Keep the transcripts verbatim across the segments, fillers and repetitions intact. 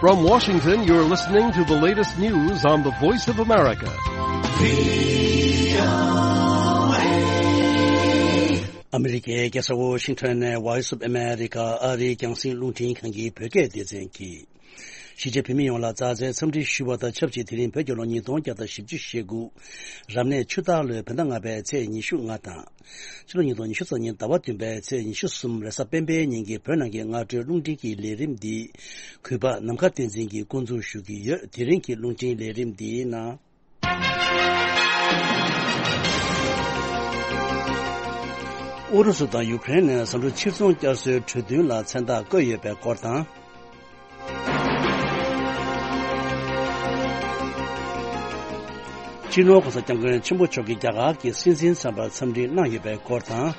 From Washington, you're listening to the latest news on the Voice of America. ཨ་མི་རི་ཀའི་རྒྱལ་ས་ཝོ་ཤིང་ཊོན་ནས་Voice of America ཨ་རིའི་རྒྱང་སྲིང་རླུང་འཕྲིན་ཁང་གི་བོད་སྐད་སྡེ་ཚན་གྱིས། གཞིས་བྱེས་བོད་མི་ཡོངས་ལ་མཛའ་བརྩེའི་འཚམས་འདྲི་ཞུ་བ་དང་ཆབས་ཅིག་དེ་རིང་བོད་ཀྱི་ལོ་ཉིས་སྟོང་བརྒྱ་དང་བཞི་བཅུ་ཞེ་དགུ། རབ་གནས་ཆུ་སྟག་ལོའི་བོད་ཟླ་ལྔ་པའི་ཚེས་ཉི་ཤུ་ལྔ་དང་། ཕྱི་ལོ་ཉིས་སྟོང་ཉི་ཤུ་རྩ་གཉིས་ཟླ་བ་བདུན་པའི་ཚེས་ཉི་ཤུ་གསུམ་རེས་གཟའ་སྤེན་པའི་ཉིན་གྱི་བོད་ནང་གི་སྔ་དྲོའི་རླུང་འཕྲིན་གྱི་ལས་རིམ་འདི། གུས་པ་ནམ་མཁའ་བསྟན་འཛིན་གྱིས་འགོ་འཛུགས་ཞུ་གི་ཡོད། དེ་རིང་གི་རླུང་འཕྲིན་ལས་རིམ་འདིའི་ནང་། ཨུ་རུ་སུ་དང་ཡུ་ཀེ་རེན་ནས་ཟམ་འཕྲུ་ཕྱིར་ཚོང་བསྐྱར་གསོའི་གྲོས་མཐུན་ལ་མཚན་རྟགས་བཀོད་ཡོད་པའི་སྐོར་དང་། སྤྱི་ནོར་༸གོང་ས་༸སྐྱབས་མགོན་ཆེན་པོ་མཆོག་གིས་རྒྱ་གར་གྱི་སྲིད་འཛིན་གསར་པར་འཚམས་འདྲི་གནང་ཡོད་པའི་སྐོར་དང་།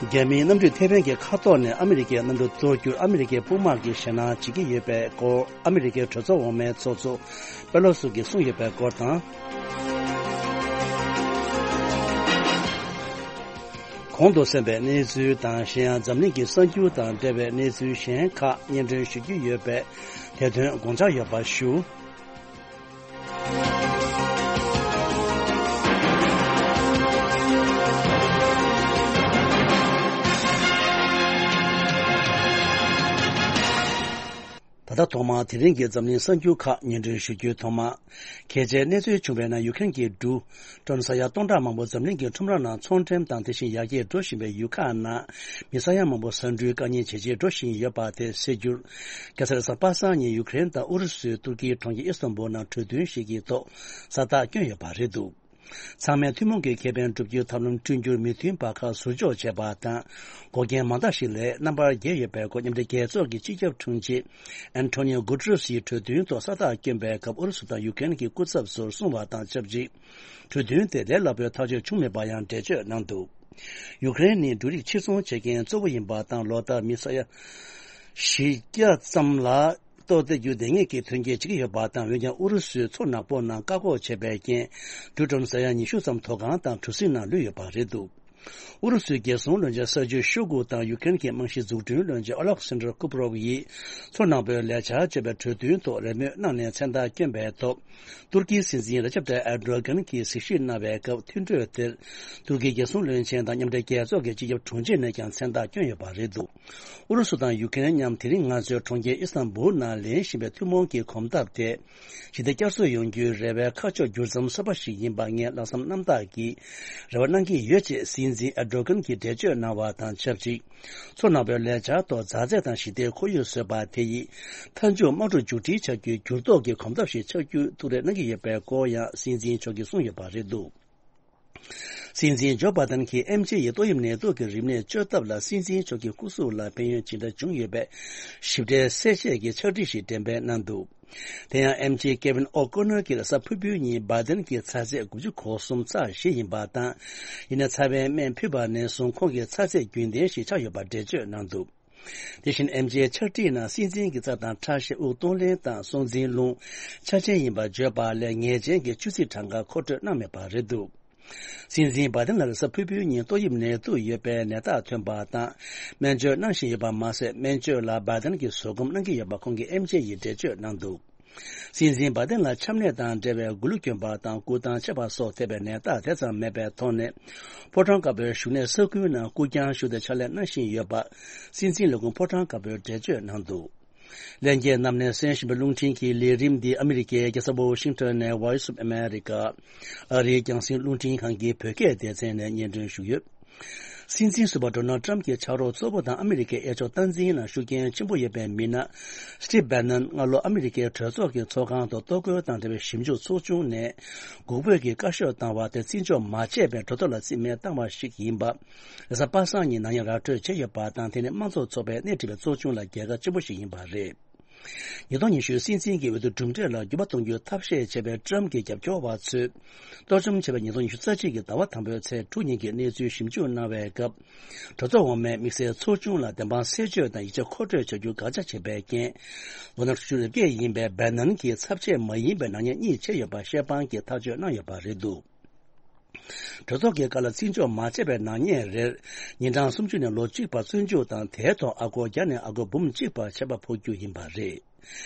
རྒྱ་མིའི་གནམ་གྲུས་ཐེ་ཝན་གྱི་མཁའ་ཐོག་ནས་ཨ་མི་རི་ཀའི་གནམ་གྲུ་གཏོར་རྒྱུར་ཨ་མི་རི་ཀའི་དཔུང་དམག་གིས་ཞེད་སྣང་བྱེད་ཀྱི་ཡོད་པའི་སྐོར། ཨ་མི་རི་ཀའི་གྲོས་ཚོགས་འོག་མའི་ཚོགས་གཙོ་པེ་ལོ་སི་གིས་གསུངས་ཡོད་པའི་སྐོར་དང་། གོང་དུ་གསན་པའི་གནས་ཚུལ་དང་། གཞན་ཡང་འཛམ་གླིང་གི་གསར་འགྱུར་དང་འབྲེལ་བའི་གནས་ཚུལ་གཞན་ཁག་སྙན་སྒྲོན་ཞུ་རྒྱུ་ཡོད་པས། དེ་དོན་དགོངས་འཇགས་ཡོད་པ་ཞུ། ད་ལྟ་ཐོག་མར་དེ་རིང་གི་འཛམ་གླིང་གསར་འགྱུར་ཁག་སྙན་སྒྲོན་ཞུ་རྒྱུའི་ཐོག་མ། གལ་ཆེའི་གནས་ཚུལ་བྱུང་བའི་ནང་ཡུ་ཀེ་རེན་གྱི་འབྲུག་ཌོ་ལར་ས་ཡ་སྟོང་ཕྲག་མང་པོ་འཛམ་གླིང་གི་ཁྲོམ་ར་ནང་ཚོང་འགྲེམས་དང་དེ་བཞིན་ཡར་རྒྱས་འགྲོ་བཞིན་པའི་ཡུལ་ཁག་ནང་མི་ས་ཡ་མང་པོ་ཟ་འབྲུའི་དཀའ་ངལ་ཇེ་ཆེར་འགྲོ་བཞིན་ཡོད་པ་དེ་སེལ་རྒྱུར། རྒྱལ་ས་རེས་གཟའ་པ་སངས་ཉིན་ཡུ་ཀེ་རེན་དང་ཨུ་རུ་སུའི་ཏུར་ཀིའི་གྲོང་ཁྱེར་ཨི་སི་ཐན་བུལ་ནང་གྲོས་མཐུན་ཞིག་གི་ཐོག་ས་རྟགས་བསྐྱོན་ཡོད་པ་རེད་འདུག་ཚང་མས་ཐུན་མོང་གི་ཁེ་ཕན་སྒྲུབ་རྒྱུའི་ཐབས་ལམ་བསྐྲུན་རྒྱུར་མོས་མཐུན་པ་ཁག་ཟུར་འཇོག་བྱས་པ་དང་། འགོག་རྐྱེན་མང་དག་ཞིག་ལས་རྣམ་པར་རྒྱལ་ཡོད་པའི་སྐོར་མཉམ་འབྲེལ་རྒྱལ་ཚོགས་ཀྱི་སྤྱི་ཁྱབ་དྲུང་ཆེ་ཨན་ཐོ་ནིའོ་གུ་ཏྲེ་སི་ཡིས་གྲོས་མཐུན་ཐོག་ས་རྟགས་བསྐྱོན་པའི་སྐབས་ཨུ་རུ་སུ་དང་ཡུ་ཀེ་རེན་གྱི་སྐུ་ཚབ་ཚོར་གསུངས་པ་དང་ཆབས་ཅིག་གྲོས་མཐུན་དེ་ལས་སླ་པོའི་ཐག་གཅོད་བྱུང་མེད་པར་ཡང་འགྲེལ་བརྗོད་གནང་འདུག་ཡུ་ཀེ་རེན་ནི་འབྲུ་རིགས་ཕྱིར་ཚོང་བྱེད་མཁན་གཙོ་བོ་ཡིན་པ་དང་། ལོ་ལྟར་མི་ས་ཡ་བཞི་བརྒྱ་ཙམ་ལ། ལྟོ་སྟེར་རྒྱུ་དེ་ངེས་ཀྱི་ཐོན་སྐྱེད་བྱེད་ཀྱི་ཡོད་པ་དང་། འོན་ཀྱང་ཨུ་རུ་སུས་མཚོ་ནག་པོ་ནང་བཀག་འགོག་བྱས་པའི་རྐྱེན། འབྲུ་ཊོན་ས་ཡ་ཉི་ཤུ་ཙམ་མཐོ་སྒང་དང་གྲུ་གཟིངས་ནང་ལུས་ཡོད་པ་རེད་འདུག་ཨུ་རུ་སུའི་རྒྱལ་སྲུང་བློན་ཆེན་སར་ཇི་ཤོ་གུ་དང་ཡུ་ཀེ་རེན་གྱི་རྨང་གཞིའི་འཛུགས་སྐྲུན་བློན་ཆེན་ཨོ་ལེག་སན་ཌར་ཀུ་པ་རོབ་ཡིས་མཚོ་ནག་པོའི་ལས་འཆར་སྤྱོད་པའི་གྲོས་མཐུན་ཐོག་རེས་མོས་གནང་ནས་མཚན་རྟགས་བསྐྱོན་པའི་ཐོག་ཏུར་ཀིའི་སྲིད་འཛིན་རེ་ཅབ་ཏཱ་ཡིབ་ཨེར་ཌོ་གྷན་གྱིས་གཟིགས་ཞིབ་གནང་བའི་སྐབས། མཐུན་གྲོས་དེར་ཏུར་ཀིའི་རྒྱལ་སྲུང་བློན་ཆེན་དང་མཉམ་འབྲེལ་རྒྱལ་ཚོགས་ཀྱི་སྤྱི་ཁྱབ་དྲུང་ཆེ་ནས་ཀྱང་མཚན་རྟགས་བསྐྱོན་ཡོད་པ་རེད་འདུག་ཨུ་རུ་སུ་དང་ཡུ་ཀེ་རེན་མཉམ་དེ་རིང་ང་ཚོའི་གྲོང་ཁྱེར་ཨི་སི་ཐན་བུལ་ནང་ལེན་བཞིན་པའི་ཐུན་མོང་གི་གོམ་སྟབས་དེ། ཞི་བདེ་བསྐྱར་གསོ་ཡོང་རྒྱུའི་རེ་བའི་ཁ་ཕྱོགས་འགྱུར་མཚམས་གསར་པ་ཞིག་ཡིན་པ་ངས་ལྷག་བསམ་རྣམ་དག་གིས་རེ་བ་གནང་གི་ཡོད་ཅེས་སྲིད་འཛིན་ཨེར་ཌོ་གྷན་གྱིས་འགྲེལ་བརྗོད་གནང་བ་དང་ཆབས་ཅིག་མཚོ་ནག་པོའི་ལས་འཆར་ཐོག་མཛའ་བརྩེ་དང་ཞི་བདེའི་ཁོར་ཡུག་བཟོས་པ་དེ་ཡིས་མཐའ་མཇུག་དམག་འཁྲུག་མཇུག་སྒྲིལ་བྱ་རྒྱུའི་འགྱུར་ལྡོག་གི་གོམ་སྟབས་ཤིག་ཆགས་རྒྱུའི་ཐུགས་རེ་གནང་གི་ཡོད་པའི་སྐོར་ཡང་སྲིད་འཛིན་མཆོག་གིས་གསུངས་ཡོད་པ་རེད་འདུག་སྲིད་འཛིན་ཇོ་བྷ་དན་གྱིས་ཨེམ་ཆི་ཡི་ཏོག་དབྱིབས་ནད་དུག་གི་རིམས་ནད་བཅོས་ཐབས་ལ་སྲིད་འཛིན་མཆོག་གི་སྐུ་གཟུགས་ལ་ཕན་ཡོན་ཇི་འདྲ་བྱུང་ཡོད་པའི་ཞིབ་ཕྲའི་གསལ་བཤད་ཀྱི་ཕྱག་བྲིས་ཤིག་འགྲེམས་སྤེལ་གནང་འདུག་དེ་ཡང་ཨེམ་ཆི་ཀེ་ཝིན་ཨོ་ཀོ་ནར་གྱིས་གཟའ་ཕུར་བུའི་ཉིན་བྷ་དན་གྱི་ཚ་ཚད་དགུ་བཅུ་གོ་གསུམ་ཚེག་བཞི་ཡིན་པ་དང་། ཡིན་ནའི་ཚ་བའི་སྨན་ཕུལ་བ་ནས་བཟུང་ཁོང་གི་ཚ་ཚད་རྒྱུན་ལྡན་ཞིག་ཆགས་ཡོད་པ་འགྲེལ་བརྗོད་གནང་འདུག་དེ་བཞིན་ཨེམ་ཆིའི་ཕྱག་བྲིས་ནང་སྲིད་འཛིན་གྱི་རྩ་དང་ཁྲག་ཤེད། དབུགས་གཏོང་ལེན་དང་སྲོག་འཛིན་རླུང་ཆ་ཆེན་ཡིན་པར་བརྗོད་པ་ལས་ངེས་ཅན་གྱི་བཅུད་རྩི་གྲངས་ཀ་མཁོ་སྤྲོད་གནང་མེད་པ་རེད་འདུག་སྲིད་འཛིན་བྷ་དན་ལ་རེས་གཟའ་ཕུར་བུའི་ཉིན་ཏོག་དབྱིབས་ནད་དུག་ཡོད་པའི་ནད་རྟགས་ཐོན་པ་དང་། སྨན་བཅོས་གནང་བཞིན་ཡོད་པ་མ་ཟད། སྨན་བཅོས་ལ་བྷ་དན་གྱིས་བཟོད་སྒོམ་གནང་གི་ཡོད་པ་ཁོང་གིས་ཨེམ་ཆི་ཡིས་འགྲེལ་བརྗོད་གནང་འདུག་སྲིད་འཛིན་བྷ་དན་ལ་ཆམ་ནད་དང་འབྲེལ་བའི་མགོ་ལུས་གྱོན་པ་དང་སྐུ་ཐང་ཆད་པ་སོགས་ཐེབས་པའི་ནད་རྟགས་དེ་ཙམ་མེད་པའི་ཐོག་ནས། ཕོ་བྲང་དཀར་པོའི་བཞུགས་གནས་ས་ཁུལ་ནང་སྐུ་རྐྱང་ཞུ་སྟེ་ཕྱག་ལས་གནང་བཞིན་ཡོད་པ། སྲིད་འཛིན་ལས་ཁུངས་ཕོ་བྲང་དཀར་པོས་འགྲེལ་བརྗོད་གནང་འདུག་ལྷན་རྒྱས་རྣམས་ནས་གསན་བཞིན་པའི་རླུང་འཕྲིན་གྱི་ལས་རིམ་འདི་ཨ་མི་རི་ཀའི་རྒྱལ་ས་ཝོ་ཤིང་ཊོན་ནས་Voice of America ཨ་རིའི་རྒྱང་སྲིང་རླུང་འཕྲིན་ཁང་གི་བོད་སྐད་སྡེ་ཚན་ནས་སྙན་སྒྲོན་ཞུས་ཡོད། སྲིད་འཛིན་ཟུར་པ་ཌོ་ནལ་ཊམ་གྱི་ཕྱག་རོགས་གཙོ་བོ་དང་ཨ་མི་རི་ཀའི་གཡས་ཕྱོགས་སྟངས་འཛིན་ནང་ཤུགས་རྐྱེན་ཆེན་པོ་ཡོད་པའི་མི་སྣ་སི་ཊིབ་བྷེ་ནན་སྔ་ལོ་ཨ་མི་རི་ཀའི་གྲོས་ཚོགས་ཀྱི་ཚོགས་ཁང་དུ་གཏོར་རྒོལ་དང་འབྲེལ་བའི་ཞིབ་འཇུག་ཚོགས་ཆུང་ནས་འགུག་འབོད་ཀྱི་བཀའ་ཤོག་བཏང་བ་དེ་བརྩི་འཇོག་མ་བྱས་པའི་གྲོས་ཐོག་ལ་རྩིས་མེད་བཏང་བ་ཞིག་ཡིན་པ། རེས་གཟའ་པ་སངས་ཉིན་ནམ་ཡང་ར་སྤྲོད་བྱས་ཡོད་པ་དང་། དེ་ནི་དམངས་གཙོ་ཚོགས་པས་སྣེ་ཁྲིད་པའི་ཚོགས་ཆུང་ལ་རྒྱལ་ཁ་ཆེན་པོ་ཞིག་ཡིན་པ་རེད། ཉིས་སྟོང་ཉི་ཤུའི་སྲིད་འཛིན་གྱི་འོས་བསྡུ་གྲུབ་འབྲས་ལ་འགྱུར་བ་གཏོང་རྒྱུའི་ཐབས་ཤེས་བྱས་པའི་ཊམ་གྱི་རྒྱབ་སྐྱོར་བ་ཚོས། གཏོར་བཅོམ་བྱས་པའི་ཉིས་སྟོང་ཉི་ཤུ་རྩ་གཅིག་གི་ཟླ་བ་དང་པོའི་ཚེས་དྲུག་ཉིན་གྱི་གནས་ཚུལ་ཞིབ་འཇུག་གནང་བའི་སྐབས། གྲོས་ཚོགས་འོག་མའི་དམིགས་བསལ་ཚོགས་ཆུང་ལ་བདེན་དཔང་གསལ་བརྗོད་དང་ཡིག་ཆ་མཁོ་སྤྲོད་བྱ་རྒྱུ་དགག་བྱ་བྱས་པའི་རྐྱེན། ལོ་ན་དྲུག་ཅུ་རེ་བརྒྱད་ཡིན་པའི་བྷེ་ནན་གྱིས་ཚབ་བྱེད་མ་ཡིན་པའི་ནག་ཉེས་གཉིས་བྱས་ཡོད་པ་བཤད་དཔང་གིས་ཐག་གཅོད་གནང་ཡོད་པ་རེད་འདུག་གྲོས་ཚོགས་ཀྱི་བཀའ་ལ་བརྩི་འཇོག་མ་བྱས་པའི་ནག་ཉེས་རེར། ཉིན་གྲངས་སུམ་ཅུ་ནས་ལོ་གཅིག་བར་བཙོན་འཇུག་དང་། དེའི་ཐོག་ཨ་སྒོར་བརྒྱ་ནས་ཨ་སྒོར་འབུམ་གཅིག་བར་ཆད་པ་ཕོག་རྒྱུ་ཡིན་པ་རེད།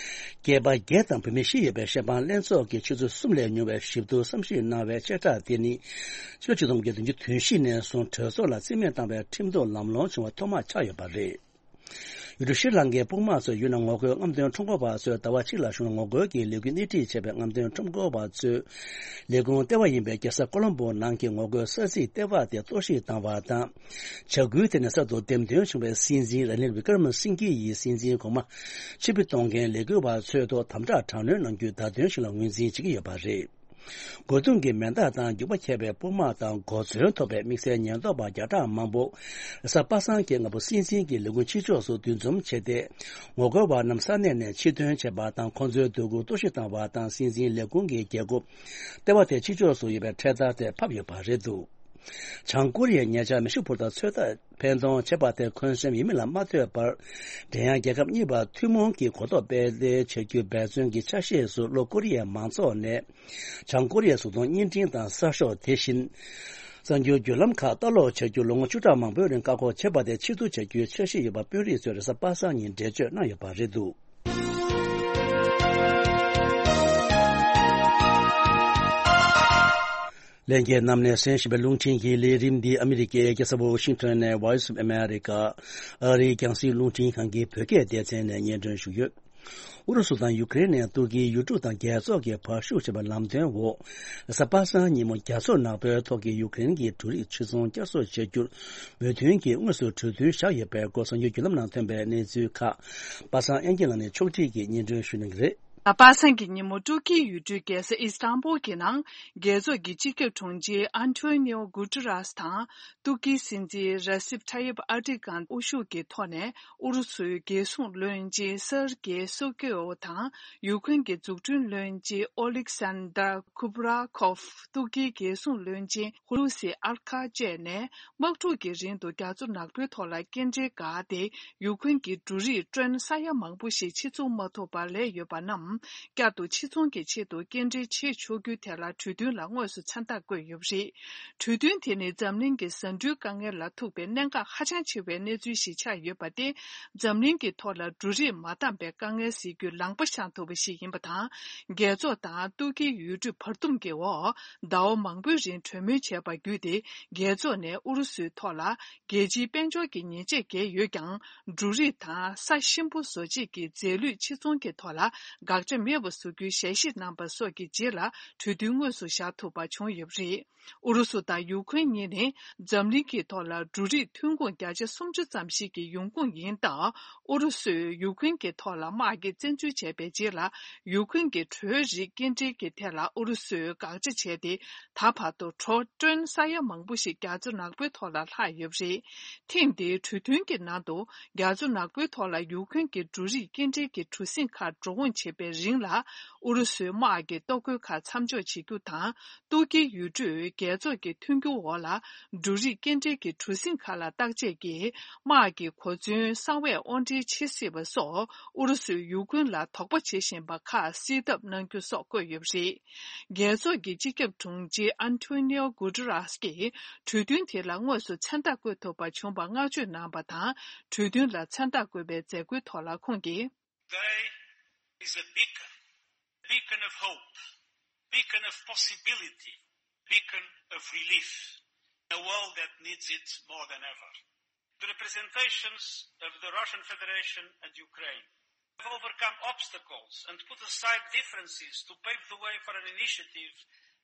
སྐྱེས་པ་བརྒྱད་དང་བུད་མེད་བཞི་ཡོད་པའི་ཤེས་དཔང་ལྷན་ཚོགས་ཀྱིས་ཆུ་ཚོད་གསུམ་ལས་ཉུང་བའི་ཞིབ་བསྡུར་བསམ་ཞིབ་གནང་བའི་བཅད་ཁྲ་དེ་ནི། ཕྱི་ལོ་ཆིག་སྟོང་དགུ་བརྒྱ་བདུན་ཅུ་དོན་བཞི་ནས་བཟུང་གྲོས་ཚོགས་ལ་རྩིས་མེད་བཏང་བའི་ཁྲིམས་གཏུག་ལམ་ལྷོང་བྱུང་བ་ཐོག་མ་ཆགས་ཡོད་པ་རེད། ཡུལ་གྲུ་ཤྲི་ལང་ཀའི་དཔུང་དམག་ཚོས་ཡུལ་ནང་ངོ་རྒོལ་རྔམ་སྟོན་ཁྲོམ་སྐོར་བ་ཚོས་ཟླ་བ་གཅིག་ལ་བྱུང་བའི་ངོ་རྒོལ་གྱི་ལས་འགུལ་སྣེ་ཁྲིད་བྱས་པའི་རྔམ་སྟོན་ཁྲོམ་སྐོར་བ་ཚོའི་ལས་ཁུངས་ལྟེ་བ་ཡིན་པའི་རྒྱལ་ས་ཀོ་ལོམ་པོ་ནང་གི་ངོ་རྒོལ་ས་ཚིགས་ལྟེ་བ་དེ་གཏོར་བཤིག་བཏང་བ་དང་། བྱ་འགུལ་དེ་ནས་གསར་དུ་འདེམས་ཐོན་བྱུང་བའི་སྲིད་འཛིན་ར་ནིལ་བི་ཀར་མ་སིང་གྷི་ཡི་སྲིད་འཛིན་གོང་མ་ཕྱིར་འབུད་གཏོང་མཁན་ལས་འགུལ་བ་ཚོའི་ཐོག་དམ་དྲག་དྲག་གནོན་གནང་རྒྱུའི་བརྡ་སྟོན་ཞིག་ལ་ངོས་འཛིན་བྱེད་ཀྱི་ཡོད་པ་རེད། རྒོལ་རྡུང་གི་མེ་མདའ་དང་རྒྱུག་པ་འཁྱེར་བའི་དཔུང་དམག་དང་གོ་མཚོན་ཐོགས་པའི་དམིགས་བསལ་ཉེན་རྟོག་པ་བརྒྱ་ཕྲག་མང་པོ། གཟའ་པ་སངས་ཀྱི་སྔ་པོ་སྲིད་འཛིན་གྱི་ལས་ཁུངས་ཕྱི་ཕྱོགས་སུ་འདུ་འཛོམས་བྱས་ཏེ། ངོ་རྒོལ་བ་རྣམས་ས་གནས་ནས་ཕྱིར་ཐོན་བྱས་པ་དང་། ཁོང་ཚོའི་འདོད་རྒུ་གཏོར་བཤིག་བཏང་བ་དང་། སྲིད་འཛིན་ལས་ཁུངས་ཀྱི་རྒྱལ་སྒོ་ལྟེ་བ་དེ་ཕྱི་ཕྱོགས་སུ་ཡོད་པའི་འཕྲེད་དར་དེ་ཕབ་ཡོད་པ་རེད་འདུག། བྱང་ཀོ་རི་ཡས་ཉེ་ཆར་མེ་ཤུགས་འཕུར་མདའ་ཚོད་ལྟ་འཕེན་གཏོང་བྱས་པ་དེ་འཁོན་སེམས་ཡིན་མིན་ལ་མ་ལྟོས་པར། འབྲེལ་ཡོད་རྒྱལ་ཁབ་གཉིས་བར་ཐུན་མོང་གི་གོ་རྟོགས་སྤེལ་གསལ་བྱ་རྒྱུའི་འབད་བརྩོན་གྱི་ཆ་ཤས་སུ། ལྷོ་ཀོ་རི་ཡའི་མང་ཚོགས་ནས་བྱང་ཀོ་རི་ཡའི་གཟུགས་མཐོང་བརྙན་འཕྲིན་དང་གསར་ཤོག་དེ་བཞིན་གསར་འགྱུར་བརྒྱུད་ལམ་ཁག་ལྟ་ཀློག་བྱ་རྒྱུ་ལོ་ངོ་བཅུ་ཕྲག་མང་པོའི་རིང་བཀག་འགོག་བྱས་པ་དེ་ཕྱིར་བསྡུ་བྱ་རྒྱུའི་འཆར་གཞི་ཡོད་པ་དཔོན་རིགས་ཚོས་རེས་གཟའ་པ་སངས་ཉིན་འགྲེལ་བརྗོད་གནང་ཡོད་པ་རེད་འདུག། ལྷན་རྒྱས་རྣམས་ནས་གསན་བཞིན་པའི་རླུང་འཕྲིན་གྱི་ལས་རིམ་འདི་ཨ་མི་རི་ཀའི་རྒྱལ་ས་ཝོ་ཤིང་ཊོན་ནས་Voice of America ཨ་རིའི་རྒྱང་སྲིང་རླུང་འཕྲིན་ཁང་གི་བོད་སྐད་སྡེ་ཚན་ནས་སྙན་སྒྲོན་ཞུས་ཡོད། ཨུ་རུ་སུ་དང་ཡུ་ཀེ་རེན་ནས་ཏུར་ཀིའི་ཡུལ་གྲུ་དང་རྒྱལ་ཚོགས་ཀྱི་བར་ཤུགས་ཆེ་བའི་ལམ་སྟོན་འོག། གཟའ་པ་སངས་ཉིན་མོ་རྒྱ་མཚོ་ནག་པོའི་ཐོག་གི་ཡུ་ཀེ་རེན་གྱི་འབྲུ་རིགས་ཕྱིར་ཚོང་བསྐྱར་གསོ་བྱ་རྒྱུར་མོས་མཐུན་གྱིས་དངོས་སུ་གྲོས་མཐུན་བཞག་ཡོད་པའི་སྐོར་གསར་འགྱུར་བརྒྱུད་ལམ་ནང་ཐོན་པའི་གནས་ཚུལ་ཁག་པ་སངས་དབྱངས་སྐྱིད་ལགས་ནས་ཕྱོགས་སྒྲིག་གིས་སྙན་སྒྲོན་ཞུ་གནང་གི་རེད། གཟའ་པ་སངས་ཀྱི་ཉིན་མོ་ཏུར་ཀིའི་ཡུལ་གྲུའི་རྒྱལ་ས་ཨི་སི་ཏན་པུལ་གྱི་ནང་རྒྱལ་ཚོགས་ཀྱི་སྤྱི་ཁྱབ་དྲུང་ཆེ་ཨན་ཐོ་ནིའོ་གུ་ཏུ་རཱས་དང་ཏུར་ཀིའི་སྲིད་འཛིན་ར་སིབ་ཐ་ཡིབ་ཨར་ཏི་གྷན་དབུ་བཞུགས་ཀྱི་ཐོག་ནས། ཨུ་རུ་སུའི་རྒྱལ་སྲུང་བློན་ཆེན་སེར་གེ་སོ་ཀེའོ་དང་། ཡུ་ཀེན་གྱི་འཛུགས་སྐྲུན་བློན་ཆེན་ཨོ་ལིག་སན་དར་ཁུབ་ར་ཁོབ། ཏུར་ཀིའི་རྒྱལ་སྲུང་བློན་ཆེན་ཧུ་ལུ་སི་ཨར་ཁ་བཅས་ནས། དམག་འཁྲུག་གི་རིང་དུ་རྒྱ་མཚོ་ནག་པོའི་ཐོག་ལ་སྐྱེལ་འདྲེན་འགག་སྟེ། ཡུ་ཀེན་གྱི་འབྲུ་རིགས་ཀྲོན་ས་ཡ་མང་པོ་ཞིག་ཕྱིར་ཚོང་མ་ཐུབ་པར་ལས་ཡོད་པ་རྣམས། བསྐྱར་དུ་ཕྱིར་ཚོང་གི་ཆེད་དུ་སྐྱེལ་འདྲེན་བྱེད་ཆོག་རྒྱུའི་ཐད་ལ་གྲོས་མཐུན་ལ་དངོས་སུ་མཚན་རྟགས་བཀོད་ཡོད་པ་རེད། གྲོས་མཐུན་དེ་ནི་འཛམ་གླིང་གི་ཟ་འབྲུའི་དཀའ་ངལ་ལ་ཐུག་པའི་གནད་འགག་ཧ་ཅང་ཆེ་བའི་གནས་ཚུལ་ཞིག་ཆགས་ཡོད་པ་སྟེ། འཛམ་གླིང་གི་ཐོག་ལ་འབྲུ་རིགས་མ་འདང་པའི་དཀའ་ངལ་སེལ་རྒྱུའི་ལངས་པ་བཤངས་ཐུབ་པ་ཞིག་ཡིན་པ་དང་། རྒྱལ་ཚོགས་དང་ཏུར་ཀིའི་ཡུལ་གྲུ་བར་འདུམ་གྱི་འོག་ཟླ་བ་མང་པོའི་རིང་གྲོས་མོལ་བྱས་པ་བརྒྱུད་དེ། རྒྱལ་ཚོགས་ནས་ཨུ་རུ་སུའི་ཐོག་ལ་རྒྱལ་སྤྱིའི་དཔལ་འབྱོར་གྱི་ཉེས་ཆད་བཀལ་ཡོད་ཀྱང་། འབྲུ་རིགས་དང་ས་གཤིན་པོ་བཟོ་བྱེད་ཀྱི་རྫས་ལུད་ཕྱིར་ཚོང་གི་ཐོག་ལ་དགག་བྱ་མེད་པ་བཟོ་རྒྱུའི་ཞལ་བཞེས་གནང་པ་སོགས་ཀྱི་རྗེས་ལ་གྲོས་མཐུན་དངོས་སུ་བཞག་ཐུབ་པ་བྱུང་ཡོད་པ་རེད། ཨུ་རུ་སུ་དང་ཡུ་ཀེན་གཉིས་ནི་འཛམ་གླིང་གི་ཐོག་ལ་འབྲུ་རིགས་ཐོན་ཁུངས་བརྒྱ་ཆ་སུམ་ཅུ་ཙམ་ཞིག་གི་ཡོང་ཁུངས་ཡིན་སྟབས། ཨུ་རུ་སུས་ཡུ་ཀེན་གྱི་ཐོག་ལ་དམག་གི་བཙན་འཛུལ་བྱས་པའི་རྗེས་ལ། ཡུ་ཀེན་གྱི་བྲོའི་རིགས་སྐྱེལ་འདྲེན་གྱི་ཐད་ལ་ཨུ་རུ་སུས་དགག་བྱ་བྱས་ཏེ། ད་བར་དུ་གྲོ་ཀྲོན་ས་ཡ་མང་པོ་ཞིག་རྒྱ་མཚོ་ནག་པོའི་ཐོག་ལ་ལྷག་ཡོད་པ་རེད། ཐེངས་འདིའི་གྲོས་མཐུན་གྱི་ནང་དུ། རྒྱ་མཚོ་ནག་པོའི་ཐོག་ལ་ཡུ་ཀེན་གྱི་འབྲུ་རིགས་སྐྱེལ་འདྲེན་གྱི་གྲུ་གཟིངས་ཁག་འགྲོ་འོང་བྱེད་པའི་རིང་ལ། ཨུ་རུ་སུའི་དམག་གི་ལྟོ་གོས་ཁག་མཚམས་འཇོག་བྱེད་རྒྱུ་དང་། ཏུར་ཀིའི་ཡུལ་གྲུས་རྒྱལ་ཚོགས་ཀྱི་མཐུན་འགྱུར་འོག་ལ། འབྲུ་རིགས་སྐྱེལ་འདྲེན་གྱི་གྲུ་གཟིངས་ཁག་ལ་བརྟག་དཔྱད་ཀྱིས། དམག་གི་གོ་མཚོན་གསང་བས་དབོར་འདྲེན་བྱེད་སྲིད་པ་སོགས། ཨུ་རུ་སུས་ཡུ་ཀེན་ལ་དོགས་པ་བྱེད་བཞིན་པ་ཁག་སེལ་ཐབས་གནང་རྒྱུ་སོགས་བཀོད་ཡོད་པ་རེད། རྒྱལ་ཚོགས་ཀྱི་སྤྱི་ཁྱབ་དྲུང་ཆེ་ཨན་ཐོ་ནིའོ་གུ་ཏུ་རཱས་ཀྱིས་གྲོས་མཐུན་དེ་ལ་དངོས་སུ་མཚན་རྟགས་བཀོད་ཐུབ་པ་བྱུང་བར་བསྔགས་བརྗོད་གནང་བ་དང་། གྲོས་མཐུན་ལ་མཚན་རྟགས་བཀོད་པའི་མཛད་སྒོའི་ཐོག་ལ་ཁོང་གིས། Today is a beacon, beacon of hope, beacon of possibility, beacon of relief, a world that needs it more than ever. The representations of the Russian Federation and Ukraine have overcome obstacles and put aside differences to pave the way for an initiative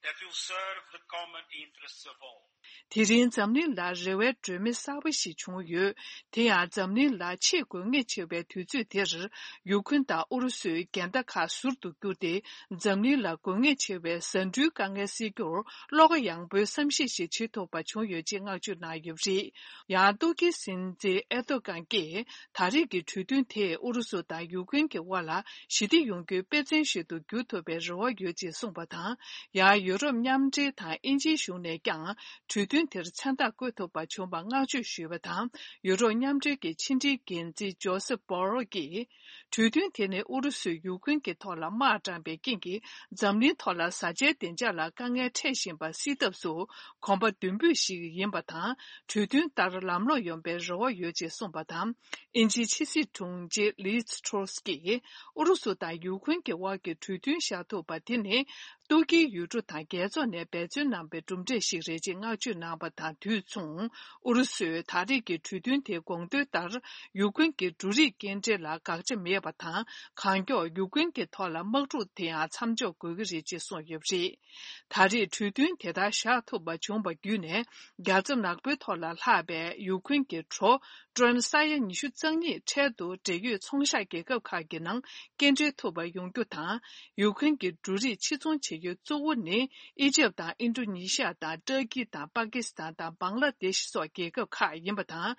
that will serve the common interests of all. དེ་རིང་འཛམ་གླིང་ལ་རེ་བའི་སྒྲོན་མེ་གསར་པ་ཞིག་བྱུང་ཡོད། དེ་ཡང་འཛམ་གླིང་ལ་ཆེས་དགོས་ངེས་ཆེ་བའི་དུས་ཚོད་དེར། ཡུ་ཀེན་དང་ཨུ་རུ་སུའི་འགལ་ཟླ་ཁག་ཟུར་དུ་བསྒྱུར་ཏེ། འཛམ་གླིང་ལ་དགོས་ངེས་ཆེ་བའི་ཟ་འབྲུའི་དཀའ་ངལ་སེལ་རྒྱུར། བློ་ཁ་ཡངས་པོའི་བསམ་གཞིག་ཞིག་བྱེད་ཐུབ་པ་བྱུང་ཡོད་ཅེས་བསྔགས་བརྗོད་གནང་ཡོད་པ་རེད། ཡང་ཏུར་ཀིའི་སྲིད་འཛིན་ཨེར་ཏོ་གྷན་གྱིས། ད་རེས་ཀྱི་གྲོས་མཐུན་དེས་ཨུ་རུ་སུ་དང་ཡུ་ཀེན་གྱི་དབར་ལ་ཞི་བདེ་ཡོང་རྒྱུའི་དཔེ་མཚོན་ཞིག་ཏུ་འགྱུར་ཐུབ་པའི་རེ་བ་ཡོད་ཅེས་གསུངས་པ་དང་། ཡང་ཡུ་རོབ་མཉམ་འབྲེལ་དང་དབྱིན་ཇིའི་གཞུང་ནས་ཀྱང་། གྲོས་ གྲོས་མཐུན་དེར་མཚན་རྟགས་བཀོད་ཐུབ་པ་བྱུང་བར་བསྔགས་བརྗོད་ཞུས་པ་དང་། ཡུ་རོབ་མཉམ་འབྲེལ་གྱི་ཕྱི་འབྲེལ་འགན་འཛིན་ཇོ་སེབ་བྷོ་རེལ་གྱིས། གྲོས་མཐུན་དེ་ནི་ཨུ་རུ་སུས་ཡུཀ་རེན་གྱི་ཐོག་ལ་དམག་དྲངས་པའི་རྐྱེན་གྱིས། འཛམ་གླིང་ཐོག་ལ་བཟའ་བཅའི་བདེ་འཇགས་ལ་དཀའ་ངལ་འཕྲད་བཞིན་པ་སེལ་ཐབས་སུ་གོམ་པ་མདུན་སྤོས་ཤིག་ཡིན་པ་དང་། གྲོས་མཐུན་ལྟར་ལམ་ལྷོང་ཡོང་པའི་རེ་བ་ཡོད་ཅེས་གསུངས་པ་དང་། དབྱིན་ཇིའི་ཕྱི་སྲིད་དྲུང་ཆེ་ལིཛ་ཊོ་རེས་ཀྱིས། ཨུ་རུ་སུ་དང་ཡུཀ་རེན་གྱི་དབར་གྱི་གྲོས་མཐུན་བཞག་ཐུབ་པ་དེ་ནི། ཏུར་ཀིའི་ཡུལ་གྲུ་དང་རྒྱལ་ཚོགས་ནས་འབད་བརྩོན་གནང་བའི་གྲུབ་འབྲས་ཤིག་རེད་ཅེས་བསྔགས་བརྗོད་གནང་བ་དང་དུས་མཚུངས། ཨུ་རུ་སུས་ད་རེས་ཀྱི་གྲོས་མཐུན་དེའི་དགོངས་དོན་ལྟར། ཡུཀ་རེན་གྱི་འབྲུ་རིགས་སྐྱེལ་འདྲེན་ལ་དགག་བྱ་མེད་པ་དང་། གང་མགྱོགས་ཡུཀ་རེན་གྱི་ཐོག་ལ་དམག་འཁྲུག་དེ་ཡང་མཚམས་འཇོག་དགོས་ཀྱི་རེད་ཅེས་གསུངས་ཡོད་པ་རེད། ད་རེས་གྲོས་མཐུན་དེ་ལྟར་བཞག་ཐུབ་པ་བྱུང་བ་བརྒྱུད་ནས། རྒྱལ་ཚབ་ནག་པོའི་ཐོག་ལ་ལྷག་པའི་ཡུཀ་རེན་གྱི་གྲོ་ཀྲོན་ས་ཡ་ཉི་ཤུ་རྩ་གཉིས་འཕྲལ་དུ་འབྲེལ་ཡོད་ཚོང་ཤག་རྒྱལ་ཁབ་ཁག་གི་ནང་སྐྱེལ་འདྲེན་ཐུབ་པ་ཡོང་རྒྱུ་དང་། ཡུཀ་རེན་གྱི་འབྲུ་རིགས་ཕྱིར་ཚོང་བྱེད་ཡུལ་གཙོ་བོ་ནི་ཨི་ཇེབ་དང་ཨིན་ཌོ་ནེ་ཤི་ཡ་དང་ཏུར་ཀི་དང་པ་ཀི་སི་ཐན་དང་བང་ལ་དེཤ་སོགས་རྒྱལ་ཁབ་ཁག་ཡིན་པ་དང་།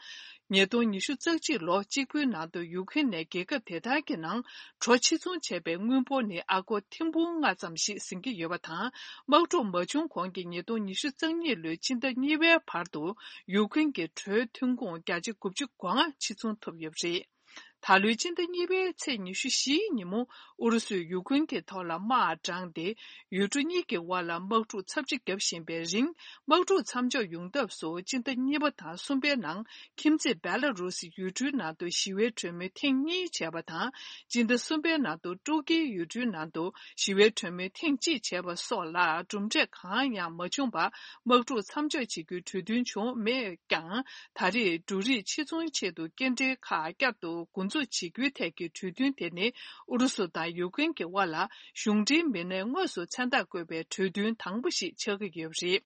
ཉིས་སྟོང་ཉི་ཤུ་རྩ་གཅིག་ལོ་གཅིག་པུའི་ནང་དུ་ཡུཀ་རེན་ནས་རྒྱལ་ཁབ་དེ་དག་གི་ནང་གྲོ་ཕྱིར་ཚོང་བྱས་པའི་དངུལ་འབོར་ནི་ཨ་སྒོར་ཐེར་འབུམ་ལྔ་ཙམ་ཞིག་ཟིན་གྱི་ཡོད་པ་དང་། དམག་འཁྲུག་མ་བྱུང་གོང་གི་ཉིས་སྟོང་ཉི་ཤུ་རྩ་གཉིས་ལོའི་ཕྱི་ཟླ་གཉིས་པའི་བར་དུ་ཡུཀ་རེན་གྱི་གྲོའི་ཐོན་ཁུངས་བརྒྱ་ཆ་དགུ་བཅུ་གོ་ལྔ་ཕྱིར་ཚོང་ཐུབ་ཡོད་པ་རེད། ད་ལོའི་སྤྱི་ཟླ་གཉིས་པའི་ཚེས་ཉི་ཤུ་བཞིའི་ཉིན་མོ། ཨུ་རུ་སུས་ཡུཀ་རེན་གྱི་ཐོག་ལ་དམག་དྲངས་ཏེ། ཡུལ་གྲུ་གཉིས་ཀྱི་དབར་ལ་དམག་འཁྲུག་ཚབས་ཆེ་བརྒྱབ་བཞིན་པའི་རིང་། དམག་འཁྲུག་མཚམས་འཇོག་ཡོང་ཐབས་སུ་སྤྱི་ཟླ་གཉིས་པ་དང་གསུམ་པའི་ནང་། ཁྱིམ་མཚེས་བེ་ལ་རུ་སི་ཡུལ་གྲུའི་ནང་དུ་ཞི་བའི་གྲོས་མོལ་ཐེངས་གཉིས་བྱས་པ་དང་། སྤྱི་ཟླ་གསུམ་པའི་ནང་དུ་ཏུར་ཀིའི་ཡུལ་གྲུའི་ནང་དུ་ཞི་བའི་གྲོས་མོལ་ཐེངས་གཅིག་བྱས་པ་སོགས་ལ་གྲུབ་འབྲས་གང་ཡང་མ་བྱུང་བར། དམག་འཁྲུག་མཚམས་འཇོག་བྱེད་རྒྱུའི་གྲོས་མཐུན་བྱུང་མེད་ཀྱང་། ད་རེས་འབྲུ་རིགས་ཕྱིར་ཚོང་ཆེད་དུ་སྐྱེལ་འདྲེན་ཁག་བསྐྱར་དུ་འགོ་འཛུགས་བྱེད་རྒྱུའི་ཐད་ཀྱི་གྲོས་མཐུན་དེ་ནི། ཨུ་རུ་སུ་དང་ཡུཀ་རེན་གྱི་དབར་ལ་གཞུང་འབྲེལ་མི་སྣས་དངོས་སུ་མཚན་རྟགས་བཀོད་པའི་གྲོས་མཐུན་དང་པོ་ཞིག་ཆགས་ཀྱི་ཡོད་པ་རེད།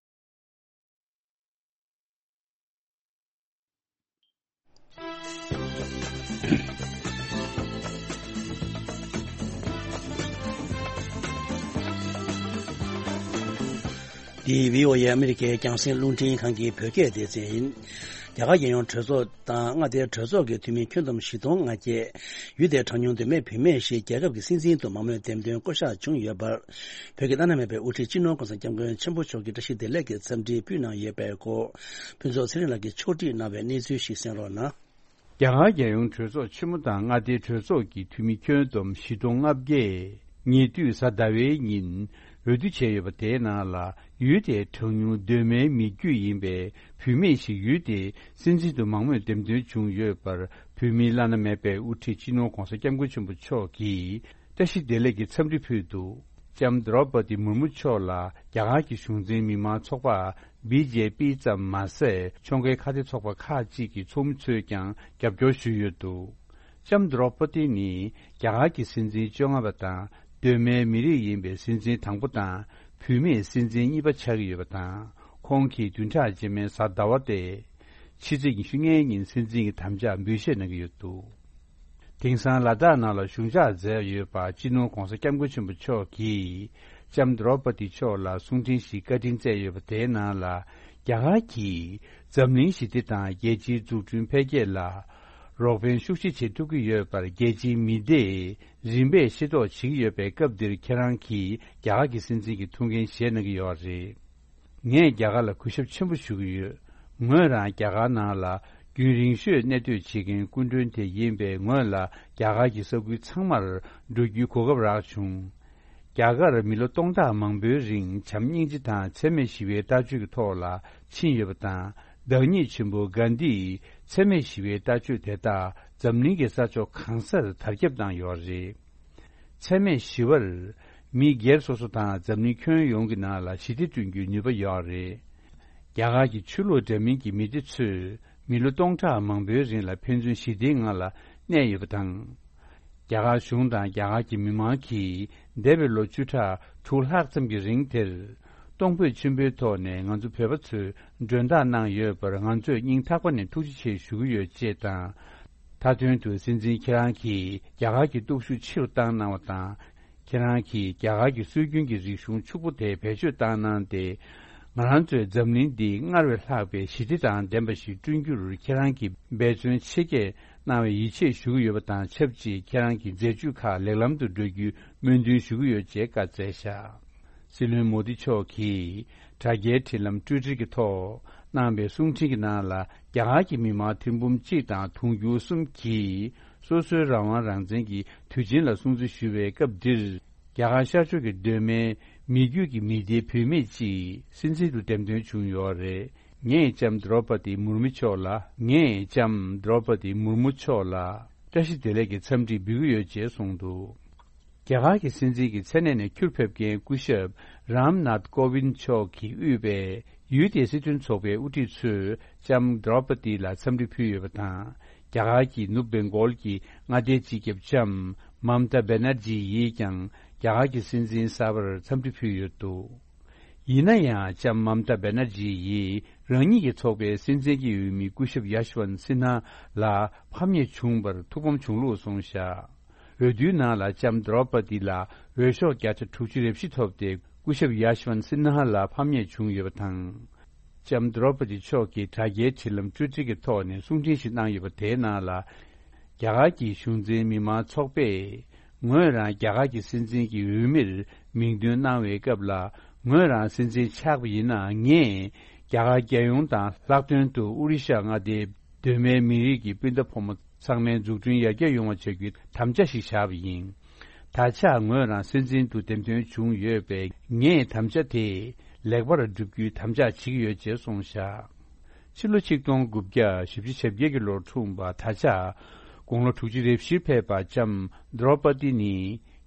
འདི་བྷི་ཨོ་ཨེ་ཨ་མི་རི་ཀའི་རྒྱང་སྲིང་རླུང་འཕྲིན་ཁང་གི་བོད་སྐད་སྡེ་ཚན་ཡིན། རྒྱ་གར་རྒྱལ་ཡོངས་གྲོས་ཚོགས་དང་མངའ་སྡེའི་གྲོས་ཚོགས་ཀྱི་འཐུས་མི་ཁྱོན་བསྡོམས་བཞི་སྟོང་ལྔ་བརྒྱ། ཡུལ་དེའི་གྲངས་ཉུང་གདོད་མའི་བུད་མེད་ཞིག་རྒྱལ་ཁབ་ཀྱི་སྲིད་འཛིན་དུ་མང་མོས་འདེམས་ཐོན་བསྐོ་གཞག་བྱུང་ཡོད་པར། བོད་ཀྱི་བླ་ན་མེད་པའི་དབུ་ཁྲིད་སྤྱི་ནོར་༸གོང་ས་༸སྐྱབས་མགོན་ཆེན་པོ་མཆོག་གིས་བཀྲ་ཤིས་བདེ་ལེགས་ཀྱི་འཚམས་འདྲི་ཕུལ་གནང་ཡོད་པའི་སྐོར། ཕུན་ཚོགས་ཚེ་རིང་ལགས་ཀྱིས་ཕྱོགས་སྒྲིག་གནང་བའི་གནས་ཚུལ་ཞིག་གསན་རོགས་གནང་། རྒྱ་གར་རྒྱལ་ཡོངས་གྲོས་ཚོགས་ཆེན་མོ་དང་མངའ་སྡེའི་གྲོས་ཚོགས་ཀྱི་འཐུས་མི་ཁྱོན་བསྡོམས་བཞི་སྟོང་ལྔ་བརྒྱས། ཉེ་དུས་གཟའ་ཟླ་བའི་ཉིན་འོས་བསྡུ་བྱས་ཡོད་པ་དེའི་ནང་ལ། ཡུལ་དེའི་གྲངས་ཉུང་གདོད་མའི་མི་རྒྱུད་ཡིན་པའི་བུད་མེད་ཞིག་ཡུལ་དེའི་སྲིད་འཛིན་དུ་མང་མོས་འདེམས་ཐོན་བྱུང་ཡོད་པར། བོད་མིའི་བླ་ན་མེད་པའི་དབུ་ཁྲིད་སྤྱི་ནོར་༸གོང་ས་༸སྐྱབས་མགོན་ཆེན་པོ་མཆོག་གིས་བཀྲ་ཤིས་བདེ་ལེགས་ཀྱི་འཚམས་འདྲི་ཕུལ་འདུག་ལྕམ་དྲོ་པ་ཏི་མུར་མུ་མཆོག་ལ་རྒྱ་གར་གྱི་གཞུང་འཛིན་མི་མང་ཚོགས་པ་བི་ཇེ་པི་ཙམ་མ་ཟད། ཕྱོགས་འགལ་ཁ་གཏད་ཚོགས་པ་ཁག་ཅིག་གི་ཚོགས་མི་ཚོས་ཀྱང་རྒྱབ་སྐྱོར་ཞུས་ཡོད་འདུག་ལྕམ་དྲོ་པ་ཏི་ནི་རྒྱ་གར་གྱི་སྲིད་འཛིན་བཅོ་ལྔ་པ་དང་། གདོད་མའི་མི་རིགས་ཡིན་པའི་སྲིད་འཛིན་དང་པོ་དང་། བུད་མེད་སྲིད་འཛིན་གཉིས་པ་ཆགས་ཀྱི་ཡོད་པ་དང་། ཁོང་གིས་བདུན་ཕྲག་རྗེས་མའི་གཟའ་ཟླ་བ་སྟེ། ཕྱི་ཚེས་ཉི་ཤུ་ལྔའི་ཉིན་སྲིད་འཛིན་གྱི་དམ་བཅའ་འབུལ་བཞེས་གནང་གི་ཡོད་འདུག་དེང་སང་ལ་དྭགས་ནང་ལ་བཞུགས་ཞག་མཛད་ཡོད་པ་སྤྱི་ནོར་༸གོང་ས་༸སྐྱབས་མགོན་ཆེན་པོ་མཆོག་གིས་ལྕམ་དྲོ་པ་ཏི་མཆོག་ལ་གསུང་འཕྲིན་ཞིག་བཀའ་དྲིན་སྩལ་ཡོད་པ་དེའི་ནང་ལ། རྒྱ་གར་གྱིས་འཛམ་གླིང་ཞི་བདེ་དང་རྒྱལ་སྤྱིའི་འཛུགས་སྐྲུན་འཕེལ་རྒྱས་ལ་རོགས་ཕན་ཤུགས་ཆེ་བྱེད་ཐུབ་ཀྱི་ཡོད་པར་རྒྱལ་སྤྱིའི་མི་སྡེས་རིམ་པས་ཤེས་རྟོགས་བྱེད་ཀྱི་ཡོད་པའི་སྐབས་འདིར། ཁྱེད་རང་གིས་རྒྱ་གར་གྱི་སྲིད་འཛིན་གྱི་ཐུགས་འགན་བཞེས་གནང་གི་ཡོད་རེད། ངས་རྒྱ་གར་ལ་གུས་ཞབས་ཆེན་པོ་ཞུ་གི་ཡོད། ངོས་རང་རྒྱ་གར་ནང་ལ་རྒྱུན་རིང་ཤོས་གནས་སྡོད་བྱེད་མཁན་སྐུ་མགྲོན་དེ་ཡིན་པས། ངོས་ལ་རྒྱ་གར་གྱི་ས་ཁུལ་ཚང་མར་འགྲོ་རྒྱུའི་གོ་སྐབས་རག་བྱུང་། རྒྱ་གར་མི་ལོ་སྟོང་ཕྲག་མང་པོའི་རིང་བྱམས་སྙིང་རྗེ་དང་འཚེ་མེད་ཞི་བའི་ལྟ་སྤྱོད་ཀྱི་ཐོག་ལ་ཕྱིན་ཡོད་པ་དང་། བདག་ཉིད་ཆེན་པོ་གྷན་དྷིས་འཚེ་མེད་ཞི་བའི་ལྟ་སྤྱོད་དེ་དག་འཛམ་གླིང་གི་ས་ཕྱོགས་གང་སར་དར་ཁྱབ་བཏང་ཡོད་རེད། འཚེ་མེད་ཞི་བར་མི་སྒེར་སོ་སོ་དང་འཛམ་གླིང་ཁྱོན་ཡོངས་ཀྱི་ནང་ལ་ཞི་བདེ་བསྐྲུན་རྒྱུའི་ནུས་པ་ཡོད་རེད། རྒྱ་གར་གྱི་ཆོས་ལུགས་འདྲ་མིན་གྱི་མི་སྡེ་ཚོས་མི་ལོ་སྟོང་ཕྲག་མང་པོའི་རིང་ལ་ཕན་ཚུན་ཞི་བདེའི་ངང་ལ་གནས་ཡོད་པ་དང་། རྒྱ་གར་གཞུང་དང་རྒྱ་གར་གྱི་མི་མང་གིས་འདས་པའི་ལོ་བཅུ་ཕྲག་དྲུག་ལྷག་ཙམ་གྱི་རིང་དེར། གཏོང་ཕོད་ཆེན་པོའི་ཐོག་ནས་ང་ཚོ་བོད་པ་ཚོས་མགྲོན་བདག་གནང་ཡོད་པར་ང་ཚོས་སྙིང་ཐག་པ་ནས་ཐུགས་རྗེ་ཆེ་ཞུ་གི་ཡོད་ཅེས་དང་། མཐའ་དོན་དུ་སྲིད་འཛིན་ཁྱེད་རང་གིས་རྒྱ་གར་གྱི་སྟོབས་ཤུགས་ཆེ་རུ་བཏང་གནང་བ་དང་། ཁྱེད་རང་གིས་རྒྱ་གར་གྱི་སྲོལ་རྒྱུན་གྱི་རིག་གཞུང་ཕྱུག་པོ་དེ་བེད་སྤྱོད་བཏང་གནང་སྟེ། ང་རང་ཚོའི་འཛམ་གླིང་འདི་སྔར་བས་ལྷག་པའི་ཞི་བདེ་དང་ལྡན་པ་ཞིག་བསྐྲུན་རྒྱུར་ཁྱེད་རང་གིས་འབད་བརྩོན་ཆེ་བསྐྱེད་གནང་བའི་ཡིད་ཆེས་ཞུ་གི་ཡོད་པ་དང་ཆབས་ཅིག་ཁྱེད་རང་གི་མཛད་ཇུས་ཁག་ལེགས་ལམ་དུ་འགྲོ་རྒྱུའི་སྨོན་འདུན་ཞུ་གི་ཡོད་ཅེས་བཀའ་སྩལ་བཞག་སྲིད་བློན་མོ་དི་མཆོག་གིས་ དྲ་རྒྱའི་འབྲེལ་ལམ་ཊུའི་ཊར་གྱི་ཐོག་གནང་བའི་གསུང་འཕྲིན་གྱི་ནང་ལ། རྒྱ་གར་གྱི་མི་མང་ཐེར་འབུམ་གཅིག་དང་དུང་ཕྱུར་གསུམ་གྱིས་སོ་སོའི་རང་དབང་རང་བཙན་གྱི་དུས་ཆེན་ལ་སྲུང་བརྩི་ཞུ་བའི་སྐབས་འདིར། རྒྱ་གར་ཤར་ཕྱོགས་ཀྱི་གདོད་མའི་མི་རྒྱུད་ཀྱི་མི་སྡེའི་བུད་མེད་ཅིག་སྲིད་འཛིན་དུ་འདེམས་ཐོན་བྱུང་ཡོད་རེད། ངས་ལྕམ་དྲོ་པ་ཏི་མུར་མུ་མཆོག་ལ། ངས་ལྕམ་དྲོ་པ་ཏི་མུར་མུ་མཆོག་ལ་བཀྲ་ཤིས་བདེ་ལེགས་ཀྱི་འཚམས་འདྲི་འབུལ་གྱི་ཡོད་ཅེས་གསུངས་འདུག་རྒྱ་གར་གྱི་སྲིད་འཛིན་གྱི་མཚན་གནས་ནས་ཁྱུར་ཕེབས་མཁན་སྐུ་ཞབས་རམ་ནཱཐ་ཀོ་བིན་མཆོག་གིས་དབུས་པའི་ཡུལ་དེའི་སྲིད་དོན་ཚོགས་པའི་དབུ་ཁྲིད་ཚོས་ལྕམ་དྲོ་པ་ཏི་ལ་འཚམས་འདྲི་ཕུལ་ཡོད་པ་དང་། རྒྱ་གར་གྱི་ནུབ་བེང་གོལ་གྱི་མངའ་སྡེའི་སྤྱི་ཁྱབ་ལྕམ་མམ་ཏཱ་བེ་ནར་ཇི་ཡིས་ཀྱང་རྒྱ་གར་གྱི་སྲིད་འཛིན་གསར་པར་འཚམས་འདྲི་ཕུལ་ཡོད་འདུག་ཡིན་ན་ཡང་། ལྕམ་མམ་ཏཱ་བེ་ནར་ཇི་ཡིས་རང་ཉིད་ཀྱི་ཚོགས་པའི་སྲིད་འཛིན་གྱི་འོས་མི་སྐུ་ཞབས་ཡ་ཤི་ཝན་སིན་ཧ་ལ་ཕམ་ཉེས་བྱུང་བར་ཐུགས་ཕམ་བྱུང་ལུགས་གསུངས་བཞག་འོས་བསྡུའི་ནང་ལ་ལྕམ་དྲོ་པ་ཏི་ལ་འོས་ཤོག་བརྒྱ་ཆ་དྲུག་ཅུ་རེ་བཞི་ཐོབ་སྟེ། སྐུ་ཞབས་ཡ་ཤི་ཝན་སིན་ཧ་ལ་ཕམ་ཉེས་བྱུང་ཡོད་པ་དང་། ལྕམ་དྲོ་པ་ཏི་མཆོག་གིས་དྲ་རྒྱའི་འབྲེལ་ལམ་ཊུའི་ཊར་གྱི་ཐོག་ནས་གསུང་འཕྲིན་ཞིག་གནང་ཡོད་པ་དེའི་ནང་ལ། རྒྱ་གར་གྱི་གཞུང་འཛིན་མི་མང་ཚོགས་པས། ངོས་རང་རྒྱ་གར་གྱི་སྲིད་འཛིན་གྱི་འོས་མིར་མིང་འདོན་གནང་བའི་སྐབས་ལ། ངོས་རང་སྲིད་འཛིན་ཆགས་པ་ཡིན་ན། ངས་རྒྱ་གར་རྒྱལ་ཡོངས་དང་ལྷག་དོན་དུ་ཨོ་རི་ཤ་མངའ་སྡེའི་གདོད་མའི་མི་རིགས་ཀྱི་སྤུན་ཟླ་ཕོ་མོ་ཚང་མའི་འཛུགས་སྐྲུན་ཡར་རྒྱས་ཡོང་བ་བྱ་རྒྱུའི་དམ་བཅའ་ཞིག་བཞག་པ་ཡིན། ད་ཆ་ངོས་རང་སྲིད་འཛིན་དུ་འདེམས་ཐོན་བྱུང་ཡོད་པས། ངས་དམ་བཅའ་དེ་ལེགས་པར་བསྒྲུབ་རྒྱུའི་དམ་བཅའ་བྱེད་ཀྱི་ཡོད་ཅེས་གསུངས་བཞག་ཕྱི་ལོ་ཆིག་སྟོང་དགུ་བརྒྱ་བཞི་བཅུ་ཞེ་བརྒྱད་ཀྱི་ལོར་འཁྲུངས་པ། ད་ཆ་དགུང་ལོ་དྲུག་ཅུ་རེ་བཞིར་ཕེབས་པ་ལྕམ་དྲོ་པ་ཏི་ནི་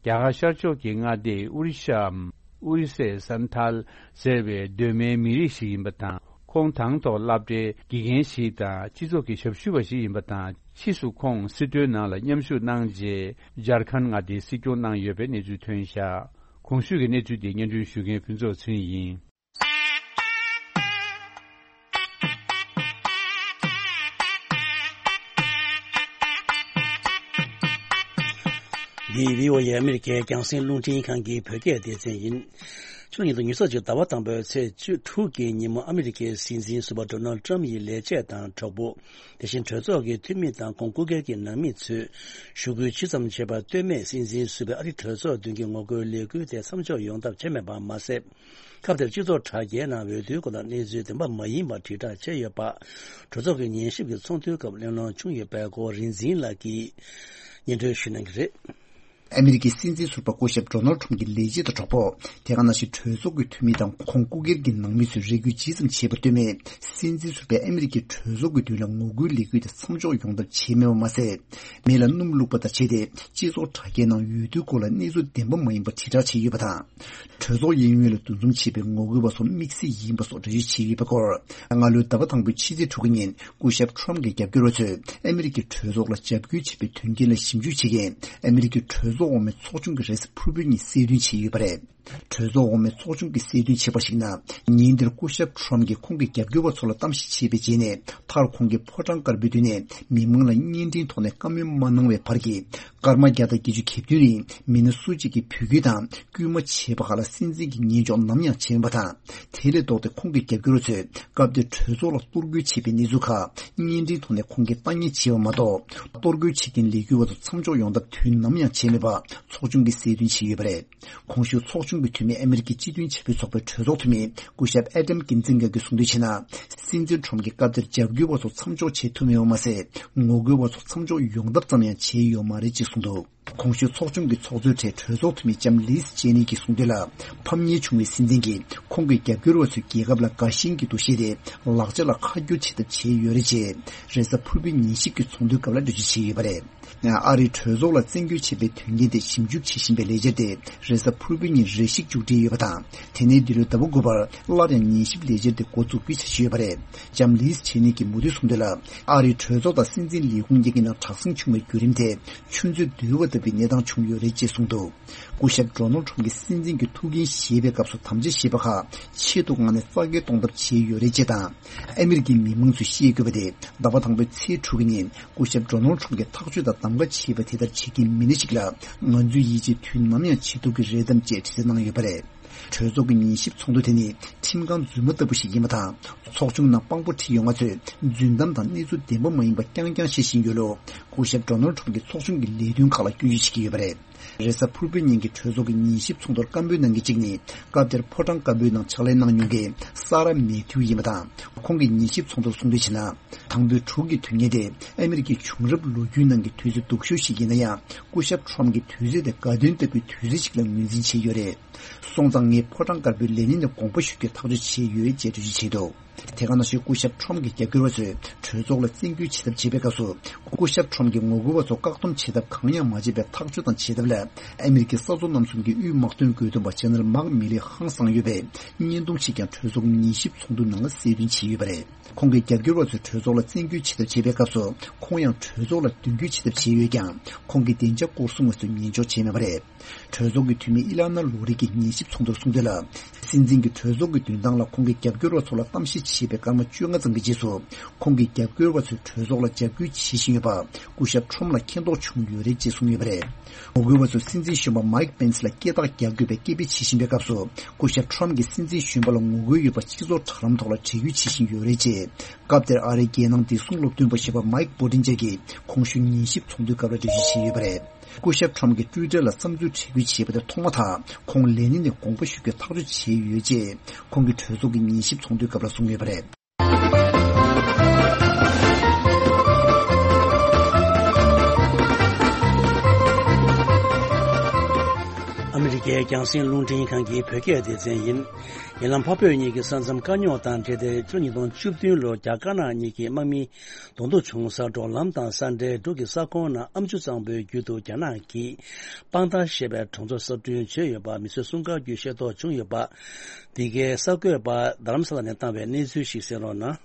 རྒྱ་གར་ཤར་ཕྱོགས་ཀྱི་མངའ་སྡེ་ཨོ་རི་ཤའམ་ཨོ་རི་སའི་སན་ཐཱལ་ཟེར་བའི་གདོད་མའི་མི་རིགས་ཤིག་ཡིན་པ་དང་། ཁོང་དང་ཐོག་སློབ་གྲྭའི་དགེ་རྒན་ཞིག་དང་། སྤྱི་ཚོགས་ཀྱི་ཞབས་ཞུ་བ་ཞིག་ཡིན་པ་དང་། ཕྱིས་སུ་ཁོང་སྲིད་དོན་ནང་ལ་མཉམ་ཞུགས་གནང་རྗེས། ཇར་ཁན་མངའ་སྡེའི་སྲིད་སྐྱོང་གནང་ཡོད་པའི་གནས་ཚུལ་ཐོན་བཞག་གོང་ཞུས་ཀྱི་གནས་ཚུལ་དེ་སྙན་སྒྲོན་ཞུ་མཁན་ཕུན་ཚོགས་ཚེ་རིང་ཡིན། འདི་བྷི་ཨོ་ཨེ་ཨ་མི་རི་ཀའི་རྒྱང་སྲིང་རླུང་འཕྲིན་ཁང་གི་བོད་སྐད་སྡེ་ཚན་ཡིན། ཕྱི་ལོ་ཉིས་སྟོང་ཉི་ཤུ་རྩ་གཅིག་ཟླ་བ་དང་པོའི་ཚེས་བཅུ་དྲུག་གི་ཉིན་མོ། ཨ་མི་རི་ཀའི་སྲིད་འཛིན་ཟུར་པ་ཌོ་ནལ་ཊམ་ཡི་ལས་བྱེད་དང་གྲོགས་པོ། དེ་བཞིན་གྲོས་ཚོགས་ཀྱི་འཐུས་མི་དང་ཁོང་སྐུ་སྒེར་གྱི་ནང་མི་ཚོས་ཞུ་སྐུལ་ཇི་ཙམ་བྱས་པ་ལྟོས་མེད། སྲིད་འཛིན་ཟུར་པས་ཨ་རིའི་གྲོས་ཚོགས་མདུན་གྱི་ངོ་རྒོལ་ལས་འགུལ་དེ་མཚམས་འཇོག་ཡོང་ཐབས་བྱས་མེད་པ་མ་ཟད། སྐབས་དེར་སྤྱི་ཚོགས་དྲ་རྒྱའི་ནང་འོས་བསྡུའི་སྐོར་ལ་གནས་ཚུལ་བདེན་པ་མ་ཡིན་པ་དྲིལ་བསྒྲགས་བྱས་ཡོད་པ། གྲོས་ཚོགས་ཀྱི་ཉན་ཞིབ་ཀྱི་ཚོགས་འདུའི་སྐབས་གླེང་སློང་བྱུང་ཡོད་པའི་སྐོར་རིག་འཛིན་ལགས་ཀྱིས་སྙན་སྒྲོན་ཞུ་གནང་གི་རེད། ཨ་མི་རི་ཀའི་སྲིད་འཛིན་ཟུར་པ་སྐུ་ཞབས་ཌོ་ནལ་ཊམ་གྱི་ལས་བྱེད་དང་གྲོགས་པོ། དེ་ག་ནང་བཞིན་གྲོས་ཚོགས་ཀྱི་འཐུས་མི་དང་ཁོང་སྐུ་སྒེར་གྱི་ནང་མི་ཚོས་རེ་སྐུལ་ཇི་ཙམ་བྱས་པ་ལྟོས་མེད། སྲིད་འཛིན་ཟུར་པས་ཨ་མི་རི་ཀའི་གྲོས་ཚོགས་ཀྱི་མདུན་ལ་ངོ་རྒོལ་ལས་འགུལ་དེ་མཚམས་འཇོག་ཡོང་ཐབས་བྱས་མེད་པ་མ་ཟད། མི་ལ་སྣུམ་བླུགས་པ་དང་བྱས་ཏེ། སྤྱི་ཚོགས་དྲ་རྒྱའི་ནང་འོས་བསྡུའི་སྐོར་ལ་གནས་ཚུལ་བདེན་པ་མ་ཡིན་པ་དྲིལ་བསྒྲགས་བྱས་ཡོད་པ་དང་། གྲོས་ཚོགས་གཡས་གཡོན་ལ་འདུ་འཛོམས་བྱས་པའི་ངོ་རྒོལ་བ་ཚོ་དམིགས་བསལ་ཡིན་པ་སོགས་འགྲེལ་བརྗོད་བྱས་ཡོད་པའི་སྐོར། སྔ་ལོའི་ཟླ་བ་དང་པོའི་ཕྱི་ཚེས་དྲུག་གི་ཉིན། སྐུ་ཞབས་ཊམ་གྱི་རྒྱབ་སྐྱོར་བ་ཚོས་ཨ་མི་རི་ཀའི་གྲོས་ཚོགས་ལ་འཇབ་རྒོལ་བྱས་པའི་དོན་རྐྱེན་ལ་ཞིབ་འཇུག་བྱེད་མཁན་ཨ་མི་རི་ཀའི་གྲོས་ཚོགས་འོག་མའི་ཚོགས་ཆུང་གི་རེས་གཟའ་ཕུར་བུའི་ཉིན་གསལ་སྟོན་བྱས་ཡོད་པ་རེད། གྲོས་ཚོགས་འོག་མའི་ཚོགས་ཆུང་གིས་གསལ་སྟོན་བྱས་པར་གཞིགས་ན། ཉིན་དེར་སྐུ་ཞབས་ཊམ་གྱིས་ཁོང་གི་རྒྱབ་སྐྱོར་བ་ཚོ་ལ་གཏམ་བཤད་བྱས་པའི་རྗེས་ནས། མཐར་ཁོང་གིས་ཕོ་བྲང་དཀར་པོའི་མདུན་ནས་མི་མང་ལ་བརྙན་འཕྲིན་ཐོག་ནས་བཀའ་མོལ་མ་གནང་བའི་བར་གྱི། སྐར་མ་བརྒྱ་དང་བརྒྱད་ཅུ་གྱ་བདུན་རིང་མི་སྣ་སུ་གཅིག་གིས་འབོད་སྐུལ་དང་སྐུལ་མ་བྱས་པ་ཁག་ལ་སྲིད་འཛིན་གྱིས་ཉན་འཇོག་ནམ་ཡང་བྱས་མེད་པ་དང་། དེ་ལས་ལྡོག་སྟེ་ཁོང་གི་རྒྱབ་སྐྱོར་བ་ཚོས་སྐབས་དེར་གྲོས་ཚོགས་ལ་གཏོར་རྒོལ་བྱས་པའི་གནས་ཚུལ་ཁག་བརྙན་འཕྲིན་ཐོག་ནས་ཁོང་གིས་ལྟ་ཉན་བྱས་པ་མ་གཏོགས། གཏོར་རྒོལ་བྱེད་མཁན་ལས་འགུལ་བ་ཚོ་མཚམས་འཇོག་ཡོང་ཐབས་དུས་ནམ་ཡང་བྱས་མེད་པ་ཚོགས་ཆུང་གིས་གསལ་སྟོན་བྱས་ཡོད་པ་རེད། གོང་ཞུས་ཚོགས་ཆུང་གི་འཐུས་མི་ཨ་མི་རི་ཀའི་སྤྱི་མཐུན་བྱ་བའི་ཚོགས་པའི་གྲོས་ཚོགས་འཐུས་མི་སྐུ་ཞབས་ཨེ་ཌམ་ཀིན་ཛིན་གྷར་གྱིས་གསུངས་དོན་བྱས་ན། སྲིད་འཛིན་ཊམ་གྱིས་སྐབས་དེར་རྒྱབ་སྐྱོར་བ་ཚོ་མཚམས་འཇོག་བྱེད་ཐུབ་མེད་པ་མ་ཟད། ངོ་རྒོལ་བ་ཚོ་མཚམས་འཇོག་ཡོང་ཐབས་ཙམ་ཡང་བྱས་ཡོད་མ་རེད་ཅེས་གསུངས་འདུག་གོང་ཞུས་ཚོགས་ཆུང་གི་ཚོགས་གཙོའི་གྲས་གྲོས་ཚོགས་འཐུས་མི་ལྕམ་ལིས་ཅེ་ནི་གྱིས་གསུངས་དོན་ལ། ཕམ་ཉེས་བྱུང་བའི་སྲིད་འཛིན་གྱིས་ཁོང་གི་རྒྱབ་སྐྱོར་བ་ཚོའི་རྒྱལ་ཁབ་ལ་དགའ་ཞེན་གྱི་འདུ་ཤེས་དེ་ལག་ཆ་ལ་ཁ་བསྒྱུར་བྱེད་ཐབས་བྱས་ཡོད་རེད་ཅེས། རེས་གཟའ་ཕུར་བུའི་ཉན་ཞིབ་ཀྱི་ཚོགས་འདུའི་སྐབས་ལ་འགྲེལ་བརྗོད་བྱས་ཡོད་པ་རེད། ཨ་རིའི་གྲོས་ཚོགས་ལ་བཙན་སྐུལ་བྱས་པའི་དོན་རྐྱེན་དེ་ཞིབ་འཇུག་བྱེད་བཞིན་པའི་ལས་འཆར་དེ་རེས་གཟའ་ཕུར་བུའི་ཉིན་རེ་ཞིག་མཇུག་སྒྲིལ་ཡོད་པ་དང་། དེ་ནས་འདི་ལོའི་ཟླ་བ་དགུ་པར་སླར་ཡང་ཉན་ཞིབ་ལས་འཆར་དེ་འགོ་འཛུགས་རྒྱུའི་འཆར་གཞི་ཡོད་པ་རེད། ལྕམ་ལིས་ཆེ་ནི་གིས་མུ་མཐུད་གསུངས་དོན་ལ། ཨ་རིའི་གྲོས་ཚོགས་དང་སྲིད་འཛིན་ལས་ཁུངས་གཉིས་ཀྱི་ནང་དྲག་ཟིང་བྱུང་བའི་བརྒྱུད་རིམ་དེ་ཆུ་མཛོད་རྡོལ་བ་ལྟ་བུའི་གནས་སྟངས་བྱུང་ཡོད་རེད་ཅེས་གསུངས་འདུག་སྐུ་ཞབས་ཌོ་ནལ་ཁྲམ་གྱིས་སྲིད་འཛིན་གྱི་ཐུགས་འགན་བཞེས་པའི་སྐབས་སུ་དམ་བཅའ་བཞེས་པ་ཁག་ཆེད་དུ་མངགས་ནས་རྩ་འགེངས་གཏོང་ཐབས་བྱས་ཡོད་རེད་ཅེས་དང་། ཨ་མི་རི་ཀའི་མི་མང་ཚོས་ཤེས་དགོས་པ་དེ། ཟླ་བ་དང་པོའི་ཚེས་དྲུག་གི་ཉིན་སྐུ་ཞབས་ཌོ་ནལ་ཁྲམ་གྱིས་ཐག་གཅོད་དང་གདམ་ག་བྱས་པ་དེ་ལྟར་བྱེད་ཀྱི་མི་སྣ་ཞིག་ལ་ང་ཚོས་ཡིད་ཆེས་དུས་ནམ་ཡང་བྱེད་ཐུབ་ཀྱི་རེད་དམ་ཅེས་དྲི་རྩད་གནང་ཡོད་པ་རེད། གྲོས་ཚོགས་ཀྱི་ཉན་ཞིབ་ཚོགས་འདུ་དེ་ནི་ཁྲིམས་ཁང་རྫུན་མ་ལྟ་བུ་ཞིག་ཡིན་པ་དང་། ཚོགས་ཆུང་ནང་དཔང་པོ་ཁྲིད་ཡོང་བ་ཚོས་རྫུན་གཏམ་དང་གནས་ཚུལ་བདེན་པ་མ་ཡིན་པ་རྐྱང་རྐྱང་བཤད་བཞིན་ཡོད་ལུགས། སྐུ་ཞབས་ཌོ་ནལ་ཁྲམ་གྱིས་ཚོགས་ཆུང་གི་ལས་དོན་ཁག་ལ་སྐྱོན་བརྗོད་བྱེད་ཀྱི་ཡོད་པ་རེད། རེས་གཟའ་ཕུར་བུའི་ཉིན་གྱི་གྲོས་ཚོགས་ཀྱི་ཉན་ཞིབ་ཚོགས་འདུར་སྐད་འབོད་གནང་མཁན་གཅིག་ནི། སྐབས་དེར་ཕོ་བྲང་དཀར་པོའི་ནང་ཕྱག་ལས་གནང་མྱོང་མཁན་ས་ར་མེ་ཐིའུ་ཡིན་པ་དང་། ཁོང་གིས་ཉན་ཞིབ་ཚོགས་འདུར་གསུངས་དོན་བྱས་ན། དང་པོའི་དྲུག་གི་དུས་ངན་དེ་ཨ་མི་རི་ཀའི་བྱུང་རབས་ལོ་རྒྱུས་ནང་གི་དུས་ཚོད་སྡུག་ཤོས་ཤིག་ཡིན་ན་ཡང་། སྐུ་ཞབས་ཁྲོམ་གྱི་དུས་ཚོད་དེ་དགའ་སྟོན་ལྟ་བུའི་དུས་ཚོད་ཅིག་ལ་ངོས་འཛིན་བྱས་ཡོད་རེད། སོང་ཙང་ངས་ཕོ་བྲང་དཀར་པོའི་ལས་སྣེ་ནས་དགོངས་པ་ཞུ་རྒྱུའི་ཐག་གཅོད་བྱས་ཡོད་ཅེས་འགྲེལ་བརྗོད་བྱས་འདུག་དེ་ག་ནང་བཞིན་སྐུ་ཞབས་ཁྲོམ་གྱི་རྒྱབ་སྐྱོར་བ་ཚོས་གྲོས་ཚོགས་ལ་བཙན་སྐུལ་བྱེད་ཐབས་བྱེད་པའི་སྐབས་སུ། སྐུ་ཞབས་ཁྲོམ་གྱིས་ངོ་རྒོལ་བ་ཚོ་བཀག་སྡོམ་བྱེད་ཐབས་གང་ཡང་མ་བྱས་པའི་ཐག་གཅོད་དང་བྱེད་ཐབས་ལ། ཨ་མི་རི་ཀའི་ས་མཚོ་གནམ་གསུམ་གྱི་དབུས་དམག་དོན་དགོས་འདུན་པ་ཇེ་ནེ་རལ་མཱག་མི་ལི་ཧང་སངས་ཡོད་པའི་བརྙན་ཐུང་ཞིག་ཀྱང་གྲོས་ཚོགས་ཉན་ཞིབ་ཚོགས་འདུ་ནང་ལ་གསལ་སྟོན་བྱས་ཡོད་པ་རེད། ཁོང་གིས་རྒྱབ་སྐྱོར་བ་ཚོས་གྲོས་ཚོགས་ལ་བཙན་སྐུལ་བྱེད་ཐབས་བྱེད་པའི་སྐབས་སུ། ཁོང་ཡང་གྲོས་ཚོགས་ལ་མདུན་སྐྱོད་བྱེད་ཐབས་བྱས་ཡོད་ཀྱང་། ཁོང་གིས་བདེ་འཇགས་སྐོར་སྲུང་བ་ཚོས་ཉན་འཇོག་བྱས་མེད་པ་རེད། གྲོས་ཚོགས་ཀྱི་འཐུས་མི་ཨི་ལ་ན་ལོ་རི་གིས་ཉན་ཞིབ་ཚོགས་འདུར་གསུངས་དོན་ལ། སྲིད་འཛིན་གྱིས་གྲོས་ཚོགས་ཀྱི་མདུན་ཐང་ལ་ཁོང་གི་རྒྱབ་སྐྱོར་བ་ཚོ་ལ་གཏམ་བཤད་བྱས་པའི་སྐར་མ་བཅོ་ལྔ་ཙམ་གྱི་རྗེས་སུ། ཁོང་གི་རྒྱབ་སྐྱོར་བ་ཚོས་གྲོས་ཚོགས་ལ་རྒྱབ་སྐྱོར་བྱེད་བཞིན་ཡོད་པ། སྐུ་ཞབས་ཁྲོམ་ལ་མཁྱེན་རྟོགས་བྱུང་ཡོད་རེད་ཅེས་གསུངས་ཡོད་པ་རེད། ངོ་རྒོལ་བ་ཚོས་སྲིད་འཛིན་གཞོན་པ་མའིག་པེན་སི་ལ་སྐད་གྲགས་རྒྱག་དགོས་པའི་སྐད་འབོད་བྱེད་བཞིན་པའི་སྐབས་སུ། སྐུ་ཞབས་ཁྲོམ་གྱིས་སྲིད་འཛིན་གཞོན་པ་ལ་ངོ་རྒོལ་ཡོད་པ་སྤྱི་ཚོགས་དྲ་ལམ་ཐོག་ལ་འབྲི་འགོད་བྱེད་བཞིན་ཡོད་རེད་ཅེས། སྐབས་དེར་ཨ་རིའི་རྒྱལ་ནང་བདེ་སྲུང་སློབ་སྟོན་པ་ཞེས་པ་མའིག་པོ་ཏིན་ཅེ་གིས་གོང་ཞུས་ཉན་ཞིབ་ཚོགས་འདུའི་སྐབས་ལ་འགྲེལ་བརྗོད་བྱས་ཡོད་པ་རེད། སྐུ་ཞབས་ཁྲོམ་གྱིས་ཊུའི་ཊར་ལ་བསམ་ཚུལ་འབྲི་འགོད་བྱས་པ་དེ་ཐོག་མ་དང་། ཁོང་ལས་སྣེ་ནས་དགོངས་པ་ཞུ་རྒྱུའི་ཐག་གཅོད་བྱས་ཡོད་ཅེས། ཁོང་གིས་གྲོས་ཚོགས་ཀྱི་ཉན་ཞིབ་ཚོགས་འདུའི་སྐབས་ལ་གསུངས་ཡོད་པ་རེད། ཨ་མི་རི་ཀའི་རྒྱང་སྲིང་རླུང་འཕྲིན་ཁང་གི་བོད་སྐད་སྡེ་ཚན་ཡིན། ཉེ་ལམ་འཕགས་བོད་གཉིས་ཀྱི་ས་མཚམས་དཀའ་རྙོག་དང་འབྲེལ་ཏེ། ཕྱི་ལོ་ཉིས་སྟོང་བཅུ་བདུན་ལོར་རྒྱ་དཀར་ནག་གཉིས་ཀྱི་དམག་མི་བསྡུ་རུབ་བྱུང་སར་འབྲོག་ལམ་དང་ས་འབྲེལ་འབྲུག་གི་ས་ཁོངས་ནང་ཨ་མཆོག་གཙང་པོའི་རྒྱུད་དུ་རྒྱ་ནག་གིས་པང་ཏཱ་ཞེས་པའི་གྲོང་ཚོ་གསར་སྐྲུན་བྱས་ཡོད་པ་མི་གསོད་སྲུང་སྐར་བརྒྱུད་ཤེས་རྟོགས་བྱུང་ཡོད་པ། འདི་གའི་གསར་འགོད་པ་རྡ་རམ་ས་ལ་ནས་བཏང་བའི་གནས་ཚུལ་ཞིག་གསན་རོགས་གནང་།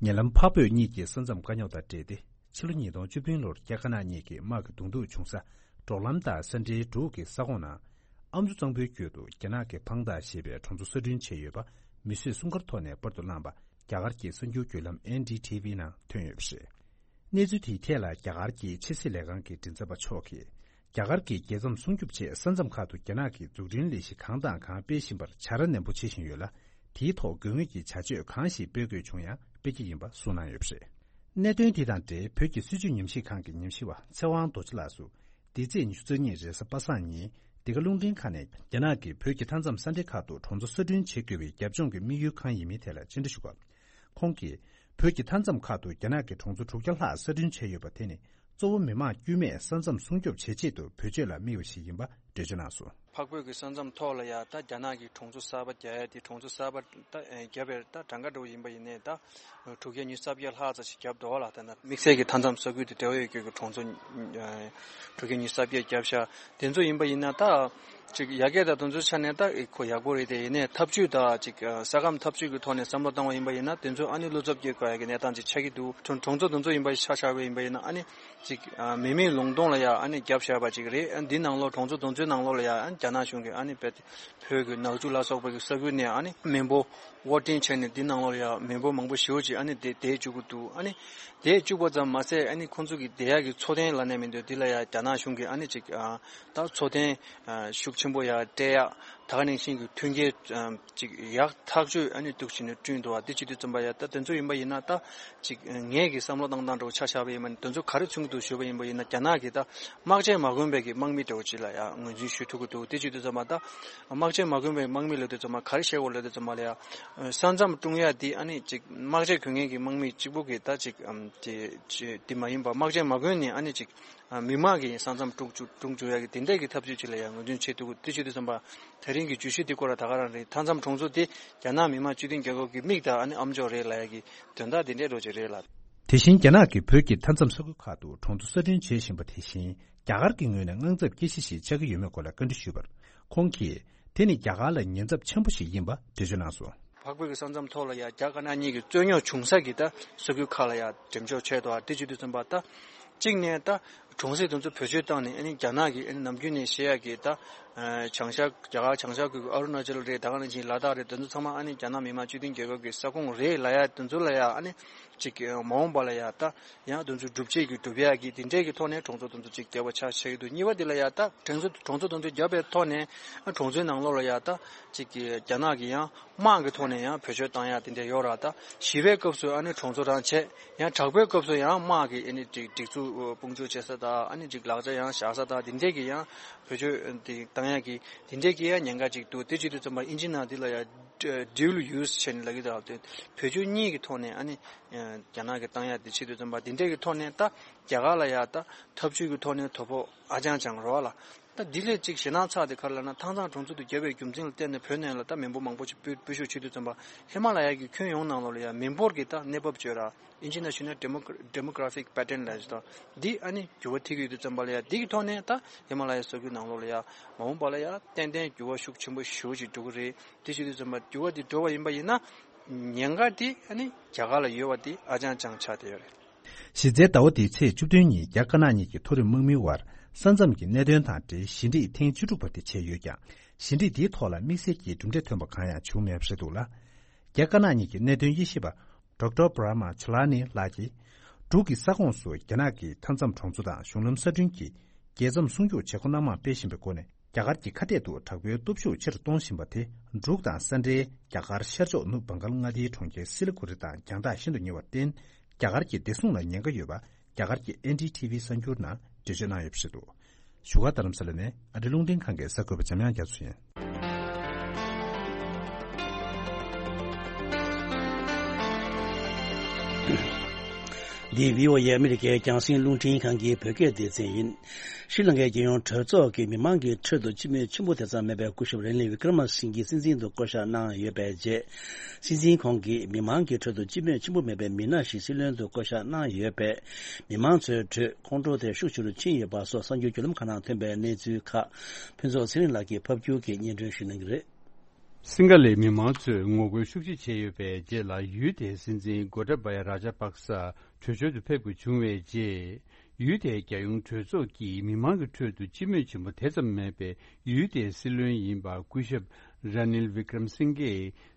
ཉེ་ལམ་འཕགས་བོད་གཉིས་ཀྱི་ས་མཚམས་དཀའ་རྙོག་དང་འབྲེལ་ཏེ། ཕྱི་ལོ་ཉིས་སྟོང་བཅུ་བདུན་ལོར་རྒྱ་དཀར་ནག་གཉིས་ཀྱི་དམག་གི་གདོང་ཐུག་བྱུང་ས། འབྲོག་ལམ་དང་ས་འབྲེལ་འབྲུག་གི་ས་ཁོངས་ནང་། ཨ་མཆོག་གཙང་པོའི་རྒྱུད་དུ་རྒྱ་ནག་གི་པང་ཏཱ་ཞེས་པའི་གྲོང་ཚོ་གསར་སྐྲུན་བྱས་ཡོད་པ། མི་གསོད་སྲུང་སྐར་ཐོག་ནས་པར་དུ་བླངས་པ། རྒྱ་གར་གྱི་གསར་འགྱུར་བརྒྱུད་ལམ་ཨེན་ཌི་ཊི་ཝི་ནང་ཐོན་ཡོད་པ་རེད། གནས་ཚུལ་དེའི་ཐད་ལ་རྒྱ་གར་གྱི་ཕྱི་སྲིད་ལས་ཁང་གི་མགྲིན་ཚབ་པ་མཆོག་གིས། རྒྱ་གར་གྱིས་རྒྱལ་མཚམས་སྲུང་སྐྱོབ་ཆེད་ས་མཚམས་ཁག་ཏུ་རྒྱ་ནག་གིས་འཛུགས་སྐྲུན་ལས་གཞི་གང་དང་གང་སྤེལ་བཞིན་པར་བྱ་ར་ནན་པོ་བྱེད་བཞིན་ཡོད་ལ། དེའི་ཐོག་དགོས་ངེས་ཀྱི་བྱ་སྤྱོད་གང་ཞིག་སྤེལ་དགོས་བྱུང་ཡང་སྤེལ་གྱི་ཡིན་པ་གསུངས་གནང་ཡོད་པ་རེད། གནད་དོན་འདི་དང་འབྲེལ་བོད་ཀྱི་སྲིད་བྱུས་ཉམས་ཞིབ་ཁང་གི་ཉམས་ཞིབ་པ་ཚེ་དབང་རྡོ་རྗེ་ལགས་སུ། འདི་ཚེས་ཉི་ཤུ་རྩ་གཉིས་རེས་གཟའ་པ་སངས་ཉིན། འདི་ག་རླུང་འཕྲིན་ཁང་ནས་རྒྱ་ནག་གིས་བོད་ཀྱི་མཐའ་མཚམས་ས་འབྲེལ་ཁག་ཏུ་གྲོང་ཚོ་གསར་སྐྲུན་བྱེད་དགོས་པའི་རྒྱབ་ལྗོངས་ཀྱི་དམིགས་ཡུལ་གང་ཡིན་མིན་ཐད་ལ་བཅར་འདྲི་ཞུ་སྐབས། ཁོང་གིས། བོད་ཀྱི་མཐའ་མཚམས་ཁག་ཏུ་རྒྱ་ནག་གིས་གྲོང་ཚོ་དྲུག་བརྒྱ་ལྷག་གསར་སྐྲུན་བྱས་ཡོད་པ་དེ་ནི། གཙོ་བོ་མི་དམངས་དཀྱུས་མས་ས་མཚམས་སྲུང་སྐྱོབ་བྱེད་ཆེད་དུ་བེད་སྤྱོད་ལ་དམིགས་པ་ཞིག་ཡིན་པ་འགྲེལ་བརྗོད་གནང་སོང་། འཕགས་བོད་ཀྱི་ས་མཚམས་ཐོག་ལ་ཡང་ད་རྒྱ་ནག་གིས་གྲོང་ཚོ་གསར་པ་རྒྱག་ཡ་དེ། གྲོང་ཚོ་གསར་པ་ད་རྒྱབ་པའི་ད་གྲངས་ཀ་འདྲ་བོ་ཡིན་པ་ཡིན་ནའི་ད་དྲུག་བརྒྱ་ཉི་ཤུ་རྩ་བརྒྱད་ལྷག་ཙམ་ཞིག་བརྒྱབ་འདུག་ལ། ད་ན་དམིགས་བསལ་གྱི་མཐའ་མཚམས་ས་ཁུལ་དེ་འབྲེལ་བ་ཡོད་རྒྱུ་གི་གྲོང་ཚོ་དྲུག་བརྒྱ་ཉི་ཤུ་རྩ་བརྒྱད་བརྒྱབ་ཤག་དེ་ཚོ་ཡིན་པ་ཡིན་ན་ད། ཅིག་ཡ་གི་ད་དེ་ཚོའི་ཆ་ནས་ད་ཁོ་ཡག་པོ་རེད་དེ། ཡིན་ནའི་ཐབས་ཇུས་ད་ཅིག་ས་ཁམས་ཐབས་ཇུས་ཀྱི་ཐོག་ནས་བསམ་བློ་བཏང་བ་ཡིན་པ་ཡིན་ན། དེ་ཚོ་ཨ་ནི་བློ་འཚབ་སྐྱེ་དགོས་ཡ་གི་གནས་སྟངས་ཅིག་ཆགས་ཀྱི་འདུག་གྲོང་གྲོང་ཚོ་དེ་ཚོ་ཡིན་པ་ཆ་བཞག་པ་ཡིན་པ་ཡིན་ན། ཨ་ནི་ཅིག་མི་མེད་ལུང་སྟོང་ལ་ཡ་ཨ་ནི་བརྒྱབ་བཞག་པ་ཅིག་རེད། ཨ་འདི་ནང་ལོགས་གྲོང་ཚོ་དེ་ཚོའི་ནང་ལོགས་ལ་ཡ་ཨ་ནི་རྒྱ་ནག་གཞུང་གིས་ཨ་ནི་བོད་ཀྱི་ནག་ཆུ་ལ་སོགས་པ་གི་ས་ཁུལ་ནས་ཨ་ནི་མི་འབོར་དབོར་འདྲེན་བྱས་ནས་འདི་ནང་ལོགས་ལ་ཡ་མི་འབོར་མང་པོ་ཞེ་པོ་ཅིག་ཨ་ནི་དེ་བསྡད་བཅུག་གི་འདུག་ཨ་ནི་དེ་བཅུག་པ་ཙམ་མ་ཟད། ཨ་ནི་ཁོང་ཚོ་གི་བསྡད་ཡག་གི་འཚོ་རྟེན་ལབ་ནའི་མི་འདུག་འདི་ལ་ཡ་རྒྱ་ནག་གཞུང་གིས་ཨ་ནི་ཅིག་ཨ་ད་འཚོ་རྟེན་ཨ་ཤུགས་ཆེན་པོ་ཡ་སྤྲད་ཡག་ད་ག་ནང་བཞིན་གྱི་མཐུན་རྐྱེན་ཨ་ཅིག་ཡག་ཐག་ཆོད་ཨ་ནི་འདུག་བྱས་ནས་བསྐྲུན་འདུག་བ། དེ་བྱེད་དུས་ཙམ་པ་ཡ་ད་དེ་ཚོ་ཡིན་པ་ཡིན་ན། ད་ཅིག་ངས་ཀྱི་བསམ་བློ་བཏང་སྟངས་འདྲ་བོ་ཆ་བཞག་པ་ཡིན་པ་ནི། དེ་ཚོ་ག་རེ་མཚོན་གྱི་འདུག་ཞུས་པ་ཡིན་པ་ཡིན་ན། རྒྱ་ནག་གིས་ད་དམག་ཆས་མ་གོན་པའི་གི་དམག་མི་འདྲ་བོ་ཅིག་ལ་ཡ་ངོས་འཛིན་ཞུ་ཐུབ་ཀྱི་འདུག་དེ་བྱེད་དུས་ཙམ་པ་ད་དམག་ཆས་མ་གོན་པའི་དམག་མི་ལབ་དུས་ཙམ་པ་ག་རེ་བཤད་དགོས་ལབ་དུས་ཙམ་པ་ལ་ཡ། ས་མཚམས་སྲུང་ཡ་དེ་ཨ་ནི་ཅིག་དམག་ཆས་གོན་མཁན་གྱི་དམག་མི་གཅིག་པོ་གིས་ད་ཅིག་ཨམ་དེ་ཅི་དེ་མ་ཡིན་པ། དམག་ཆས་མ་གོན་ནས་ཨ་ནི་ཅིག་ཨ་མི་དམངས་ཀྱི་ས་མཚམས་སྲུང་བཅུག་སྲུང་བཅུག་ཡ་གི་དེ་འདྲས་ཀྱི་ཐབས་ཇུས་ཅིག་ལ་ཡང་ངོས་འཛིན་བྱེད་ཐུབ་ཀྱི། དེ་བྱེད་དུས་ཙམ་པ་དེ་རིང་གི་བརྗོད་གཞི་དེ་སྐོར་ལ་ད་ག་རང་རེད། མཐའ་མཚམས་གྲོང་ཚོ་དེ་རྒྱ་ནག་མི་དམངས་སྤྱི་མཐུན་རྒྱལ་ཁབ་ཀྱི་མིག་དང་ཨ་ནི་ཨ་མཆོག་རེད་ལབ་ཡ་གི་དོན་དག་དེ་འདྲས་འདྲ་བོ་ཅིག་རེད་ལ། དེ་བཞིན་རྒྱ་ནག་གིས་བོད་ཀྱི་མཐའ་མཚམས་ས་ཁུལ་ཁག་ཏུ་གྲོང་ཚོ་གསར་སྐྲུན་བྱེད་བཞིན་པ་དེ་བཞིན། རྒྱ་གར་གྱི་ངོས་ནས་དངངས་འཚབ་སྐྱེ་གཞི་ཞིག་ཆགས་ཀྱི་ཡོད་མེད་སྐོར་ལ་བཀའ་འདྲི་ཞུས་པར། ཁོང་གིས། དེ་ནི་རྒྱ་གར་ལ་ཉེན་ཚབས་ཆེན་པོ་ཞིག་ཡིན་པ་འགྲེལ་བརྗོད་གནང་སོང་། འཕགས་བོད་ཀྱི་ས་མཚམས་ཐོག་ལ་ཡ་རྒྱ་དཀར་ནག་གཉིས་ཀྱི་རྩོད་རྙོག་བྱུང་ས་གི་ད་ས་ཁུལ་ཁག་ལ་ཡ་འགྲེམས་འཇོག་བྱས་འདུག་བ། དེ་བྱེད་དུས་ཙམ་པ་ད་གཅིག་ནས་ད་གྲོང་གསེབ་དེ་ཚོ་བེད་སྤྱོད་བཏང་ནས། ཨ་ནི་རྒྱ་ནག་གི་ཨ་ནི་ནམ་རྒྱུན་ནས་བཤད་ཡ་གི་ད་ བྱང་ཤར་རྒྱ་གར་བྱང་ཤར་ཁུལ་གྱི་ཨ་རུ་ན་ཅལ་རེད། ད་ག་ནང་བཞིན་ལ་དྭགས་རེད། དེ་ཚོ་ཚང་མ་ཨ་ནི་རྒྱ་ནག་མི་དམངས་སྤྱི་མཐུན་རྒྱལ་ཁབ་ཀྱི་ས་ཁོངས་རེད་ལབ་ཡ་དེ་ཚོ་ལ་ཡ་ཨ་ནི་ཅིག་མ་འོངས་པ་ལ་ཡ་ད་ཡང་དེ་ཚོ་སྒྲུབ་བྱེད་ཀྱི་སྒྲུབ་ཡ་གི་དེ་འདྲས་ཀྱི་ཐོག་ནས་གྲོང་ཚོ་དེ་ཚོ་ཅིག་བརྒྱབ་པ་ཆགས་ཆགས་ཀྱི་འདུག་གཉིས་པ་དེ་ལ་ཡ་ད་གྲོང་ཚོ་གྲོང་ཚོ་དེ་ཚོ་བརྒྱབ་པའི་ཐོག་ནས་གྲོང་ཚོའི་ནང་ལོགས་ལ་ཡ་ད་ཅིག་རྒྱ་ནག་གི་ཡང་དམག་གི་ཐོག་ནས་ཡང་བེད་སྤྱོད་བཏང་ཡ་དེ་འདྲས་ཡོད་ར། ད་ཞི་བའི་སྐབས་སུ་ཨ་ནི་གྲོང་ཚོ་རང་བྱས། ཡང་དྲག་པོའི་སྐབས་སུ་ཡང་དམག་གི་ཨ་ནི་སྒྲིག་སྒྲིག་འཛུགས་དཔུང་འཇུག་བྱེད་ས་དང་ཨ་ནི་ཅིག་ལག་ཆ་ཡང་བཞག་ས་དང་དེ་འདྲས་ཀྱི་ཡང་བེད་སྤྱོད་དེ་བཏང་ཡ་གི་དེ་འདྲས་ཀྱི་ཡང་ཉེན་ཁ་ཅིག་འདུག་དེ་བྱེད་དུས་ཙམ་པ་ཨིན་ཇི་ནང་འདི་ལ་ཡང་dual use་བྱས་ནས་ལབ་ཀྱི་འདུག་དེ་བེད་སྤྱོད་གཉིས་ཀྱི་ཐོག་ནས་ཨ་ནི་རྒྱ་ནག་གི་བཏང་ཡ་དེ་བྱེད་དུས་ཙམ་པ་དེ་འདྲས་ཀྱི་ཐོག་ནས་ད་རྒྱ་གར་ལ་ཡ་ད་འཐབ་ཇུས་ཀྱི་ཐོག་ནས་དོ་ཕོག་ཨ་ཅང་ཅང་རོ་ལ། ད་འདི་ལས་ཅིག་ཞེད་སྣང་ཚ་དེ་ག་རེ་ལབ་ན་ཐང་ཚང་གྲོང་ཚོ་དུ་བརྒྱབ་པའི་རྒྱུ་མཚན་ལ་བརྟེན་ནས་བོད་ནང་ལ་ད་མི་འབོར་མང་པོ་ཞིག་སྤོས་སྤོས་ཤུགས་བྱེད་དུས་ཙམ་པ་ཧི་མ་ལ་ཡ་གི་ཁྱོན་ཡོངས་ནང་ལོགས་ལ་ཡ་མི་འབོར་གྱི་ད་གནས་བབ་བརྗོད་ར་ཨིན་ཇི་ནང་ཞུས་ན་demographic pattern་ལབ་ཞིག་ད་འདི་ཨ་ནི་འགྱུར་བ་ཐེབས་ཀྱི་ཡོད་དུས་ཙམ་པ་ལ་ཡ་འདི་གི་ཐོག་ནས་ད་ཧི་མ་ལ་ཡ་ས་ཁུལ་ནང་ལོགས་ལ་ཡ་མ་འོངས་པ་ལ་ཡ་ཏན་ཏན་འགྱུར་བ་ཤུགས་ཆེན་པོ་ཞེ་པོ་ཅིག་འགྲོ་གི་རེད། དེ་བྱེད་དུས་ཙམ་པ་འགྱུར་བ་འདི་འགྲོ་བ་ཡིན་པ་ཡིན་ན་ཉེན་ཁ་འདི་ཨ་ནི་རྒྱ་གར་ལ་ཡོད་པ་འདི་ཨ་ཅང་ཅང་ཆགས་བསྡད་ཡོད་རེད། གཞི་རྩའི་ཟླ་བ་འདིའི་ཚེས་བཅུ་བདུན་ཉིན་རྒྱ་དཀར་ནག་གཉིས་ཀྱི་མཐོ་རིམ་དམག་མིའི་དབར་ས་མཚམས་ཀྱི་གནད་དོན་དང་འབྲེལ་ཞི་འགྲིག་ཐེངས་བཅུ་དྲུག་པ་དེ་བྱས་ཡོད་ཀྱང་། ཞི་འགྲིག་འདིའི་ཐོག་ལ་དམིགས་བསལ་གྱི་གྲུབ་འབྲས་ཐོན་པ་གང་ཡང་བྱུང་མེད་པ་རེད་འདུག་ལ། རྒྱ་དཀར་ནག་གཉིས་ཀྱི་གནད་དོན་དབྱེ་ཞིབ་པ་Doctor Brahma Chellaney་ལགས་ཀྱིས། འབྲུག་གི་ས་ཁོངས་སུ་རྒྱ་ནག་གིས་མཐའ་མཚམས་གྲོང་ཚོ་དང་གཞུང་ལམ་གསར་སྐྲུན་གྱིས་རྒྱལ་མཚམས་སྲུང་སྐྱོབ་བྱེད་སྒོ་སྣ་མང་སྤེལ་བཞིན་པའི་སྒོ་ནས། རྒྱ་གར་གྱི་ཁ་གཏད་དུ་དྲག་པོའི་སྟོབས་ཤུགས་ཆེ་རུ་གཏོང་བཞིན་པ་དེ་འབྲུག་དང་ས་འབྲེལ་རྒྱ་གར་ཤར་ཕྱོགས་ནུབ་བྷང་གལ་མངའ་སྡེའི་གྲོང་ཁྱེར་སི་ལི་གུ་རི་དང་རྒྱང་ཐག་ཤིན་ཏུ་ཉེ་བར་བརྟེན། རྒྱ་གར་གྱི་བདེ་སྲུང་ལ་ཉེན་ཁ་ཡོད་པ་རྒྱ་གར་གྱི་ཨེན་ཌི་ཐི་བི་གསར་འགྱུར་ནང་འགྲེལ་བརྗོད་གནང་ཡོད་པ་རེད་འདུག་བཞུགས་སྒར་རྡ་རམ་ས་ལ་ནས་ཨ་རི་རླུང་འཕྲིན་ཁང་གི་གསར་འགོད་པ་འཇམ་དབྱངས་རྒྱ་མཚོ་ཡིན། འདི་བྷི་ཨོ་ཨེ་ཨ་མི་རི་ཀའི་རྒྱང་སྲིང་རླུང་འཕྲིན་ཁང་གི་བོད་སྐད་སྡེ་ཚན་ཡིན། ཤྲི་ལང་ཀའི་རྒྱལ་ཡོངས་གྲོས་ཚོགས་ཀྱིས་མི་མང་གི་ཁྲོད་དུ་སྤྱི་མོས་ཆེན་པོ་དེ་ཙམ་མེད་པའི་སྐུ་ཞབས་རེ་ནིལ་ཝི་ཀྲ་མ་སིང་གེ་སྲིད་འཛིན་དུ་བསྐོ་གཞག་གནང་ཡོད་པའི་རྗེས། སྲིད་འཛིན་ཁོང་གིས་མི་མང་གི་ཁྲོད་དུ་སྤྱི་མོས་ཆེན་པོ་མེད་པའི་མི་སྣ་ཞིག་སྲིད་བློན་དུ་བསྐོ་གཞག་གནང་ཡོད་པས། མི་མང་ཚོའི་ཁྲོད་ཁོང་ཁྲོ་དེ་ཤུགས་ཆེ་རུ་ཕྱིན་ཡོད་པ་སོགས་གསར་འགྱུར་བརྒྱུད་ལམ་ཁག་ནང་ཐོན་པའི་གནས་ཚུལ་ཁག་ཕུན་ཚོགས་ཚེ་རིང་ལགས་ཀྱིས་ཕབ་སྒྱུར་གྱིས་སྙན་སྒྲོན་ཞུ་གནང་གི་རེད། སིང་ག་ལའི་མི་མང་ཚོས་ངོ་རྒོལ་ཤུགས་ཆེ་བྱས་ཡོད་པའི་རྗེས་ལ། ཡུལ་དེའི་སྲིད་འཛིན་གོ་ཏཱ་བ་ཡ་རཱ་ཇཱ་པག་ས་གྲོས་ཆོད་དུ་ཕེབས་དགོས་བྱུང་བའི་རྗེས། ཡུལ་དེའི་རྒྱལ་ཡོངས་གྲོས་ཚོགས་ཀྱིས་མི་མང་གི་ཁྲོད་དུ་སྤྱི་མོས་ཆེན་པོ་དེ་ཙམ་མེད་པའི་ཡུལ་དེའི་སྲིད་བློན་ཡིན་པ་སྐུ་ཞབས་ར་ནིལ་ཝི་ཀྲམ་སིང་གེ་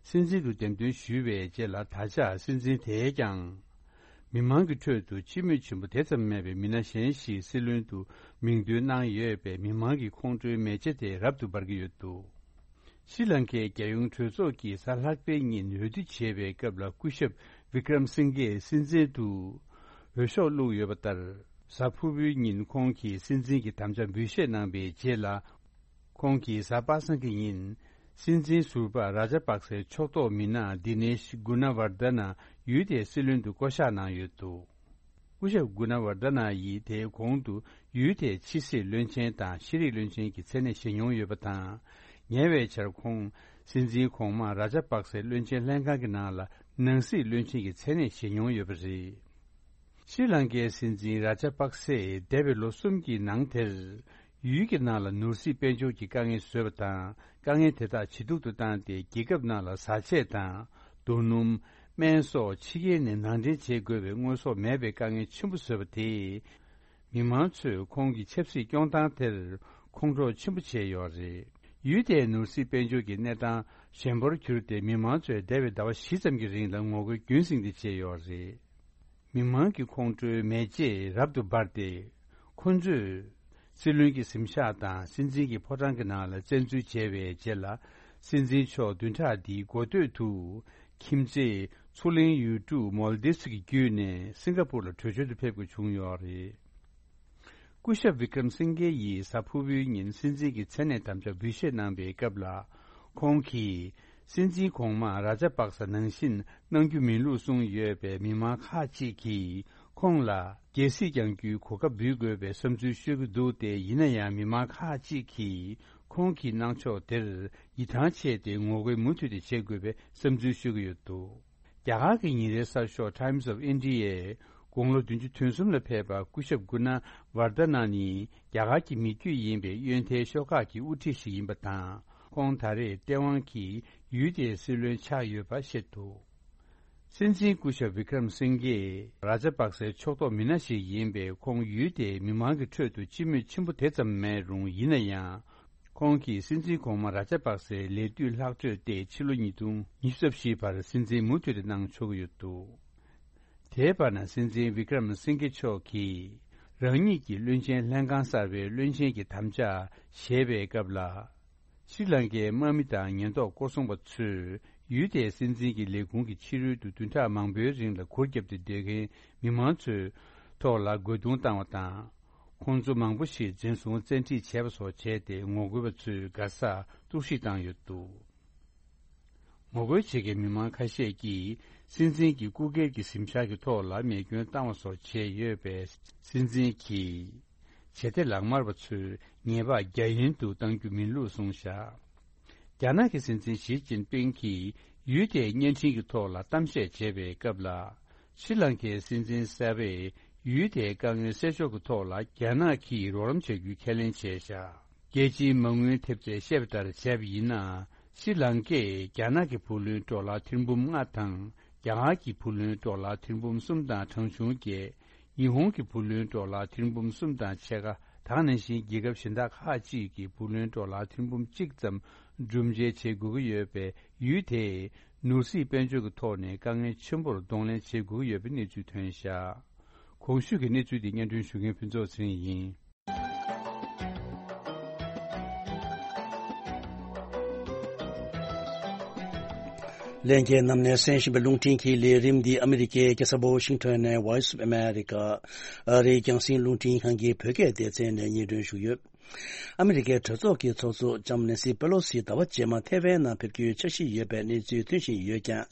སྲིད་འཛིན་དུ་འདེམས་ཐོན་ཞུས་པའི་རྗེས་ལ། ད་ཆ་སྲིད་འཛིན་དེས་ཀྱང་མི་མང་གི་ཁྲོད་དུ་སྤྱི་མོས་ཆེན་པོ་དེ་ཙམ་མེད་པའི་མི་སྣ་གཞན་ཞིག་སྲིད་བློན་དུ་མིང་འདོན་གནང་ཡོད་པས། མི་མང་གི་ཁོང་ཁྲོའི་མེ་ལྕེ་དེ་རབ་ཏུ་འབར་གྱི་ཡོད་འདུག་ཤྲི་ལང་ཀའི་རྒྱལ་ཡོངས་གྲོས་ཚོགས་ཀྱིས་གཟའ་ལྷག་པའི་ཉིན་འོས་བསྡུ་བྱས་པའི་སྐབས་ལ། སྐུ་ཞབས་ཝི་ཀྲམ་སིང་གེ་སྲིད་འཛིན་དུ་འོས་ཤོག་བླུགས་ཡོད་པ་ལྟར། གཟའ་ཕུར་བུའི་ཉིན་ཁོང་གིས་སྲིད་འཛིན་གྱི་དམ་བཅའ་འབུལ་བཞེས་གནང་པའི་རྗེས་ལ། ཁོང་གིས་གཟའ་པ་སངས་ཀྱི་ཉིན་སྲིད་འཛིན་ཟུར་པ་རཱ་ཇཱ་པག་སའི་ཕྱོགས་གཏོགས་མི་སྣ་དི་ནེཤ་གུ་ན་ཝར་དྷ་ན་ཡུལ་དེའི་སྲིད་བློན་དུ་བསྐོ་གཞག་གནང་ཡོད་འདུག་སྐུ་ཞབས་གུ་ན་ཝར་དྷ་ན་ཡིས་དེའི་གོང་དུ་ཡུལ་དེའི་ཕྱི་སྲིད་བློན་ཆེན་དང་ཤེས་རིག་བློན་ཆེན་གྱི་མཚན་གནས་བཞེས་མྱོང་ཡོད་པ་དང་། ཉེ་བའི་ཆར་ཁོང་སྲིད་འཛིན་གོང་མ་རཱ་ཇཱ་པག་སའི་བློན་ཆེན་ལྷན་ཁང་གི་ནང་ལ་ནང་སྲིད་བློན་ཆེན་གྱི་མཚན་གནས་བཞེས་མྱོང་ཡོད་པ་རེད། ཤྲི་ལང་ཀའི་སྲིད་འཛིན་རཱ་ཇཱ་པག་སེས་འདས་པའི་ལོ་གསུམ་གྱི་ནང་དེར། ཡུལ་གྱི་ནང་ལ་ནོར་སྲིད་དཔལ་འབྱོར་གྱི་དཀའ་ངལ་བཟོས་པ་དང་། དཀའ་ངལ་དེ་དག་ཇེ་སྡུག་ཏུ་བཏང་སྟེ། རྒྱལ་ཁབ་ནང་ལ་བཟའ་ཆས་དང་། རྡོ་སྣུམ། སྨན་སོགས་ཕྱི་རྒྱལ་ནས་ནང་འདྲེན་བྱེད་དགོས་པའི་དངོས་ཟོག་མེད་པའི་དཀའ་ངལ་ཆེན་པོ་བཟོས་པ་དེས། མི་མང་ཚོས་ཁོང་གི་ཆབ་སྲིད་སྐྱོང་སྟངས་དེར་ཁོང་ཁྲོ་ཆེན་པོ་བྱས་ཡོད་རེད། ཡུལ་དེའི་ནོར་སྲིད་དཔལ་འབྱོར་གྱི་གནས་སྟངས་ཞན་པར་གྱུར་ཏེ། མི་མང་ཚོས་འདས་པའི་ཟླ་བ་བཞི་ཙམ་གྱི་རིང་ལ་ངོ་རྒོལ་རྒྱུན་སྲིང་སྟེ་བྱས་ཡོད་རེད། མི་མང་གི་ཁོང་ཁྲོའི་མེ་ལྕེ་རབ་ཏུ་འབར་ཏེ། ཁོ་ཚོས་སྲིད་བློན་གྱི་གཟིམ་ཤག་དང་སྲིད་འཛིན་གྱི་ཕོ་བྲང་གི་ནང་ལ་བཙན་འཛུལ་བྱས་པའི་རྗེས་ལ། སྲིད་འཛིན་མཆོག་བདུན་ཕྲག་འདིའི་འགོ་སྟོད་དུ་ཁྱིམ་མཚེས་མཚོ་གླིང་ཡུལ་གྲུ་མོལ་དིབ་སི་གི་བརྒྱུད་ནས་སིང་ག་པུར་ལ་གྲོས་ཆོད་དུ་ཕེབས་དགོས་བྱུང་ཡོད་རེད། སྐུ་ཞབས་བི་ཀྲམ་སིང་གེ་ཡིས་གཟའ་ཕུར་བུའི་ཉིན་སྲིད་འཛིན་གྱི་མཚན་གནས་དམ་བཅའ་འབུལ་བཞེས་གནང་པའི་སྐབས་ལ། ཁོང་གིས་སྲིད་འཛིན་གོང་མ་རཱ་ཇཱ་པག་ས་ནང་བཞིན་གནང་རྒྱུ་མིན་ལུགས་གསུངས་ཡོད་པས། མི་མང་ཁག་ཅིག་གིས་ཁོང་ལ་རྒྱལ་སྲིད་བསྐྱང་རྒྱུའི་གོ་སྐབས་འབུལ་དགོས་པའི་བསམ་ཚུལ་ཤོད་ཀྱི་འདུག་སྟེ། ཡིན་ན་ཡང་མི་མང་ཁག་ཅིག་གིས་ཁོང་གི་གནང་ཕྱོགས་དེར་ཡིད་ཐང་ཆད་དེ། ངོ་རྒོལ་མུ་མཐུད་དེ་བྱེད་དགོས་པའི་བསམ་ཚུལ་ཤོད་ཀྱི་ཡོད་འདུག་རྒྱ་གར་གྱི་ཉིན་རེའི་གསར་ཤོག་Times of Indiaཡི་དགུང་ལོ་བདུན་ཅུ་དོན་གསུམ་ལ་ཕེབས་པ་སྐུ་ཞབས་གུ་ན་ཝར་དྷ་ན་ནི་རྒྱ་གར་གྱི་མི་རྒྱུད་ཡིན་པའི་གཡོན་ཐལ་ཤོག་ཁག་གི་དབུ་ཁྲིད་ཞིག་ཡིན་པ་དང་། ཁོང་ད་རེས་ལྟེ་དབང་གིས་ཡུལ་དེའི་སྲིད་བློན་ཆགས་ཡོད་པ་བཤད་འདུག་སྲིད་འཛིན་སྐུ་ཞབས་བི་ཀྲམ་སིང་གེ་རཱ་ཇཱ་པག་སའི་ཕྱོགས་གཏོགས་མི་སྣ་ཞིག་ཡིན་པས། ཁོང་ཡུལ་དེའི་མི་མང་གི་ཁྲོད་དུ་སྤྱི་མོས་ཆེན་པོ་དེ་ཙམ་མེད་རུང་། ཡིན་ན་ཡང་། ཁོང་གིས་སྲིད་འཛིན་གོང་མ་ར་ཇ་པག་སེའི་ལས་དུས་ལྷག་འཕྲོས་ཏེ་ཕྱི་ལོ་ཉིས་སྟོང་ཉི་ཤུ་རྩ་བཞིའི་བར་སྲིད་འཛིན་མུ་མཐུད་དེ་གནང་ཆོག་གི་ཡོད་འདུག་དེའི་བར་ན་སྲིད་འཛིན་བི་ཀྲམ་སིང་གེ་མཆོག་གིས་རང་ཉིད་ཀྱི་བློན་ཆེན་ལྷན་ཁང་གསར་པའི་བློན་ཆེན་གྱི་དམ་བཅའ་བཞེས་པའི་སྐབས་ལ། ཤྲི་ལང་ཀའི་དམག་མི་དང་ཉེན་རྟོག་སྐོར་སྲུང་པ་ཚོས་ཡུལ་དེའི་སྲིད་འཛིན་གྱི་ལས་ཁུངས་ཀྱི་ཕྱི་རོལ་དུ་བདུན་ཕྲག་མང་པོའི་རིང་ལ་གུར་བརྒྱབ་སྟེ་སྡོད་མཁན་མི་མང་ཚོའི་ཐོག་ལ་རྒོལ་རྡུང་བཏང་བ་དང་། ཁོང་ཚོ་མང་པོ་ཞིག་འཛིན་བཟུང་བཙན་ཁྲིད་བྱས་པ་སོགས་བྱས་ཏེ་ངོ་རྒོལ་པ་ཚོས་དགའ་ས་གཏོར་བཤིག་བཏང་ཡོད་འདུག་ངོ་རྒོལ་བྱེད་མཁན་མི་མང་ཁ་ཤས་ཀྱིས་སྲིད་འཛིན་གྱི་སྐུ་སྒེར་གྱི་གཟིམ་ཤག་གི་ཐོག་ལ་རྨས་སྐྱོན་བཏང་བ་སོགས་བྱས་ཡོད་པས། སྲིད་འཛིན་གྱིས་བྱེད་གཏེ་ལག་དམར་བ་ཚོས་ཉེས་པ་རྒྱ་ཡན་དུ་གཏང་རྒྱུ་མིན་ལུགས་གསུངས་བཞག་རྒྱ་ནག་གི་སྲིད་འཛིན་ཞི་ཅིན་ཕིང་གིས་ཡུལ་དེའི་བརྙན་འཕྲིན་གྱི་ཐོག་ལ་གཏམ་བཤད་བྱེད་པའི་སྐབས་ལ། ཤྲི་ལང་ཀའི་སྲིད་འཛིན་གསར་པས་ཡུལ་དེའི་དཀའ་ངལ་སེལ་ཕྱོགས་ཀྱི་ཐོག་ལ་རྒྱ་ནག་གིས་རོགས་རམ་བྱ་རྒྱུའི་ཁས་ལེན་བྱས་བཞག་རྒྱལ་སྤྱིའི་མ་དངུལ་ཐེབས་རྩས་བཤད་པ་ལྟར་བྱས་པ་ཡིན་ན། ཤྲི་ལང་ཀས་རྒྱ་ནག་གི་བུ་ལོན་ཌོ་ལར་ཐེར་འབུམ་ལྔ་དང་། རྒྱ་གར་གྱི་བུ་ལོན་ཌོ་ལར་ཐེར་འབུམ་གསུམ་དང་གྲངས་ཆུང་བརྒྱད། ཉི་ཧོང་གི་བུ་ལོན་ཌོ་ལར་ཐེར་འབུམ་གསུམ་དང་ཕྱེད་ཀ། ད་ག་ནང་བཞིན་རྒྱལ་ཁབ་གཞན་དག་ཁག་ཅིག་གི་བུ་ལོན་ཌོ་ལར་ཐེར་འབུམ་གཅིག་ཙམ་སྒྲུབ་འཇལ་བྱེད་དགོས་ཀྱི་ཡོད་པས། ཡུལ་དེས་ནོར་སྲིད་དཔལ་འབྱོར་གྱི་ཐོག་ནས་དཀའ་ངལ་ཆེན་པོར་གདོང་ལེན་བྱེད་དགོས་ཀྱི་ཡོད་པའི་གནས་ཚུལ་ཐོན་བཞག་གོང་ཞུས་ཀྱི་གནས་ཚུལ་འདི་སྙན་སྒྲོན་ཞུ་མཁན་ཕུན་ཚོགས་ཚེ་རིང་ཡིན། ལྷན་རྒྱས་རྣམས་ནས་གསན་བཞིན་པའི་རླུང་འཕྲིན་གྱི་ལས་རིམ་འདི་ཨ་མི་རི་ཀའི་རྒྱལ་ས་ཝ་ཤིང་ཊོན་ནས་Voice of America ཨ་རིའི་རྒྱང་སྲིང་རླུང་འཕྲིན་ཁང་གི་བོད་སྐད་སྡེ་ཚན་ནས་སྙན་སྒྲོན་ཞུས་ཡོད། ཨ་མི་རི་ཀའི་གྲོས་ཚོགས་ཀྱི་ཚོགས་གཙོ་ལྕམ་ནེན་སི་པེ་ལོ་སི་ཟླ་བ་རྗེས་མ་ཐེ་ཝན་ནང་ཕེབས་རྒྱུའི་འཆར་གཞི་ཡོད་པའི་གནས་ཚུལ་ཐོན་བཞིན་ཡོད་ཀྱང་།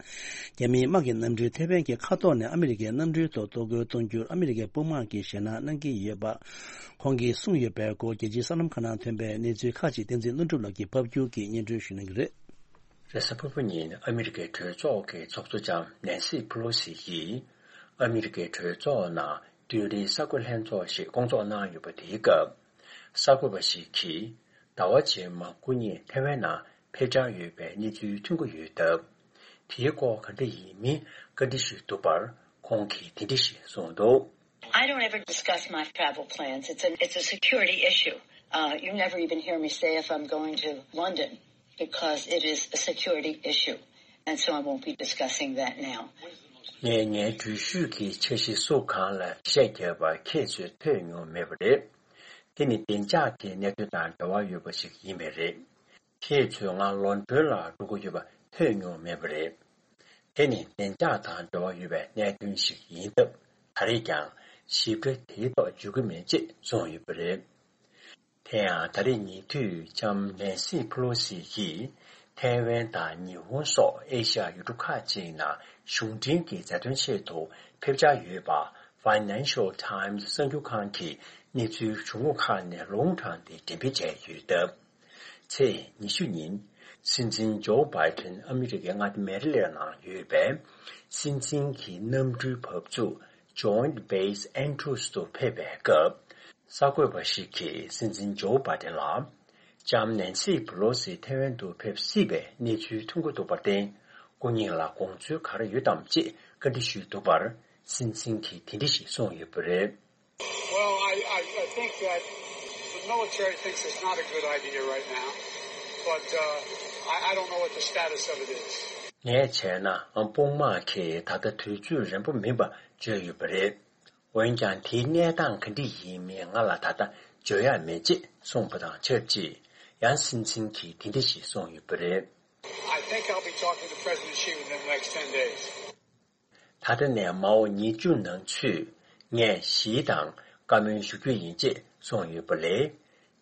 རྒྱ་མིའི་དམག་གི་གནམ་གྲུས་ཐེ་ཝན་གྱི་མཁའ་ཐོག་ནས་ཨ་མི་རི་ཀའི་གནམ་གྲུའི་ཐོག་གཏོར་རྒོལ་གཏོང་རྒྱུར་ཨ་མི་རི་ཀའི་དཔུང་དམག་གིས་ཞེད་སྣང་གནང་གི་ཡོད་པ། ཁོང་གིས་གསུངས་ཡོད་པའི་སྐོར་རྒྱལ་སྤྱིའི་གསར་ལམ་ཁག་ནང་ཐོན་པའི་གནས་ཚུལ་ཁག་ཅིག་བསྟན་འཛིན་ལྷུན་གྲུབ་ལགས་ཀྱིས་ཕབ་སྒྱུར་གྱིས་སྙན་སྒྲོན་ཞུ་གནང་གི་རེད། རེས་གཟའ་ཕུར་བུ་ཉིན་ཨ་མི་རི་ཀའི་གྲོས་ཚོགས་ཀྱི་ཚོགས་གཙོ་ལྕམ་ནེན་སི་ཕུ་ལོ་སི་ཡིས་ཨ་མི་རི་ཀའི་གྲོས་ཚོགས་ནང་བདུན་རེའི་གསར་འགོད་ལྷན་ཚོགས་ཤིག་བསྐོང་ཚོགས་གནང་ཡོད་པ་དེའི་སྐབས། གསར་འགོད་པ་ཞིག་གིས་ཟླ་བ་རྗེས་མ་སྐུ་ཉིད་ཐེ་ཝན་ནང་ཕེབས་འཆར་ཡོད་པའི་གནས་ཚུལ་ཐོན་གྱི་ཡོད་སྟབས། དེའི་སྐོར་ག་འདྲ་ཡིན་མིན་བཀའ་འདྲི་ཞུས་འདུག་པར་ཁོང་གིས་དེ་འདྲ་ཞིག་གསུངས་འདུག I don't ever discuss my travel plans. It's a, it's a security issue. Uh, you never even hear me say if I'm going to London because it is a security issue. And so I won't be discussing that now. ངས་ངའི་འགྲུལ་བཞུད་ཀྱི་འཆར་གཞི་སུ་གང་ལ་གཞས་བརྒྱབ་པ་ཁྱེད་ཚོས་ཐོས་མྱོང་མེད་པ་རེད། དེ་ནི་བདེ་འཇགས་ཀྱི་གནད་དོན་དང་འབྲེལ་བ་ཡོད་པ་ཞིག་ཡིན་པས་རེད། ཁྱེད་ཚོས་ང་ལོན་ཌོན་ལ་འགྲོ་གི་ཡོད་པ་ཐོས་མྱོང་མེད་པ་རེད། དེ་ནི་བདེ་འཇགས་དང་འབྲེལ་བ་ཡོད་པའི་གནད་དོན་ཞིག་ཡིན་སྟབས། ད་རེས་ཀྱང་ཞིབ་ཕྲ་དེའི་ཐོག་འཇུག་གི་མེད་ཅེས་གསུངས་ཡོད་པ་རེད། དེ་ཡང་ད་རེས་ཉེ་དུས་ལྕམ་ནེན་སི་ཕུ་ལོ་སི་ཡིས་ཐའེ་ཝན་དང་ཉི་ཧོང་སོགས་ཨེ་ཤ་ཡ་ཡུལ་གྲུ་ཁག་ཅིག་ནང་གཞུང་འབྲེལ་གྱི་མཛའ་མཐུན་ཆེད་དུ་ཕེབས་འཆར་ཡོད་པ་Financial Times གསར་འགྱུར་ཁང་གིས་གནས་ཚུལ་གཞུང་ངོ་ཁག་ནས་ལུང་དྲངས་ཏེ་འགྲེམས་སྤེལ་བྱས་ཡོད་སྟབས། ཚེས་ཉི་ཤུ་ཉིན་སྲིད་འཛིན་ཇོ་བྷའི་ཏན་ཨ་མི་རི་ཀའི་མངའ་སྡེ་མེ་རི་ལེན་ནང་ཡོད་པའི་སྲིད་འཛིན་གྱི་གནམ་གྲུའི་བབས་ཚུགས་Joint Base Andrews དུ་ཕེབས་པའི་སྐབས། གསར་འགོད་པ་ཞིག་གིས་སྲིད་འཛིན་ཇོ་བྷའི་ཏན་ལ། ལྕམ་ནེན་སི་ཕུ་ལོ་སི་ཐའེ་ཝན་དུ་ཕེབས་སྲིད་པའི་གནས་ཚུལ་ཐོན་གྱི་འདུག་པར་བརྟེན། སྐུ་ཉིད་ལ་དགོངས་ཚུལ་ག་རེ་ཡོད་དམ་ཅེས་བཀའ་འདྲི་ཞུས་འདུག་པར། སྲིད་འཛིན་གྱིས་དེ་འདྲ་ཞིག་གསུངས་ཡོད་པ་རེད། Well, I, I, I think that the military thinks it's not a good idea right now, but uh, I, I don't know what the status of it is. ངས་བྱས་ན་དཔུང་དམག་གིས་ད་ལྟ་དུས་ཚོད་རན་པོ་མིན་པ་བརྗོད་ཡོད་པ་རེད། འོན་ཀྱང་དེའི་གནས་སྟངས་ག་འདྲ་ཡིན་མིན་ང་ལ་ད་ལྟ་བརྗོད་ཡག་མེད་ཅེས་གསུངས་པ་དང་ཆབས་ཅིག་ཡང་སྲིད་འཛིན་གྱིས་དེ་འདྲ་ཞིག་གསུངས་ཡོད་པ་རེད། I think I'll be talking to President Xi within the next ten days. ད་ལྟ་ནས་མ་འོངས་ཉིན་བཅུ་ནང་ཚུད་ངས་ཞི་དང་བཀའ་མོལ་ཞུ་རྒྱུ་ཡིན་ཅེས་གསུངས་ཡོད་པ་ལས།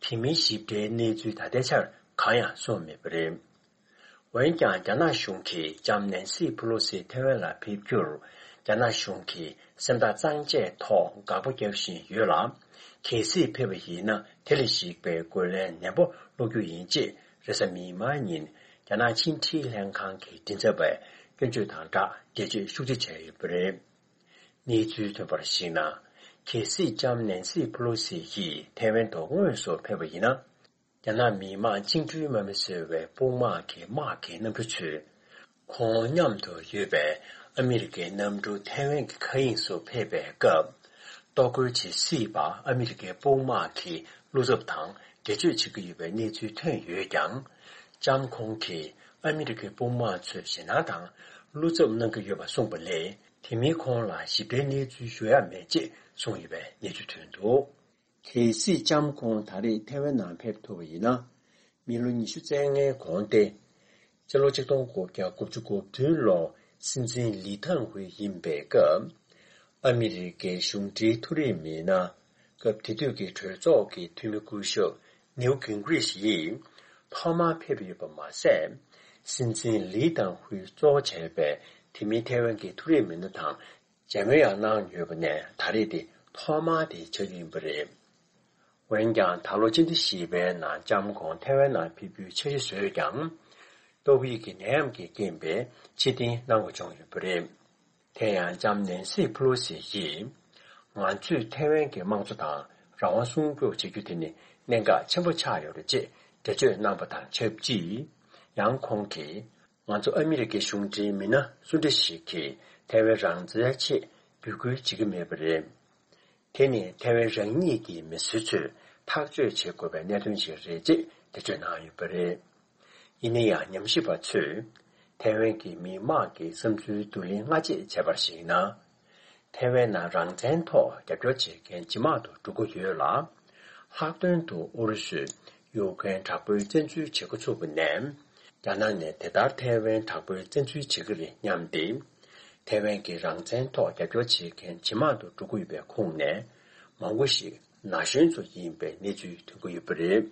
དེ་མིན་ཞིབ་ཕྲའི་གནས་ཚུལ་ད་ལྟའི་ཆར་གང་ཡང་གསུངས་མེད་པ་རེད། འོན་ཀྱང་རྒྱ་ནག་གཞུང་གིས་ལྕམ་ནེན་སི་ཕུ་ལོ་སི་ཐེ་ཝན་ལ་ཕེབས་རྒྱུར་རྒྱ་ནག་གཞུང་གིས་སེམས་ཐག་གཙང་བཅད་ཐོག་དགག་པ་རྒྱག་བཞིན་ཡོད་ལ། གལ་སྲིད་ཕེབས་པ་ཡིན་ན་དེ་ལ་གཞིགས་པའི་རྒོལ་ལན་ནན་པོ་སློག་རྒྱུ་ཡིན་ཅེས་རེས་གཟའ་མིག་དམར་ཉིན་རྒྱ་ནག་ཕྱི་འབྲེལ་ལྷན་ཁང་གི་མགྲིན་ཚབ་པས་སྐྱོན་བརྗོད་དང་སྦྲགས་འགྲེལ་བརྗོད་ཤུགས་ཆེ་བྱས་ཡོད་པ་རེད། གནས་ཚུལ་ཐོན་པར་གཞིགས་ན། གལ་སྲིད་ལྕམ་ནེན་སི་ཕུ་ལོ་སི་ཡིས་ཐེ་ཝན་དུ་དངོས་སུ་ཕེབས་པ་ཡིན་ན། རྒྱ་ནག་མི་དམངས་བཅིངས་འགྲོལ་དམག་མི་ཟེར་བའི་དཔུང་དམག་གི་དམག་གི་གནམ་གྲུ་ཚོས། ཁོང་མཉམ་དུ་ཡོད་པའི་ཨ་མི་རི་ཀའི་གནམ་གྲུ་ཐེ་ཝན་གྱི་མཁའ་དབྱིངས་སུ་ཕེབས་པའི་སྐབས། གཏོར་རྒོལ་བྱེད་སྲིད་པ་ཨ་མི་རི་ཀའི་དཔུང་དམག་གི་བློ་འཚབ་དང་ འགྲེལ་བརྗོད་བྱེད་ཀྱི་ཡོད་པའི་གནས་ཚུལ་ཐོན་ཡོད་ཀྱང་། ལྕམ་ཁོང་གིས་ཨ་མི་རི་ཀའི་དཔུང་དམག་ཚོས་ཞེད་སྣང་དང་བློ་འཚབ་གནང་གི་ཡོད་པ་གསུངས་པ་ལས། དེ་མིན་ཁོང་ལ་ཞིབ་ཕྲའི་གནས་ཚུལ་ཞུ་ཡ་མེད་ཅེས་གསུངས་ཡོད་པའི་གནས་ཚུལ་ཐོན་འདུག། གལ་སྲིད་ལྕམ་ཁོང་ད་རེས་ཐའེ་ཝན་ནང་ཕེབས་ཐུབ་པ་ཡིན་ན། མི་ལོ་ཉི་ཤུ་རྩ་ལྔའི་གོང་སྟེ། སྤྱི་ལོ་ཆིག་སྟོང་དགུ་བརྒྱ་དགུ་བཅུ་གོ་བདུན་ལོར་སྲིད་འཛིན་ལི་ཐང་ཧུའེ་ཡིན་པའི་སྐབས། ཨ་མི་རི་ཀའི་གཞུང་འབྲེལ་ཐུག་རེས་མི་སྣ། སྐབས་དེ་དུས་ཀྱི་གྲོས་ཚོགས་ཀྱི་འཐུས་མི་སྐུ་ཞབས་ནིའུ་གིང་གྷི་རིཤ་ཡིས་ཐོག་མར་ཕེབས་ཡོད་པ་མ་ཟད། སྲིད་འཛིན་ལི་ཐང་ཧུའེ་གཙོ་བྱས་པའི་དེ་མིན་ཐའེ་ཝན་གྱི་ཐུག་རེས་མི་སྣ་དང་མཇལ་མོལ་ཡང་གནང་ཡོད་པ་ནས། ད་རེས་དེ་ཐོག་མ་དེ་ཆགས་ཀྱི་ཡིན་པ་རེད། འོན་ཀྱང་། ད་ལོ་སྤྱི་ཟླ་བཞི་པའི་ནང་ལྕམ་ཁོང་ཐའེ་ཝན་ནང་ཕེབས་རྒྱུའི་འཆར་གཞི་བཟོས་ཀྱང་། ཏོག་དབྱིབས་ཀྱི་ནད་ཡམས་ཀྱི་རྐྱེན་པས་ཕྱིར་འཐེན་གནང་དགོས་བྱུང་ཡོད་པ་རེད། དེ་ཡང་ལྕམ་ནན་སི་ཕུ་ལོ་སི་ཡིས། ང་ཚོས་ཐའེ་ཝན་གྱི་དམངས་གཙོ་དང་རང་དབང་སྲུང་སྐྱོབ་བྱེད་རྒྱུ་དེ་ནི་གནད་འགག་ཆེན་པོ་ཆགས་ཡོད་རེད་ཅེས་འགྲེལ་བརྗོད་གནང་པ་དང་ཆབས་ཅིག། ཡང་ཁོང་གིས། ང་ཚོ་ཨ་མི་རི་ཀའི་གཞུང་འབྲེལ་མི་སྣ་སུ་འདྲ་ཞིག་གིས་ཐའེ་ཝན་རང་བཙན་ཆེད་འབོད་སྐུལ་བྱེད་ཀྱི་མེད་པ་རེད། དེ་ནི་ཐའེ་ཝན་རང་ཉིད་ཀྱི་མི་སེར་ཚོས་ཐག་གཅོད་བྱེད་དགོས་པའི་གནད་དོན་ཞིག་རེད་ཅེས་འགྲེལ་བརྗོད་གནང་ཡོད་པ་རེད། ཡིན་ན་ཡང་། ཉམས་ཞིབ་པ་ཚོས་ཐའེ་ཝན་གྱི་མི་དམངས་ཀྱི་བསམ་ཚུལ་བསྡུ་ལེན་སྔ་རྗེས་བྱས་པར་གཞིགས་ན། ཐའེ་ཝན་ནང་རང་བཙན་ཐོག་རྒྱབ་སྐྱོར་བྱེད་མཁན་ཇེ་མང་དུ་འགྲོ་གི་ཡོད་ལ། ལྷག་དོན་དུ་ཨུ་རུ་སུས་ཡུཀ་རེན་དྲག་པོའི་བཙན་འཛུལ་བྱེད་འགོ་ཚུགས་པ་ནས། རྒྱ་ནག་ནས་དེ་ལྟར་ཐའེ་ཝན་དྲག་པོའི་བཙན་འཛུལ་བྱེད་ཀྱི་རེད་སྙམ་སྟེ། ཐའེ་ཝན་གྱི་རང་བཙན་ཐོག་རྒྱབ་སྐྱོར་བྱེད་མཁན་ཇེ་མང་དུ་འགྲོ་གི་ཡོད་པའི་ཁོངས་ནས། མང་པོ་ཞིག་ན་གཞོན་ཚོ་ཡིན་པའི་གནས་ཚུལ་ཐོན་གྱི་ཡོད་པ་རེད།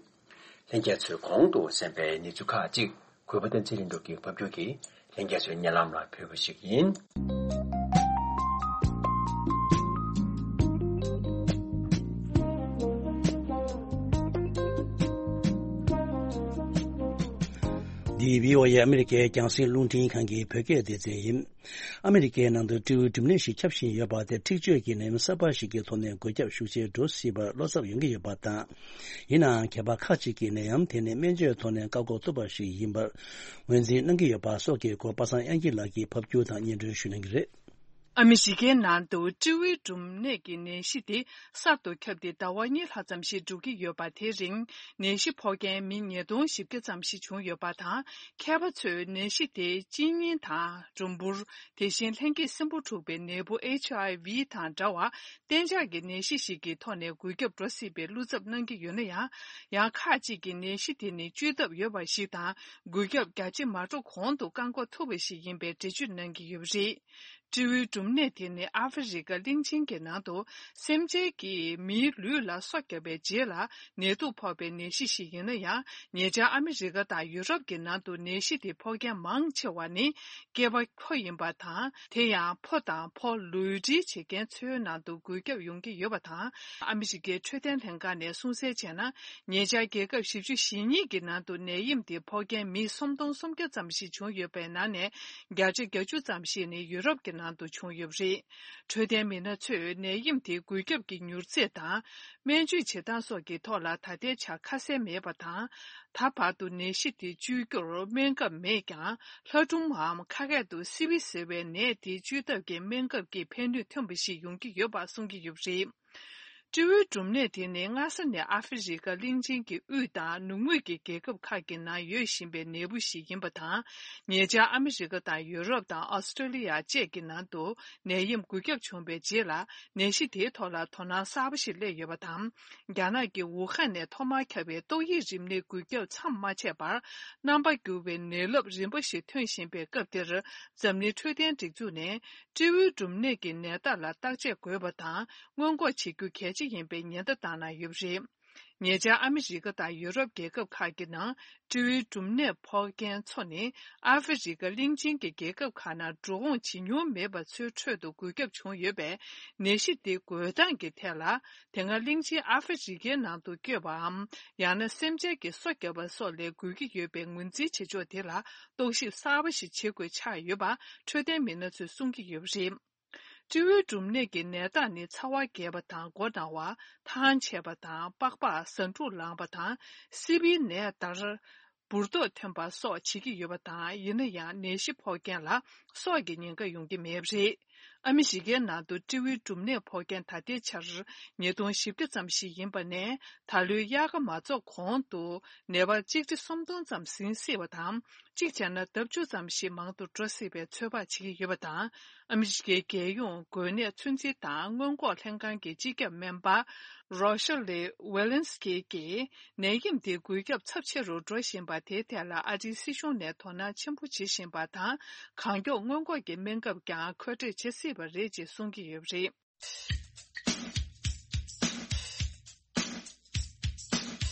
ལྷན་རྒྱས་ཚོས་གོང་དུ་གསན་པའི་གནས་ཚུལ་ཁག་ཅིག་གུས་པ་བསྟན་འཛིན་ལྷུན་གྲུབ་ཀྱིས་ཕབ་སྒྱུར་གྱིས་ལྷན་རྒྱས་ཚོའི་སྙན་ལམ་ལ་ཕུལ་བ་ཞིག་ཡིན། འདི་བྷི་ཨོ་ཨེ་ཨ་མི་རི་ཀའི་རྒྱང་སྲིང་རླུང་འཕྲིན་ཁང་གི་བོད་སྐད་སྡེ་ཚན་ཡིན། ཨ་མི་རི་ཀའི་ནང་དུ་སྤྲེའུའི་འབྲུམ་ནད་ཞིག་ཁྱབ་བཞིན་ཡོད་པ་དེ་འཁྲིག་སྤྱོད་ཀྱི་ནད་ཡམས་གསར་པ་ཞིག་གི་ཐོག་ནས་འགོས་ཁྱབ་ཤུགས་ཆེར་འགྲོ་སྲིད་པར་བློ་འཚབ་ཡོང་གི་ཡོད་པ་དང་། ཡིན་ནའང་། མཁས་པ་ཁག་ཅིག་གིས་ནད་ཡམས་དེ་ནི་སྨན་བཅོས་ཐོག་ནས་བཀག་འགོག་ཐུབ་པ་ཞིག་ཡིན་པར་ངོས་འཛིན་གནང་གི་ཡོད་པ་སོགས་ཀྱི་སྐོར་པ་སངས་དབྱངས་སྐྱིད་ལགས་ཀྱིས་ཕབ་སྒྱུར་དང་སྙན་སྒྲོན་ཞུ་གནང་གི་རེད། ཨ་མི་རི་ཀའི་ནང་དུ་སྤྲེའུའི་འབྲུམ་ནད་ཀྱི་ནད་གཞི་དེ་གསར་དུ་ཁྱབ་སྟེ་ཟླ་བ་གཉིས་ལྷག་ཙམ་ཞིག་འགྲོ་གི་ཡོད་པ། དེ་རིང་ནད་གཞི་ཕོག་མཁན་མི་ཉིས་སྟོང་བཞི་བརྒྱ་ཙམ་ཞིག་བྱུང་ཡོད་པ་དང་། མཁས་པ་ཚོས་ནད་གཞི་དེ་གཅིན་སྙི་དང་གྲུམ་བུར། དེ་བཞིན་ལྷན་སྐྱེས་སྲིན་འབུ་འཁྲུགས་པའི་ནད་འབུ་ཨེཆ་ཨའི་ཝི་དང་འདྲ་བར་གཏན་འཇགས་ཀྱི་ནད་གཞི་ཞིག་གི་ཐོག་ནས་འགོས་ཁྱབ་འགྲོ་སྲིད་པའི་བློ་འཚབ་གནང་གི་ཡོད་ན་ཡང་། ཡང་ཁག་ཅིག་གིས་ནད་གཞི་དེ་ནི་བཅོས་ཐབས་ཡོད་པ་ཞིག་དང་། འགོས་ཁྱབ་རྒྱ་ཆེ་མ་འགྲོ་གོང་དུ་བཀག་འགོག་ཐུབ་པ་ཞིག་ཡིན་པའི་འགྲེལ་བརྗོད་གནང་གི་ཡོད་པ་རེད། སྤྲེའུའི་འབྲུམ་ནད་དེ་ནི་ཨ་ཧྥེ་རི་ཀ་གླིང་ཆེན་གྱི་ནང་དུ་སེམས་ཅན་གྱིས་མིའི་ལུས་ལ་སོ་བརྒྱབ་པའི་རྗེས་ལ་ནད་དུག་ཕོག་པའི་ནད་གཞི་ཞིག་ཡིན་ན་ཡང་། ཉེ་ཆར་ཨ་མི་རི་ཀ་དང་ཡུ་རོབ་ཀྱི་ནང་དུ་ནད་གཞི་དེ་ཕོག་མཁན་མང་ཆེ་བ་ནི་སྐྱེས་པ་ཕོ་ཡིན་པ་དང་། དེ་ཡང་ཕོ་དང་ཕོ་ལུས་འབྲེལ་བྱེད་མཁན་ཚོའི་ནང་དུ་འགོས་ཁྱབ་ཡོང་གི་ཡོད་པ་དང་། ཨ་མི་རི་ཀའི་འཕྲོད་བསྟེན་ལྷན་ཁང་ནས་གསུངས་གསལ་བྱས་ན། ཉེ་ཆར་རྒྱལ་ཁབ་བཞི་བཅུ་ཞེ་གཉིས་ཀྱི་ནང་དུ་ནད་ཡམས་དེ་ཕོག་མཁན་མི་སུམ་སྟོང་སུམ་བརྒྱ་ཙམ་ཞིག་བྱུང་ཡོད་པའི་ནང་ནས་བརྒྱ་ཆ་བརྒྱད་ཅུ་ཙམ་ཞིག་ནི་ཡུ་རོབ་ཀྱི་ནང་དུ་བྱུང་ཡོད་པ་རེད། འཕྲོད་བསྟེན་མི་སྣ་ཚོས་ནད་ཡམས་དེ་འགོས་ཁྱབ་ཀྱི་མྱུར་ཚད་དང་། སྨན་བཅོས་བྱེད་སྟངས་སོགས་ཀྱི་ཐོག་ལ་ད་ལྟའི་ཆར་ཁ་གསལ་མེད་པ་དང་། ད་བར་དུ་ནད་གཞི་དེ་བཅོས་རྒྱུར་སྨན་ཁབ་མེད་ཀྱང་། ལྷ་སྒྲུང་འམ་ཁ་སྐད་དུ་སི་བི་ཟེར་བའི་ནད་དེ་བཅོས་ཐབས་ཀྱི་སྨན་ཁབ་ཀྱིས་ཕན་ནུས་ཐོན་པ་ཞིག་ཡོང་གི་ཡོད་པ་གསུང་གི་ཡོད་པ་རེད། སྤྲེའུའི་འབྲུམ་ནད་དེ་ནི་སྔ་ས་ནས་ཨ་ཧྥེ་རི་ཀ་གླིང་ཆེན་གྱི་དབུས་དང་ནུབ་ངོས་ཀྱི་རྒྱལ་ཁབ་ཁག་གི་ནང་ཡོད་བཞིན་པའི་ནད་འབུ་ཞིག་ཡིན་པ་དང་། ཉེ་ཆར་ཨ་མི་རི་ཀ་དང་ཡུ་རོབ་དང་ཨོ་སི་ཀྲོ་ལི་ཡ་བཅས་ཀྱི་ནང་དུ་ནད་ཡམས་འགོས་ཁྱབ་བྱུང་བའི་རྗེས་ལ། ནད་གཞི་དེའི་ཐོག་ལ་དོ་སྣང་གསར་པ་ཞིག་སླེབས་ཡོད་པ་དང་། རྒྱ་ནག་གི་ཝུ་ཧན་ནས་ཐོག་མར་ཁྱབ་པའི་ཏོག་དབྱིབས་རིམས་ནད་འགོས་ཁྱབ་མཚམས་མ་ཆད་པར། རྣམ་པ་འགྱུར་བའི་ནད་རླབས་རིམ་པ་ཞིག་ཐོན་བཞིན་པའི་སྐབས་འདིར། འཛམ་གླིང་འཕྲོད་བསྟེན་སྒྲིག་འཛུགས་ནས། སྤྲེའུའི་འབྲུམ་ནད་ཀྱི་ནད་རྟགས་ལ་བརྟག་དཔྱད་དགོས་པ་དང་། སྔོན་འགོག་བྱེད་རྒྱུ་གལ་ཆེ་ཡིན་པའི་ཉེན་བརྡ་བཏང་གནང་ཡོད་པ་རེད། ཉེ་ཆར་ཨ་མི་རི་ཀ་དང་ཡུ་རོབ་རྒྱལ་ཁབ་ཁག་གི་ནང་སྤྲེའུའི་འབྲུམ་ནད་ཕོག་མཁན་ཚོ་ནི་ཨ་ཧྥེ་རི་ཀ་གླིང་ཆེན་གྱི་རྒྱལ་ཁབ་ཁག་ནང་འགྲོ་འོང་བྱེད་མྱོང་མེད་པ་ཚོའི་ཁྲོད་དུ་འགོས་ཁྱབ་བྱུང་ཡོད་པས། ནད་གཞི་དེ་འགོས་སྟངས་ཀྱི་ཐད་ལ། དེ་སྔ་གླིང་ཆེན་ཨ་ཧྥེ་རི་ཀའི་ནང་དུ་བསྐྱོད་པའམ། ཡང་ན་སེམས་ཅན་གྱིས་སོ་བརྒྱབ་པ་སོགས་ལས་འགོས་ཀྱི་ཡོད་པའི་ངོས་འཛིན་བྱེད་ཕྱོགས་དེ་ལ་རྟོག་ཞིབ་གསར་པ་ཞིག་བྱེད་དགོས་ཆགས་ཡོད་པ་འཕྲོད་བསྟེན་མི་སྣ་ཚོས་གསུང་གི་ཡོད་པ་རེད། སྤྲེའུའི་འབྲུམ་ནད་ཀྱི་ནད་རྟགས་ནི་ཚ་བ་རྒྱས་པ་དང་མགོ་ན་བ། ཐང་ཆད་པ་དང་པགས་པ་ཟ་འཕྲུག་ལངས་པ་དང་སི་པིའི་ནད་ལྟར་འབུར་ཏོག་ཐོན་པ་སོགས་བྱེད་ཀྱི་ཡོད་པ་དང་། ཡིན་ན་ཡང་ནད་གཞི་ཕོག་མཁན་ལ་སྲོག་གི་ཉེན་ཁ་ཡོང་གི་མེད་པ་རེད། ཨ་མི་རི་ཀའི་ནང་དུ་སྤྲེའུའི་འབྲུམ་ནད་ཕོག་མཁན་ད་ལྟའི་ཆར་ཉིས་སྟོང་བཞི་བརྒྱ་ཙམ་ཞིག་ཡིན་པ་ནས། ད་ལོའི་དབྱར་ཁ་མ་རྫོགས་གོང་དུ་ནད་པ་གཅིག་ཁྲི་སུམ་སྟོང་ཙམ་ཟིན་སྲིད་པ་དང་། གཅིག་བྱས་ན་ལྡབ་བཅུ་ཙམ་ཞིག་མང་དུ་འགྲོ་སྲིད་པའི་ཚོད་དཔག་བྱེད་ཀྱི་ཡོད་པ་དང་། ཨ་མི་རི་ཀའི་རྒྱལ་ཡོངས་འགོས་ནད་ཚོད་འཛིན་དང་སྔོན་འགོག་ལྷན་ཁང་གི་སྤྱི་ཁྱབ་སྨན་པ་རོ་ཤ་ལེ་ཝེ་ལན་སི་ཀི་གིས། ནད་ཡམས་འདི་འགོས་ཁྱབ་ཚབས་ཆེ་རུ་འགྲོ་བཞིན་པ་དེའི་ཐད་ལ་ཨ་རིའི་སྲིད་གཞུང་ནས་དོ་སྣང་ཆེན་པོ་བྱེད་བཞིན་པ་དང་། གང་མགྱོགས་སྔོན་འགོག་གི་སྨན་ཁབ་ཀྱང་མཁོ་སྤྲོད་བྱེད་སྲིད་པ་རེད་ཅེས་གསུང་གི་ཡོད་པ་རེད།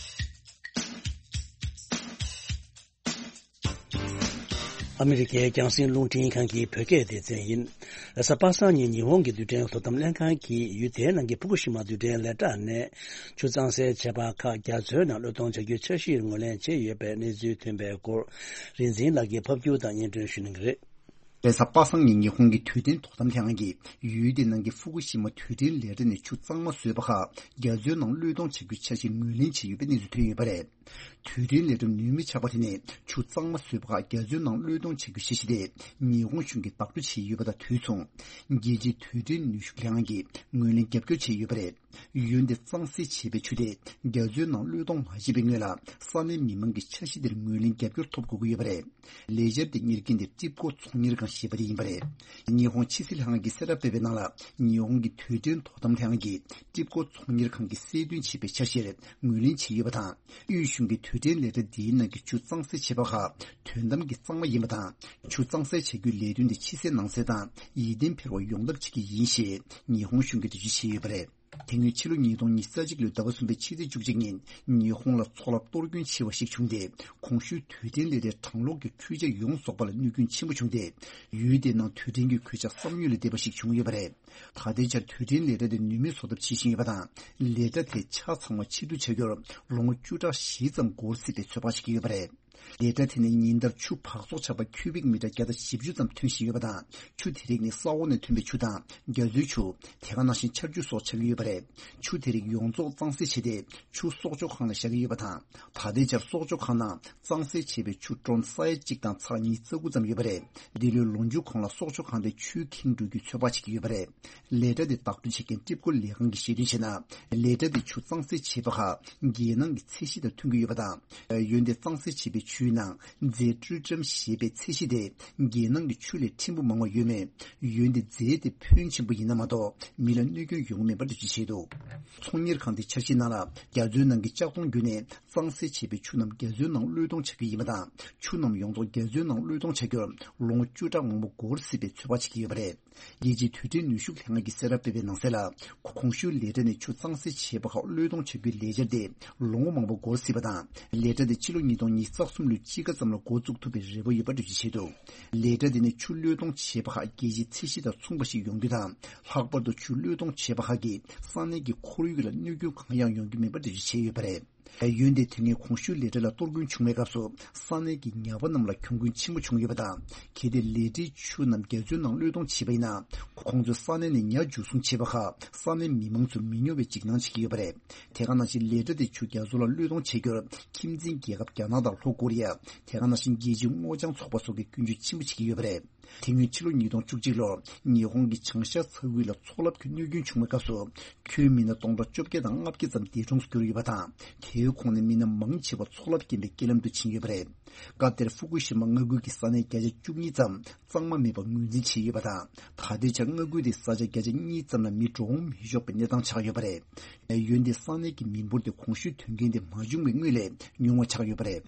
ཨ་མི་རི་ཀའི་རྒྱང་སྲིང་རླུང་འཕྲིན་ཁང་གི་བོད་སྐད་སྡེ་ཚན་ཡིན། རེས་གཟའ་པ་སངས་ཉིན་ཉི་ཧོང་གི་རྡུལ་ཕྲན་དོ་དམ་ལྷན་ཁང་གིས་ཡུལ་དེའི་ནང་གི་ཕུ་ཀུ་ཤི་མ་རྡུལ་ཕྲན་ལས་གྲྭ་ནས་ཆུ་གཙང་སེལ་བྱས་པ་ཁག་རྒྱ་མཚོའི་ནང་བློས་གཏོང་བྱ་རྒྱུའི་འཆར་གཞིར་ངོས་ལེན་བྱས་ཡོད་པའི་གནས་ཚུལ་ཐོན་པའི་སྐོར། རིག་འཛིན་ལགས་ཀྱིས་ཕབ་སྒྱུར་དང་སྙན་སྒྲོན་ཞུ་གནང་གི་རེད། རེས་གཟའ་པ་སངས་ཉིན་ཉི་ཧོང་གི་རྡུལ་ཕྲན་དོ་དམ་ལྷན་ཁང་གིས་ཡུལ་དེའི་ནང་གི་ཧྥུ་ཀུ་ཤི་མ་རྡུལ་ཕྲན་ལས་གྲྭ་ནས་ཆུ་གཙང་མ་བཟོས་པ་ཁག་རྒྱ་མཚོའི་ནང་བློས་གཏོང་བྱ་རྒྱུའི་འཆར་གཞི་ངོས་ལེན་བྱས་ཡོད་པའི་གནས་ཚུལ་ཐོན་ཡོད་པ་རེད། རྡུལ་ཕྲན་ལས་གྲྭ་ནུས་མེད་ཆགས་པ་དེ་ནས་ཆུ་གཙང་མ་བཟོས་པ་ཁག་རྒྱ་མཚོའི་ནང་བློས་གཏོང་བྱ་རྒྱུའི་འཆར་གཞི་དེ་ཉི་ཧོང་གཞུང་གིས་བདག་སྤྲོད་བྱས་ཡོད་པ་དང་དུས་མཚུངས། རྒྱལ་སྤྱིའི་རྡུལ་ཕྲན་ནུས་ཤུགས་ལྷན་ཁང་གིས་ངོས་ལེན་རྒྱབ་སྐྱོར་བྱས་ཡོད་པ་རེད། ཡུལ་འདི་གཙང་སེལ་བྱས་པའི་ཆུ་དེ་རྒྱ་མཚོའི་ནང་བློས་གཏོང་མ་བྱས་པའི་སྔོན་ལ་ས་གནས་མི་མང་གི་འཆར་གཞི་དེར་ངོས་ལེན་རྒྱབ་སྐྱོར་ཐོབ་དགོས་ཀྱི་ཡོད་པ་རེད། ལས་འཆར་དེ་གཉེར་མཁན་དེ་ཏྲིབ་ཀོ་ཚོང་གཉེར་ཁང་ཞེས་པ་དེ་ཡིན་པ་རེད། ཉི་ཧོང་ཕྱི་སྲིད་ལྷན་ཁང་གིས་གསལ་བསྒྲགས་སྤེལ་བའི་ནང་ལ། ཉི་ཧོང་གི་རྡུལ་ཕྲན་དོ་དམ་ལྷན་ཁང་གིས་ཏྲིབ་ཀོ་ཚོང་གཉེར་ཁང་གིས་གསལ་སྟོན་བྱས་པའི་འཆར་གཞིར་ངོས་ལེན་བྱས་ཡོད་པ་དང་། དབུས་གཞུང་གིས་རྡུལ་ཕྲན་ལས་གྲྭ་འདིའི་ནང་གི་ཆུ་གཙང་སེལ་བྱས་པ་ཁག་དོན་དམ་གྱི་གཙང་མ་ཡིན་པ་དང་། ཆུ་གཙང་སེལ་བྱ་རྒྱུའི་ལས་དོན་དེ་ཕྱི་གསལ་ནང་གསལ་དང་ཡིད་བརྟན་འཕེར་བ་ཡོང་ཐབས་བྱེད་ཀྱི་ཡིན་ཞེས་ཉི་ཧོང་གཞུང་གིས་འགྲེལ་བརྗོད་བྱས་ཡོད་པ་རེད། དེ་སྔོན་ཕྱི་ལོ་ཉིས་སྟོང་ཉི་ཤུ་རྩ་གཅིག་ལོའི་ཟླ་བ་གསུམ་པའི་ཕྱི་ཚེས་བཅུ་གཅིག་ཉིན་ཉི་ཧོང་ལ་འཚོ་རླབས་གཏོར་སྐྱོན་ཆེ་བ་ཞིག་བྱུང་སྟེ། གོང་ཞུས་རྡུལ་ཕྲན་ལས་གྲྭའི་གྲང་གློག་གི་འཕྲུལ་ཆས་ཡོངས་རྫོགས་པ་ལ་གནོད་སྐྱོན་ཆེན་པོ་བྱུང་སྟེ། ཡུལ་དེའི་ནང་རྡུལ་ཕྲན་གྱི་གོད་ཆག་བསམ་ཡུལ་ལས་འདས་པ་ཞིག་བྱུང་ཡོད་པ་རེད། ད་ལྟའི་ཆར་རྡུལ་ཕྲན་ལས་གྲྭ་དེ་ནུས་མེད་བཟོ་ཐབས་བྱེད་བཞིན་ཡོད་པ་དང་། ལས་གྲྭ་དེ་ཆ་ཚང་བ་ཕྱིར་བསྡུ་བྱ་རྒྱུར་ལོ་ངོ་བཅུ་ཕྲག་བཞི་ཙམ་འགོར་སྲིད་པའི་ཚོད་དཔག་བྱེད་ཀྱི་ཡོད་པ་རེད། ལས་གྲྭ་དེ་ནས་ཉིན་ལྟར་ཆུ་འབག་བཙོག་ཆགས་པ་ཁྱུ་བིག་མི་ཊར་བརྒྱ་དང་བཞི་བཅུ་ཙམ་ཐོན་བཞིན་ཡོད་པ་དང་། ཆུ་དེ་རིགས་ནི་ས་འོག་ནས་ཐོན་པའི་ཆུ་དང་རྒྱ་མཚོའི་ཆུ། དེ་ག་ནང་བཞིན་ཆར་ཆུ་སོགས་ཆགས་ཀྱི་ཡོད་པ་རེད། ཆུ་དེ་རིགས་ཡོངས་རྫོགས་གཙང་སེལ་བྱས་ཏེ། ཆུ་སྲོག་སྐྱོབ་ཁང་ལ་བཞག་གི་ཡོད་པ་དང་། ད་ལྟའི་ཆར་སྲོག་སྐྱོབ་ཁང་ནང་གཙང་སེལ་བྱས་པའི་ཆུ་ཀྲོན་ས་ཡ་གཅིག་དང་ཚེག་ཉིས་རྩ་དགུ་ཙམ་ཡོད་པ་རེད། འདི་ལོའི་ལོ་མཇུག་གོང་ལ་སྲོག་སྐྱོབ་ཁང་དེ་ཆུས་ཁེངས་འགྲོ་རྒྱུའི་ཚོད་དཔག་བྱེད་ཀྱི་ཡོད་པ་རེད། ལས་གྲྭ་དེ་བདག་སྤྲོད་བྱེད་མཁན་ཀྲིབ་ཀོ་ལས་ཁང་གིས་བཤད་དོན་བྱས་ན། ལས་གྲྭ་དེ་ཆུ་གཙང་སེལ་བྱས་པ་ཁག་རྒྱལ་ནང་གི་ཚད་གཞི་དང་མཐུན་གྱི་ཡོད་པ་དང་། ཡུལ་དེ་གཙང་སེལ་བྱས་པའི་ཆུའི་ནང་རྫས་ཀྲུ་ཀྲམ་ཞེས་པའི་ཚད་གཞི་དེ་རྒྱལ་ནང་གི་ཆུ་ལས་ཕྲན་བུ་མང་བ་ཡོད་མོད། ཡུལ་འདི་རྫས་དེ་ཕོན་ཆེན་པོ་ཡིན་ན་མ་གཏོགས་མི་ལ་གནོད་སྐྱོན་ཡོང་གི་མེད་པར་འགྲེལ་བརྗོད་བྱས་འདུག་ཚོང་གཉེར་ཁང་དེ་འཆར་གཞིའི་ནང་ལ་རྒྱ་མཚོའི་ནང་གི་ལྕགས་མདོང་བརྒྱུད་ནས་གཙང་སེལ་བྱས་པའི་ཆུ་རྣམས་རྒྱ་མཚོའི་ནང་བློས་གཏོང་བྱ་རྒྱུ་ཡིན་པ་དང་། ཆུ་རྣམས་ཡོངས་རྫོགས་རྒྱ་མཚོའི་ནང་བློས་གཏོང་བྱ་རྒྱུར་ལོ་ངོ་བཅུ་ཕྲག་མང་པོ་འགོར་སྲིད་པའི་ཚོད་དཔག་བྱེད་ཀྱི་ཡོད་པ་རེད། རྒྱལ་སྤྱིའི་རྡུལ་ཕྲན་ནུས་ཤུགས་ལྷན་ཁང་གིས་གསལ་བསྒྲགས་སྤེལ་བའི་ནང་གསལ་ལ། གོང་ཞུས་ལས་གྲྭ་ནས་ཆུ་གཙང་སེལ་བྱས་པ་ཁག་བློས་གཏོང་བྱ་རྒྱུའི་ལས་འཆར་དེ་ལོ་ངོ་མང་པོ་འགོར་སྲིད་པ་དང་། ལས་གྲྭ་དེ་ཕྱི་ལོ་ཉིས་སྟོང་ཉི་ཤུ་རྩ་གསུམ་ལོའི་དཔྱིད་ཀ་ཙམ་ལ་འགོ་བཙུགས་ཐུབ་པའི་རེ་བ་ཡོད་པ་འགྲེལ་བརྗོད་བྱས་འདུག་ལས་གྲྭ་དེ་ནས་ཆུ་བློས་གཏོང་བྱས་པ་ཁག་རྒྱལ་སྤྱིའི་ཚད་གཞི་དང་མཚུངས་པ་ཞིག་ཡོང་རྒྱུ་དང་། ལྷག་པར་དུ་ཆུ་བློས་གཏོང་བྱས་པ་ཁག་གིས་ས་གནས་ཀྱི་ཁོར་ཡུག་ལ་གནོད་སྐྱོན་གང་ཡང་ཡོང་རྒྱུ་མེད་པ་འགྲེལ་བརྗོད་བྱས་ཡོད་པ་རེད། ཡུལ་འདིར་དེ་སྔའི་གོང་ཞུས་ལས་གྲྭ་ལ་གཏོར་སྐྱོན་བྱུང་བའི་སྐབས་སུ་ས་གནས་ཀྱི་ཉ་པ་རྣམས་ལ་གྱོང་གུན་ཆེན་པོ་བྱུང་ཡོད་པ་དང་། གལ་ཏེ་ལས་གྲྭའི་ཆུ་རྣམས་རྒྱ་མཚོའི་ནང་བློས་གཏོང་བྱས་པ་ཡིན་ན། ཁོང་ཚོས་ས་གནས་ནས་ཉ་འཇུ་བཟུང་བྱས་པ་ཁག་ས་གནས་མི་མང་ཚོ་མི་ཉོ་བའི་འཇིགས་སྣང་བྱེད་ཀྱི་ཡོད་པ་རེད། དེ་ག་ནང་བཞིན་ལས་གྲྭ་དེ་ཆུ་རྒྱ་མཚོ་ལ་བློས་གཏོང་བྱེད་རྒྱུར་ཁྱིམ་མཚེས་རྒྱལ་ཁབ་རྒྱ་ནག་དང་ལྷོ་ཀོ་རི་ཡ། དེ་ག་ནང་བཞིན་རྒྱལ་སྤྱིའི་སྔོ་ལྗང་ཚོགས་པ་སོགས་ཀྱིས་སྐྱོན་བརྗོད་ཆེན་པོ་བྱེད་ཀྱི་ཡོད་པ་རེད། དེ་སྔོན་ཕྱི་ལོ་ཉིས་སྟོང་བཅུ་གཅིག་ལོར་ཉི་ཧོང་གི་བྱང་ཤར་ས་ཁུལ་ལ་མཚོ་རླབས་ཀྱི་གནོད་སྐྱོན་བྱུང་བའི་སྐབས་སུ། ཁྱོན་མི་སྣ་སྟོང་ཕྲག་བཅོ་བརྒྱད་དང་ལྔ་བརྒྱ་ཙམ་འདས་གྲོངས་སུ་གྱུར་ཡོད་པ་དང་། དེའི་ཁོངས་ནས་མི་སྣ་མང་ཆེ་བ་མཚོ་རླབས་རྐྱེན་པས་རྐྱེན་ལམ་དུ་ཕྱིན་ཡོད་པ་རེད། སྐབས་དེར་ཧྥུ་ཀུ་ཤི་མ་མངའ་ཁུལ་གྱི་ས་གནས་བརྒྱ་ཆ་བཅུ་གཉིས་ཙམ་གཙང་མ་མེད་པར་ངོས་འཛིན་བྱས་ཡོད་པ་དང་། ད་ལྟའི་ཆར་མངའ་ཁུལ་དེའི་ས་ཆ་བརྒྱ་ཆ་གཉིས་ཙམ་ལ་མི་འགྲོ་འོང་མི་ཆོག་པའི་གནས་སྟངས་ཆགས་ཡོད་པ་རེད། ཡུལ་འདིའི་ས་གནས་ཀྱི་མི་འབོར་དེ་གོང་ཞུས་དོན་རྐྱེན་དེ་མ་བྱུང་བའི་སྔོན་ལས་ཉུང་བ་ཆགས་ཡོད་པ་རེད།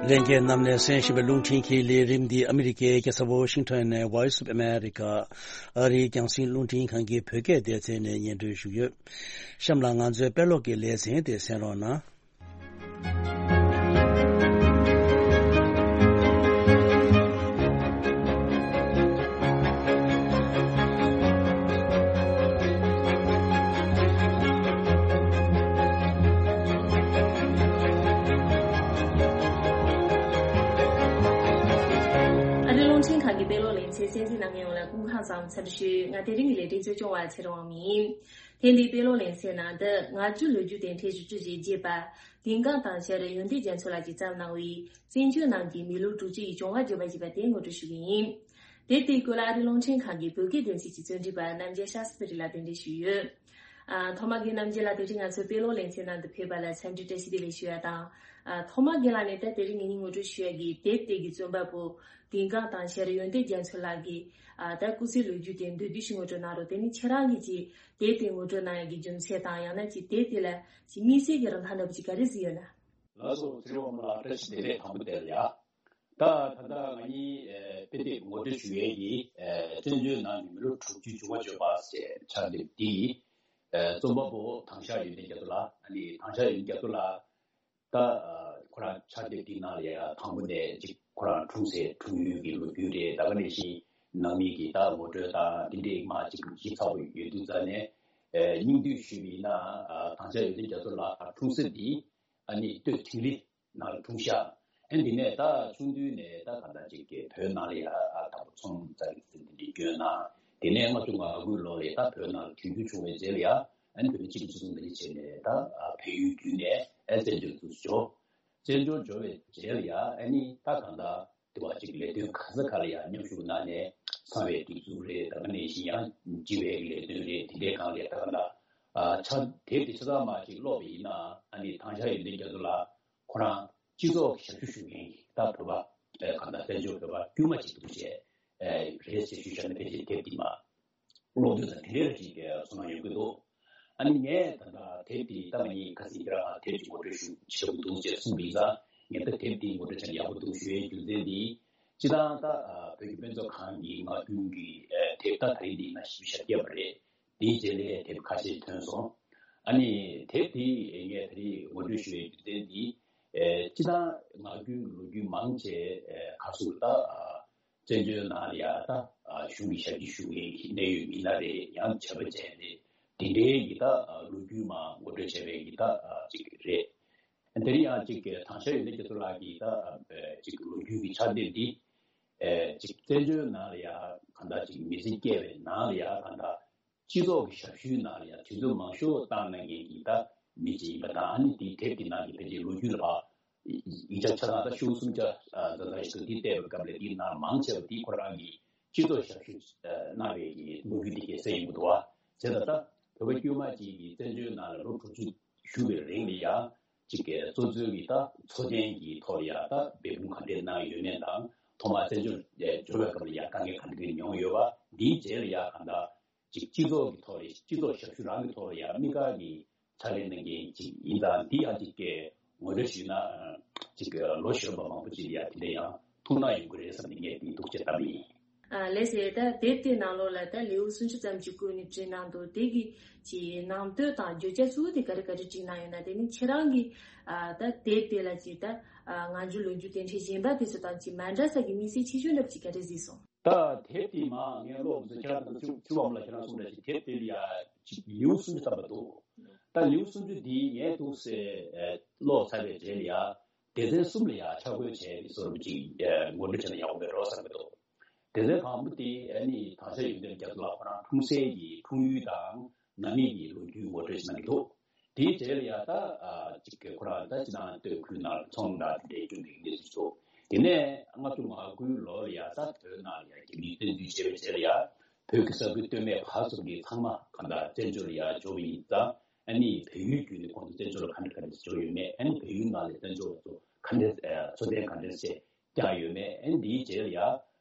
ལྷན་རྒྱས་རྣམས་ནས་གསན་བཞིན་པའི་རླུང་འཕྲིན་གྱི་ལས་རིམ་འདི་ཨ་མི་རི་ཀའི་རྒྱལ་ས་ཝོ་ཤིང་ཊོན་ནས་Voice of America ཨ་རིའི་རྒྱང་སྲིང་རླུང་འཕྲིན་ཁང་གི་བོད་སྐད་སྡེ་ཚན་ནས་སྙན་སྒྲོན་ཞུས་ཡོད། གཤམ་ལ་ང་ཚོའི་དཔེ་ཀློག་གི་ལེ་ཚན་དེ་གསན་རོགས་གནང་། ཨ་རིའི་རླུང་འཕྲིན་ཁང་གི་དཔེ་ཀློག་ལེ་ཚན་གསན་གཟིགས་གནང་མཁན་ཡོངས་ལ་སྐུ་ཁམས་ བཟང་འཚམས་ཞུ། ང་དེ་རིང་གི་ལས་རིམ་གཙོ་སྐྱོང་བ་ཚེ་རིང་དབང་མོ་ཡིན། ཐེངས་འདིའི་དཔེ་ཀློག་ལེ་ཚན་ནང་དུ་ང་བཅུ་ལོ་རྒྱུས་དེབ་ཕྲེང་བཞི་བཅུ་ཞེ་བརྒྱད་པ་དིང་ཀང་དང་ཤར་ཡོན་ཏན་རྒྱ་མཚོ་ལགས་ཀྱིས་བརྩམས་གནང་བའི་བཙན་བྱོལ་ནང་གི་མི་ལོ་དྲུག་ཅུ་ཡི་བྱུང་བ་བརྗོད་པ་ཞེས་པ་དེ་ངོ་སྤྲོད་ཞུ་གི་ཡིན། དེབ་དེའི་སྐོར་ལ་ཨ་རིའི་རླུང་འཕྲིན་ཁང་གི་བོད་སྐད་སྡེ་ཚན་གྱི་རྩོམ་སྒྲིག་པ་རྣམ་རྒྱལ་ཤཱ་སི་ཏི་རི་ལགས་གདན་འདྲེན་ཞུས་ཡོད། ཨ། ཐོག་མ་གི་རྣམ་རྒྱལ་ལགས་དེ་རིང་ང་ཚོའི་དཔེ་ཀློག་ལེ་ཚན་ནང་དུ་ཕེབས་པ་ལ་འཚམས་འདྲི་བཀྲ་ཤིས་བདེ་ལེགས་ཞུ་ཡ་དང་། ཨ། ཐོག་མ་གི་ལ་ནས་ད་དེ་རིང་ངེད་གཉིས་ངོ་སྤྲོད་ཞུ་ཡ་གི་དེབ་དེ་གི་རྩོམ་པ་པོ་དིང་ཀང་དང་ཤར་ཡོན་ཏན་རྒྱ་མཚོ་ལགས་ཀྱིས། ཨ། ད་སྐུ་ཚེའི་ལོ་རྒྱུས་དེ་མདོར་བསྡུས་ཤིག་ངོ་སྤྲོད་གནང་རོགས། དེ་ནི་ཁྱེད་རང་གིས་ཀྱི་དེབ་དེ་ངོ་སྤྲོད་གནང་ཡ་གི་རྒྱུ་མཚན་དང་། ཡང་ན་ཀྱི་དེབ་དེ་ལ་ཀྱི་དམིགས་བསལ་གྱི་རིན་ཐང་འདྲ་པོ་ཅིག་ག་རེ་ཟིག་ཡོད་ན། ལགས་སོ། ཚེ་རིང་དབང་མོ་ལགས་བཀྲ་ཤིས་བདེ་ལེགས་དང་པོ་དེ་ལ་ཡ། ད་ད་ལྟ་ང་གཉིས་ཨེ་དཔེ་དེབ་ངོ་སྤྲོད་ཞུ་ཡས་ཀྱི་ཨེ་བཙན་བྱོལ་ནང་གི་མི་ལོ་དྲུག་ཅུའི་བྱུང་བ་བརྗོད་པ་ཞེས་པའི་དེབ་འདི་ཨེ་རྩོམ་པ་པོ་དྭང་ཤག་ཡོན་ཏན་རྒྱ་མཚོ་ལགས། ཨ་ནི་དྭང་ཤག་ཡོན་ཏན་རྒྱ་མཚོ་ལགས་ད་ཨ་ཁོ་རང་ཕྱག་དེབ་འདི་ནང་ལ་ཡ་དང་པོ་ནས་ཅིག་ཁོ་རང་འཁྲུངས་སའི་འཁྲུངས་ཡུལ་གྱི་ལོ་རྒྱུས་རེད། ད་ག་ནང་བཞིན་ནང་མི་གི་ད་ངོ་སྤྲོད་དང་དེ་འདྲའི་མ་ཅིག་ཞིབ་ཚགས་པོ་ཡོད་དུས་ཙང་ནས། ཨེ་སྙིང་བསྡུས་ཞུས་པ་ཡིན་ན། ཨ་དྭང་ཤག་ཡོན་ཏན་རྒྱ་མཚོ་ལགས་འཁྲུངས་ས་འདི་ཨ་ནི་སྟོད་ཐིག་ལེ་ནང་ལ་འཁྲུངས་ཤག་ཨ་ནི་དེ་ནས་ད་ཆུང་དུས་ནས་ད་གང་ལྟར་ཅིག་གི་བོད་ནང་ལ་ཡ་ཨ་དང་པོ་ཚོང་རྩ་གི་ཚུལ་འདི་འདྲ་བསྐྱོན་གནང་། དེ་ནས་ལྔ་བཅུ་ང་དགུའི་ལོ་ལ་ད་བོད་ནང་ལ་དུས་འགྱུར་བྱུང་བའི་རྗེས་ལ་ཡ། ཨ་ནི་བོད་མི་གཅིག་གིས་གཅིག་མཚུངས་འདི་འདྲ་བྱས་ནས་ད་ཨ་བལ་ཡུལ་བརྒྱུད་ནས་ཨ་བཙན་བྱོལ་དུ་འབྱོར། བཙན་བྱོལ་འབྱོར་བའི་རྗེས་ལ་ཡ་ཨ་ནི་ད་གང་ལྟར་དེ་བ་གཅིག་ལས་དོན་ག་ས་ག་ལ་ཡང་མཉམ་ཞུགས་གནང་ནས། གསང་བའི་སྒྲིག་འཛུགས་རེད། ད་ག་ནང་བཞིན་ཡང་སྦྱིན་པའི་ལས་དོན་རེད། དེ་འདྲའི་སྒང་ལ་ད་ག་ལ་ཨ་ཆ་དེབ་དེ་ཆ་ཚང་མ་ཅིག་ཀློག་པ་ཡིན་ན། ཨ་ནི་དྭང་ཤག་ཡོན་ཏན་རྒྱ་མཚོ་ལགས་ཁོ་རང་སྤྱི་ཚོགས་ཀྱི་ཞབས་ཞུ་ཞུ་མཁན་གྱི་ད་བོད་པ་ཨ་གང་ལྟར་བཙན་བྱོལ་བོད་པ་དཀྱུས་མ་ཅིག་འདུག་བྱས་ཨ་རེད་ཟེར་ཞུས་བཞག་ན་ཕལ་ཆེར་དེབ་དེ་མ་ཀློག་དུས་ཙང་དེ་འདྲའི་ཅིག་ཚོར་སྣང་ཡོང་གི་འདུག་ཨ་ནི་ངས་ད་ལྟ་དེབ་འདི་ལྟ་མ་ཉིད་ཁ་སང་ཁྱེད་རང་དེབ་ཀྱི་ངོ་སྤྲོད་ཞུ་ཆེ་བོ་འདུག་ཅེས་གསུངས་པ་ཡིན་ཙང་། ངས་ད་དེབ་འདི་ངོ་སྤྲོད་བྱས་ན་ཡག་པོ་འདུག་ཞུ་ཡའི་རྒྱུ་མཚན་འདི། སྤྱི་བཏང་ད་ཨ་བོད་ཀྱི་དཔེ་མཛོད་ཁང་གི་ངག་རྒྱུན་གྱི་ཨ་དེབ་ད་ད་རིང་འདི་ན་བཞི་བཅུ་ཞེ་བརྒྱད་པ་རེད། དེའི་རྗེས་ལ་དེབ་ཁ་ཤས་ཐོན་སོང་། ཨ་ནི་དེབ་འདི་ངས་ད་རིང་ངོ་སྤྲོད་ཞུ་ཡའི་རྒྱུ་མཚན་འདི། ཨ་སྤྱི་བཏང་ངག་རྒྱུན་ལོ་རྒྱུས་མང་ཆེ་ཨ་ག་ཚོད་ད་ཨ་བཙན་བྱོལ་ནང་ལ་ཡ་ད་ཨ་གཞུང་གི་ཞབས་ཕྱི་ཞུ་མཁན་གྱི་གནད་ཡོད་མི་སྣ་རེད། ཡང་བྱས་པ་བྱས་ཏེ་དེ་འདྲའི་གི་ད་ཨ་ལོ་རྒྱུས་མང་ངོ་སྤྲོད་བྱས་པའི་གི་ད་ཨ་ཅིག་རེད། དེ་རིང་ཡང་ཅིག་གི་དྭང་ཤག་ཡོན་ཏན་རྒྱ་མཚོ་ལགས་ཀྱི་ད་ཨ་ཅིག་ལོ་རྒྱུས་ཀྱི་ཕྱག་དེབ་འདི་ཨ་ཅིག་བཙན་བྱོལ་ནང་ལ་ཡ་གང་ལྟར་ཅིག་མི་ཚེ་སྐྱེལ་བའི་ནང་ལ་ཡ་གང་ལྟར་སྤྱི་ཚོགས་ཀྱི་ཞབས་ཞུའི་ནང་ལ་ཡང་དུས་ཚོད་མང་ཤོས་བཏང་གནང་མཁན་གྱི་ད་མི་ཅིག་ཡིན་པ་དང་། ཨ་ནི་དེའི་དེབ་ཀྱི་ནང་གི་ཕལ་ཆེར་ལོ་རྒྱུས་ལ་ཕར་ཡིག་ཆ་ཆ་ཚང་ད་ཤོག་གུ་སུམ་བརྒྱ་ཨ་ཙམ་ཞིག་འདུག་འདི་བལྟས་པའི་སྐབས་ལ་འདིའི་ནང་མང་ཆེ་བ་འདི་ཁོ་རང་གིས་སྤྱི་ཚོགས་ཞབས་ཞུ་ཨ་གནང་བའི་གི་ལོ་རྒྱུས་འདི་གས་གསལ་ཡོང་གི་འདུག་བ། བྱས་ཙང་ད་བོད་པ་དཀྱུས་མ་ཅིག་གིས་བཙན་བྱོལ་ནང་ལ་ལོ་དྲུག་ཅུ་བཞུགས་པའི་རིང་ལ་ཡང་ཅིག་གི་གཙོ་འཛིན་གྱི་ད་འཚོ་རྟེན་གྱི་ཐོག་ལ་ཡང་ད་འབད་འབུངས་ག་འདྲས་གནང་ཡོད་མེད་དང་། ཐོག་མར་བཙན་བྱོལ་འབྱོར་བའི་སྐབས་ལ་ཡང་དཀའ་ངལ་ག་འདྲས་མྱོང་ཡོད་པ། འདིའི་རྗེས་ལ་ཡང་གང་ལྟར་ཅིག་སྤྱི་ཚོགས་ཀྱི་ཐོག་ལ་སྤྱི་ཚོགས་ཞབས་ཞུ་རང་གི་ཐོག་ལ་ཡང་དམིགས་བཀར་གྱི་ཕྱག་ལས་གནང་མཁན་ཅིག་ཡིན་ཙང་། འདི་ཡང་ཅིག་གི་ངོ་སྤྲོད་ཞུས་ན་ཅིག་གི་ལོ་གཞོན་པ་མང་པོ་ཅིག་ལ་ཡང་དེ་འདྲ་ཡང་ཐུགས་སྣང་ཡོང་གི་རེད་བསམ་ནས་ངས་འདི་འདུག་ཅེས་བཏབ་ཡིན། ཨ་ལགས་སེ། ད་དེབ་དེའི་ནང་ལོགས་ལ་ད་ལེའུ་སུམ་ཅུ་ཙམ་ཅིག་བཀོད་ནས་བྲིས་གནང་འདུག་དེ་གི་ཅིག་ནང་དོན་དང་བརྗོད་བྱ་གཙོ་བོ་དེ་ག་རེ་ག་རེ་བྲིས་གནང་ཡོད་ན། དེ་ནི་ཁྱེད་རང་གིས་ཨ་ད་དེབ་དེ་ལ་ཅིག་ད་ཨ་ང་ཚོའི་ལོ་རྒྱུས་དེ་འདྲའི་གཞན་པ་དེ་ཚོ་དང་ཅིག་མ་འདྲ་ས་གི་དམིགས་བསལ་ཁྱད་ཆོས་འདྲ་པོ་ཅིག་ག་རེ་གཟིགས་སོང་། ད་དེབ་དེ་མ་ངས་ཀློག་ཚེ་ཁྱེད་རང་ཚོ་ཚེ་དབང་མོ་ལགས་ཁྱེད་རང་གསུངས་འདྲ་ཞིག་དེབ་དེ་ལ་ཡ་ཅིག་ལེའུ་སུམ་ཅུ་ཙམ་པ་འདུག་ད་ལེའུ་སུམ་ཅུ་འདི་ངས་འདུག་སེ་ཨེ་ཀློག་ཚར་བའི་རྗེས་ལ་ཡ་སྡེ་ཚན་གསུམ་ལ་ཡ་ཆ་བགོས་བྱས་ཏེ་བཟོ་འདྲ་ཅིག་ཨེ་ངོ་སྤྲོད་བྱས་ན་ཡག་པོ་མེད་འགྲོ་བསམ་གྱི་འདུག་སྡེ་ཚན་དང་པོ་དེ་ཨ་ནི་དྭང་ཤག་ཡོན་ཏན་རྒྱ་མཚོ་ལགས་ཁོ་རང་འཁྲུངས་སའི་གི་འཁྲུངས་ཡུལ་དང་ནང་མི་གི་ལོ་རྒྱུས་ངོ་སྤྲོད་བྱས་གནང་གི་འདུག་དེའི་རྗེས་ལ་ཡ་ད་ཨ་ཅིག་གི་ཁོ་རང་ད་ཅི་ནང་སྟོད་ཁུལ་ནང་ཚོང་དང་དེ་འདྲའི་སྐྱོན་པའི་གནས་ཚུལ་ཚོ། དེ་ནས་ལྔ་བཅུ་ང་དགུའི་ལོ་ལ་ཡ་ད་བོད་ནང་ལ་ཡ་རྒྱ་མིས་བཙན་འཛུལ་བྱས་པའི་རྗེས་ལ་ཡ་བོད་ཀྱི་ས་ཁུལ་སྟོད་སྨད་བར་གསུམ་གྱི་ཚང་མ་གང་ལྟར་བཙན་བྱོལ་ལ་ཡ་འབྱོར་བ་ཡིན་ཙང་། ཨ་ནི་བལ་ཡུལ་བརྒྱུད་ནས་ཁོང་ཚོ་བཙན་བྱོལ་ལ་ག་འདྲ་ག་འདྲ་འབྱོར་ཡོད་མེད། ཨ་ནི་བལ་ཡུལ་ནང་ལ་བཙན་བྱོལ་བ་ཚོ་ག་འདྲ་ཨ་འཚོ་རྟེན་ག་འདྲ་སེ་བསྐྱངས་ཡོད་མེད། ཨ་ནི་དེའི་རྗེས་ལ་ཡ་ཨ་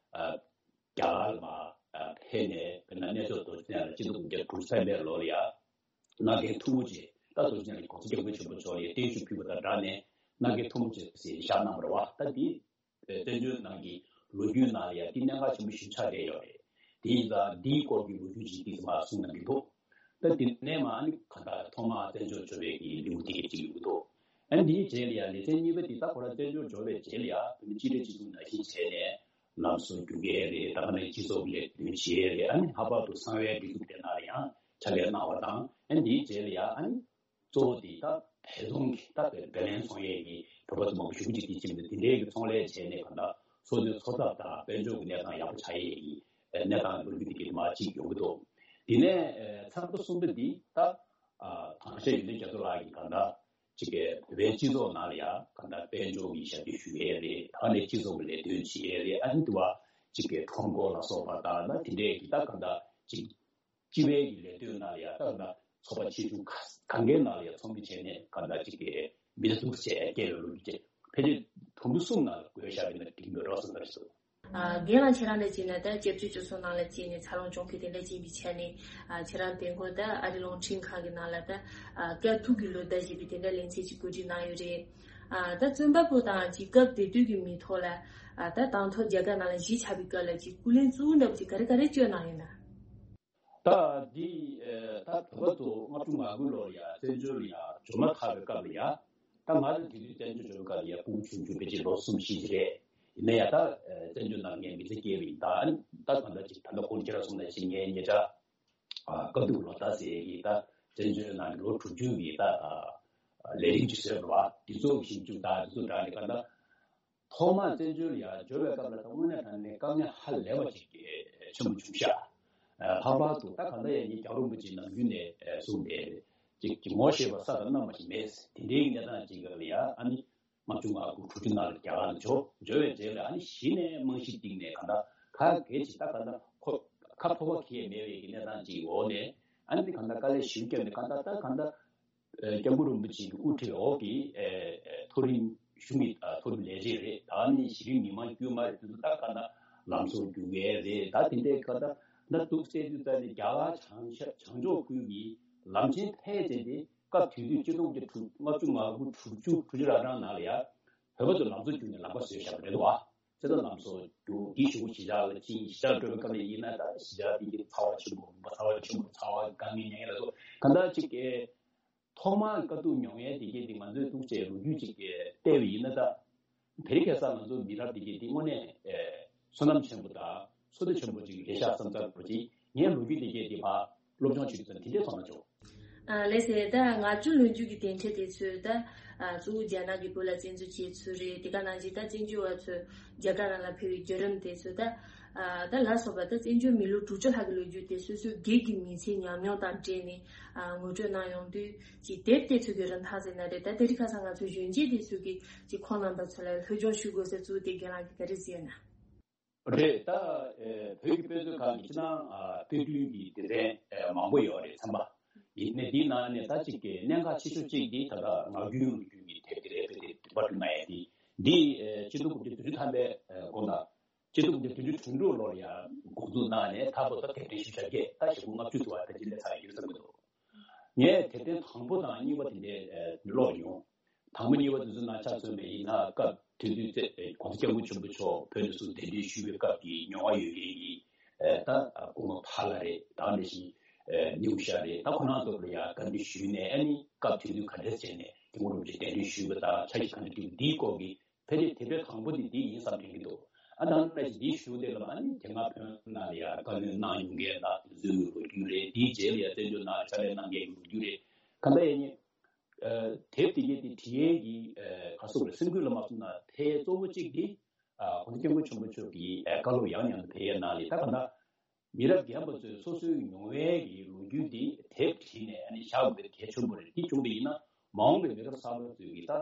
རྒྱ་གར་ལ་མར་ཨ་ཕེབས་ནས། དཔེར་ན་གནས་མཆོག་རྡོ་རྗེ་གདན་ལ་སྤྱི་ལོ་དགུ་བརྒྱ་དྲུག་ཅུ་རེ་གསུམ་པའི་ལོ་ལ་ཡ་སྣ་ཁའི་ཐུ་མོ་ཆེ། ད་རྡོ་རྗེ་གདན་ལ་༸གོང་ས་༸སྐྱབས་མགོན་ཆེན་པོ་མཆོག་ལ་ཡ་བརྟན་བཞུགས་ཕུལ་བ་དང་སྦྲགས་ནས་སྣ་ཁའི་ཐུ་མོ་ཆེ་ཟེར་བཞག་གནང་བ་རེད་བ། ད་འདི་བཙན་བྱོལ་ནང་གི་ལོ་རྒྱུས་ནང་ལ་ཡ་འདི་གནད་འགག་ཆེན་པོ་ཞིག་ཆགས་བསྡད་ཡོད་རེད། དེ་ཡིན་ཙང་འདིའི་སྐོར་གྱི་ལོ་རྒྱུས་ཅིག་འདི་ཚོ་མར་གསུངས་གནང་གི་འདུག་ད་དེ་ནས་མར་ཨ་ནི་གང་ལྟར་ཐོག་མར་བཙན་བྱོལ་འབྱོར་བའི་གི་ལེའུ་དེ་གཅིག་ཡོང་གི་འདུག་ཨ་ནི་དེའི་རྗེས་ལ་ཡ་ལེ་ཚན་གཉིས་པ་དེ་ད་ཁོ་རང་བཙན་བྱོལ་འབྱོར་བའི་རྗེས་ལ་ཡ་བོད་མི་སྤྱི་འཐུས་སྤྱི་ཚོགས་ནང་བཞིན་བྱས་ནས་ལམ་བཟོ་རྒྱུག་མཁན་རེད། ད་ག་ནང་སྤྱི་ཚོགས་ཀྱི་ལས་དོན་བྱེད་ཡས་རེད། ཨ་ནི་ལྷག་པར་དུ་གསང་བའི་སྒྲིག་འཛུགས་དེ་ནང་ལ་ཡང་ཕྱག་ལས་གནང་བ་དང་། ཨ་ནི་དེའི་རྗེས་ལ་ཡ་ཨ་ནི་གཙོ་བོ་དེ་ད་བལ་ཚོང་གི་ད་བལ་ལེན་ཚོང་ཡས་ཀྱི་བོད་པ་ཚོ་མང་པོ་ཞེ་པོ་ཅིག་དེ་ཕྱིན་འདུག་དེ་འདྲའི་གི་ཚོང་ལས་བྱས་ནས་གང་ལྟར་སོ་སོའི་འཚོ་ཐབས་དང་དཔལ་འབྱོར་གྱི་གནས་སྟངས་ཡག་པོ་ཆགས་ཡས་ཀྱི་ གནས་སྟངས་ལོ་རྒྱུས་དེ་གའི་མ་གཅིག་ཡོང་གི་འདུག་དེ་ནས་ཚར་དང་གསུམ་པ་འདི་ད་དྲང་གཞག་ཡོན་ཏན་རྒྱ་མཚོ་ལགས་ཀྱིས་གང་ལྟར་གཅིག་གི་བོད་པའི་སྤྱི་ཚོགས་ནང་ལ་ཡང་གང་ལྟར་དཔལ་འབྱོར་གྱི་ཞབས་ཕྱི་ཞུ་ཡས་རེད། ད་ནས་སྤྱི་ཚོགས་ཀྱི་ལས་དོན་བྱེད་ཡས་རེད། ཨ་ནི་དུ་བ་གཅིག་གི་ཁྲོམ་སྐོར་ལ་སོགས་པ་དང་ད་དེ་འདྲས་ཀྱི་ད་གང་ལྟར་གཅིག་སྤྱི་པའི་གི་ལས་དོན་ནང་ལ་ཡང་ད་གང་ལྟར་ཚོགས་པ་ཆེ་ཆུང་ག་གང་གའི་ནང་ལ་ཡང་ཚོགས་མི་བྱས་ནས་གང་ལྟར་གཅིག་གི་མི་ཚེ་སྡུག་ཅག་སྐྱེལ་བའི་ལོ་རྒྱུས་བཅས་ཕལ་ཆེར་དུམ་བུ་གསུམ་ནང་ལ་བགོས་བཞག་པ་ཡིན་ན་འགྲིག་གི་མེད་འགྲོ་བསམ་པ་རེད། ཨ། རྒན་ལགས་ཁྱེད་རང་ལ་བྱས་ན་ད་སྐྱབས་བཅོལ་སྤྱི་ཚོགས་ནང་ལ་སྐྱེས་ནས་འཚར་ལོངས་བྱུང་མཁན་དེ་འདྲ་ཅིག་ཡིན་པའི་ཆ་ནས། ཨ། ཁྱེད་རང་དེ་སྔོན་ད་ཨ་རི་རླུང་འཕྲིན་ཁང་གི་ནང་ལ་ད། ཨ། སྐབས་ཐུག་གི་ལོ་ཟླ་ཞེས་པའི་དེ་འདྲ་ལེ་ཚན་ཅིག་གོ་སྒྲིག་གནང་ཡོད་རེད། ཨ། ད་རྩོམ་པ་པོ་དང་ཅིག་སྐབས་དེ་དུས་ཀྱི་མི་ཐོག་ལ། ཨ། ད་དང་ཐོག་རྒྱ་གར་ནང་ལ་གཞིས་ཆགས་པའི་སྐབས་ལ་ཅིག་སྐུ་ལས་གཙོ་བོ་འདྲ་པོ་ཅིག་ག་རེ་ག་རེ་བསྐྱོན་གནང་ཡོད་ན། ད་འདི་ད་བོད་པ་ཚོ་ལྔ་བཅུ་ང་དགུ་ལོར་ཡ་བཙན་བྱོལ་ལ་ཡ་འབྱོར་མ་ཐག་པའི་སྐབས་ལ་ཡ། ད་ང་ཚོ་དེ་དུས་བཙན་བྱོལ་འབྱོར་བའི་སྐབས་ལ་ཡ་སྤུ་གུ་ཆུང་ཆུང་ཕལ་ཆེར་ལོ་གསུམ་བཞི་ཅིག་རེད། ཡིན་ན་ཡང་ད་བཙན་བྱོལ་ནང་ངའི་མི་ཚེ་སྐྱེལ་བ་ཡིན། ད་ད་གང་ལྟར་ཅིག་ད་ལྟ་ཁོང་ཁྱེད་རང་གསུངས་ནང་བཞིན་ངའི་ཉེ་ཆར་དཀའ་སྡུག་ལོ་ཟླ་ཟེར་གྱི་ད་བཙན་བྱོལ་ནང་གི་ལོ་དྲུག་ཅུ་གི་ད་ལས་རིམ་ཅིག་བཟོས་པ་རེད་བ། དེ་ཚོ་གི་ཞིབ་འཇུག་དང་དེ་ཚོ་དྲངས་ནས་གང་ལྟར། ཐོག་མར་བཙན་བྱོལ་ལ་ཡར་འབྱོར་བའི་སྐབས་ལ་ད་དངོས་གནས་དྲང་གནས་དཀའ་ངལ་ཧ་ལས་པ་ཅིག་ཆེན་པོ་བྱུང་ཤག་ལྷག་པར་དུ་ད་གང་ལྟར་ཡང་ངས་རྒྱལ་བ་རིན་པོ་ཆེ་ནམ་རྒྱུན་ནས་གསུངས་ཏེ། ཅིག་ཅིག་ངོ་ཤེས་པ་ས་དང་གནམ་མ་ཞིག་མེད། དེ་འདྲའི་གནས་སྟངས་ཅིག་ལ་ཡ་ཨ་ནི་ལྔ་བཅུ་ང་དགུ་དྲུག་ཅུ་ནང་ལ་རྒྱ་གར་ལ་འབྱོར། འབྱོར་བའི་རྗེས་ལ་ཨ་ནི་གཞི་ནས་རྨང་གཞི་བཏིང་ནས་གང་ལྟར་ག་གེ་ཅིག་ད་གང་ལྟར་ཁོ་ཁ་ཕོ་བ་གི་མེད་པའི་གི་གནས་སྟངས་ཅིག་འོག་ནས་ཨ་ནི་གང་ལྟར་དཀའ་ལས་ཞེ་པོ་བརྒྱབ་ནས་གང་ལྟར་ད་གང་ལྟར། ཨ། སྐྱབས་མགོན་རིན་པོ་ཆེ་གི་དབུ་ཁྲིད་འོག་གི་ཨ་མཐོ་རིམ་གཞུང་གི་ཨ་མཐོ་རིམ་ལས་བྱེད་རེད། ད་ནི་གཞི་རིམ་མི་མང་དཀྱུས་མ་རེད། དེ་ཚོ་ད་ག་ན་ལམ་བཟོ་རྒྱུག་མཁན་རེད། ད་དེ་འདྲའི་ཁ་ད་ད་འདུག་སེ་དུས་ད་ནི་རྒྱ་གར་བྱང་ཤར་བྱང་ཕྱོགས་ཁུལ་གྱི་ལམ་ཆེན་ཐེངས་གཅིག་དེ་སྐབས་དེ་དུས་ཆིག་སྟོང་དྲུག་ལྔ་བཅུ་ང་དགུ་དྲུག་ཅུ་དྲུག་ཅུ་རེ་གྲངས་ནང་ལ་ཡ་བོད་པ་ཚོ་ལམ་བཟོ་རྒྱུག་ནས་ལམ་ཁ་བཟོས་བཞག་པ་རེད་འདུག་བ། ཚེ་ད་ལམ་བཟོ་རྒྱུག་གི་ཞུ་གཞིས་ཆགས་ལ་ཕྱིན། གཞིས་ཆགས་འགྲོ་བའི་སྐབས་ལ་ཡིན་ན་ད་གཞིས་ཆགས་དེ་གི་ཚ་བ་ཆེན་པོ་མུན་པ་ཚ་བ་ཆེན་པོ་ཚ་བ་དཀའ་ངལ་མྱངས་ཡ་ལ་སོགས་གང་ལྟར་ཅིག་གི་ཐོག་མར་དཀའ་སྡུག་མྱོང་ཡས་དེ་གས་དེ་ང་ཚོས་ཐུགས་རྗེ་ལོ་རྒྱུས་ཅིག་གི་བལྟས་པ་ཡིན་ན་ད། དེ་རིང་ཁ་སང་ང་ཚོ་མི་རབས་དེ་གས་དེ་དངོས་གནས་ཨེ་བསོད་ནམས་ཆེན་པོ་དང་བསོད་བདེ་ཆེན་པོ་ཅིག་རེད་ཤག་བསམ་ཚར་བ་ཅིག་ངས་ལོ་རྒྱུས་དེ་གས་དེ་ཕར་སློབ་སྦྱོང་བྱེད་དུས་ཙམ་དེ་འདྲས་མཐོང་ན་ཆོག་ཨ། ལགས་སེ། ད་ང་ཚོའི་ལོ་རྒྱུས་ཀྱི་དེ་འདྲས་དེ་ཚོས་ད། ཨ། གཙོ་བོ་རྒྱ་ནག་གི་བོད་ལ་བཙན་འཛུལ་བྱས་ཚུལ་རེད། དེ་ག་ནང་བཞིན་ད་བཙན་བྱོལ་བ་ཚོས་རྒྱ་གར་ནང་ལ་ཕེབས་པའི་བརྒྱུད་རིམ་དེ་ཚོ་ད། ཨ། ད་ལ་སོགས་པ་ད་བཙན་བྱོལ་མི་ལོ་དྲུག་ཅུ་ལྷག་གི་ལོ་རྒྱུས་དེ་སོ་སོའི་སྒེར་གྱི་མི་ཚེའི་ཉམས་མྱོང་དང་འབྲེལ་ནས། ཨ། ངོ་སྤྲོད་གནང་ཡོང་དུས་ཀྱི་དེབ་དེ་ཚོ་གི་རིན་ཐང་ཟེར་ན་རེད། ད་དེ་རིང་ཁ་སང་ང་ཚོའི་གཞོན་སྐྱེས་དེ་ཚོ་གིས་ཀྱི་ཁོང་རྣམ་པ་ཚོ་ལ་སློབ་སྦྱོང་ཞུ་དགོས་ཟེར་གཙོ་བོ་དེ་རྒན་ལགས་ཀྱིས་ག་རེ་ཟེར་ན། རེད། ད་ཨེ་བོད་ཀྱི་དཔེ་མཛོད་ཁང་གི་ཕྱི་ནང་ཨ་དཔེ་སྐྲུན་གྱི་སྡེ་ཚན་ཨེ་མང་པོ་ཡོད་རེད། ཚན་པ་ཡིན་ནའི་འདིའི་ནང་ནས་ད་ཅིག་གི་གནད་འགག་ཆེ་ཤོས་གཅིག་འདི་ད་ལྟ་ངག་རྒྱུན་ལོ་རྒྱུས་ཀྱི་དེབ་དེ་རེད། དཔེ་དེ་དུས་པ་བསྐྲུན་མ་ཡས་དེ་འདི་ཨེ་ཆིག་སྟོང་དགུ་བརྒྱ་བདུན་ཅུ་ཐམ་པའི་ཨེ་འགོ་ན་ཆིག་སྟོང་དགུ་བརྒྱ་བདུན་ཅུ་དོན་དྲུག་ལོར་ཡང་འགོ་འཛུགས་གནང་ནས་མཐའ་བར་དུ་དེབ་ཕྲེང་བཞི་བཅུ་ཞེ་བརྒྱད། ད་ཞེ་པོ་ལྔ་བཅུ་ཐུབ་པ་ད་ཅི་ལས་ཚར་ཡོད་བསམ་གྱི་འདུག་ངས་དེབ་ཐེར་དང་པོ་དང་གཉིས་པ་དེ་འདྲའི་ཨེ་ཀློག་མྱོང་། དང་པོ་གཉིས་པ་དེ་ཚོ་ནང་ཆ་མཚོན་པ་ཡིན་ན། སྐབས་དེ་དུས་ཚེ་༸གོང་ས་༸སྐྱབས་མགོན་ཆེན་པོ་མཆོག་བོད་དུ་སོང་གདན་འདྲེན་ཞུས་པའི་སྐབས་ཀྱི་མྱོང་བ་ཡོད་མཁན་གྱི་ཨེ་ད་སྐུ་ངོ་ཕ་ལགས་རེད། ད་ནང་བཞིན་ཨེ་ནེའུ་ཤ་རེད། ད་ཁོ་རང་ཚོ་ལ་ཡང་བཀའ་འདྲི་ཞུས་ནས། ཨ་ནི་སྐབས་དེ་དུས་ག་འདྲས་བྱས་ནས་སྐུ་ངོ་རིན་པོ་ཆེ་གདན་འདྲེན་ཞུས་པ་དང་ཆ་ཤས་ག་འདྲ་བསྒྲིགས་པ་འདིའི་སྐོར་གྱི་ཕལ་ཆེར་དེབ་ཐེར་དང་པོ་དེ་འདི་ཡིན་བསམ་དྲན་གྱི་འདུག་ཨ་ནང་ལ་འདི་ཞུ་དེ་ལ་ཨ་ནི་དེ་སྔ་བོད་ནང་ལ་ཡང་བཀའ་བློན་གནང་མྱོང་མཁན་དང་དེ་ཚོའི་ལོ་རྒྱུས་རེད། དེའི་རྗེས་ལ་ཡང་བཙན་བྱོལ་ནང་ཕྱག་ལས་གནང་མཁན་གྱི་ལོ་རྒྱུས་རེད། གང་ལྟར་ཡིན་ནའི་ཨ་དེབ་དེ་གའི་དེ་བྲིས་ཡས་ཀྱི་ཨ་ག་སོགས་རེད། སེམས་ཁུར་ལ་མ་སོང་ན་ཐེ་གཙོ་བོ་གཅིག་དེ་ཨ་༸གོང་ས་༸སྐྱབས་མགོན་ཆེན་པོ་མཆོག་གི་ཨ་བཀའ་སློབ་ཡང་ཡང་དུ་ཕེབས་ཡས་ནང་ལས། ད་གང་ལྟར་མི་རབས་རྒན་པ་ཚོས་སོ་སོའི་མྱོང་བའི་གི་ལོ་རྒྱུས་དེ་དེབ་བྲིས་ནས་ཨ་ནི་བཞག་དགོས་པ་དེ་གལ་ཆེན་པོ་རེད། དེ་བྱུང་བ་ཡིན་ན་མ་འོངས་པའི་མི་རབས་གསར་པ་ཚོས་ཀྱི་ད་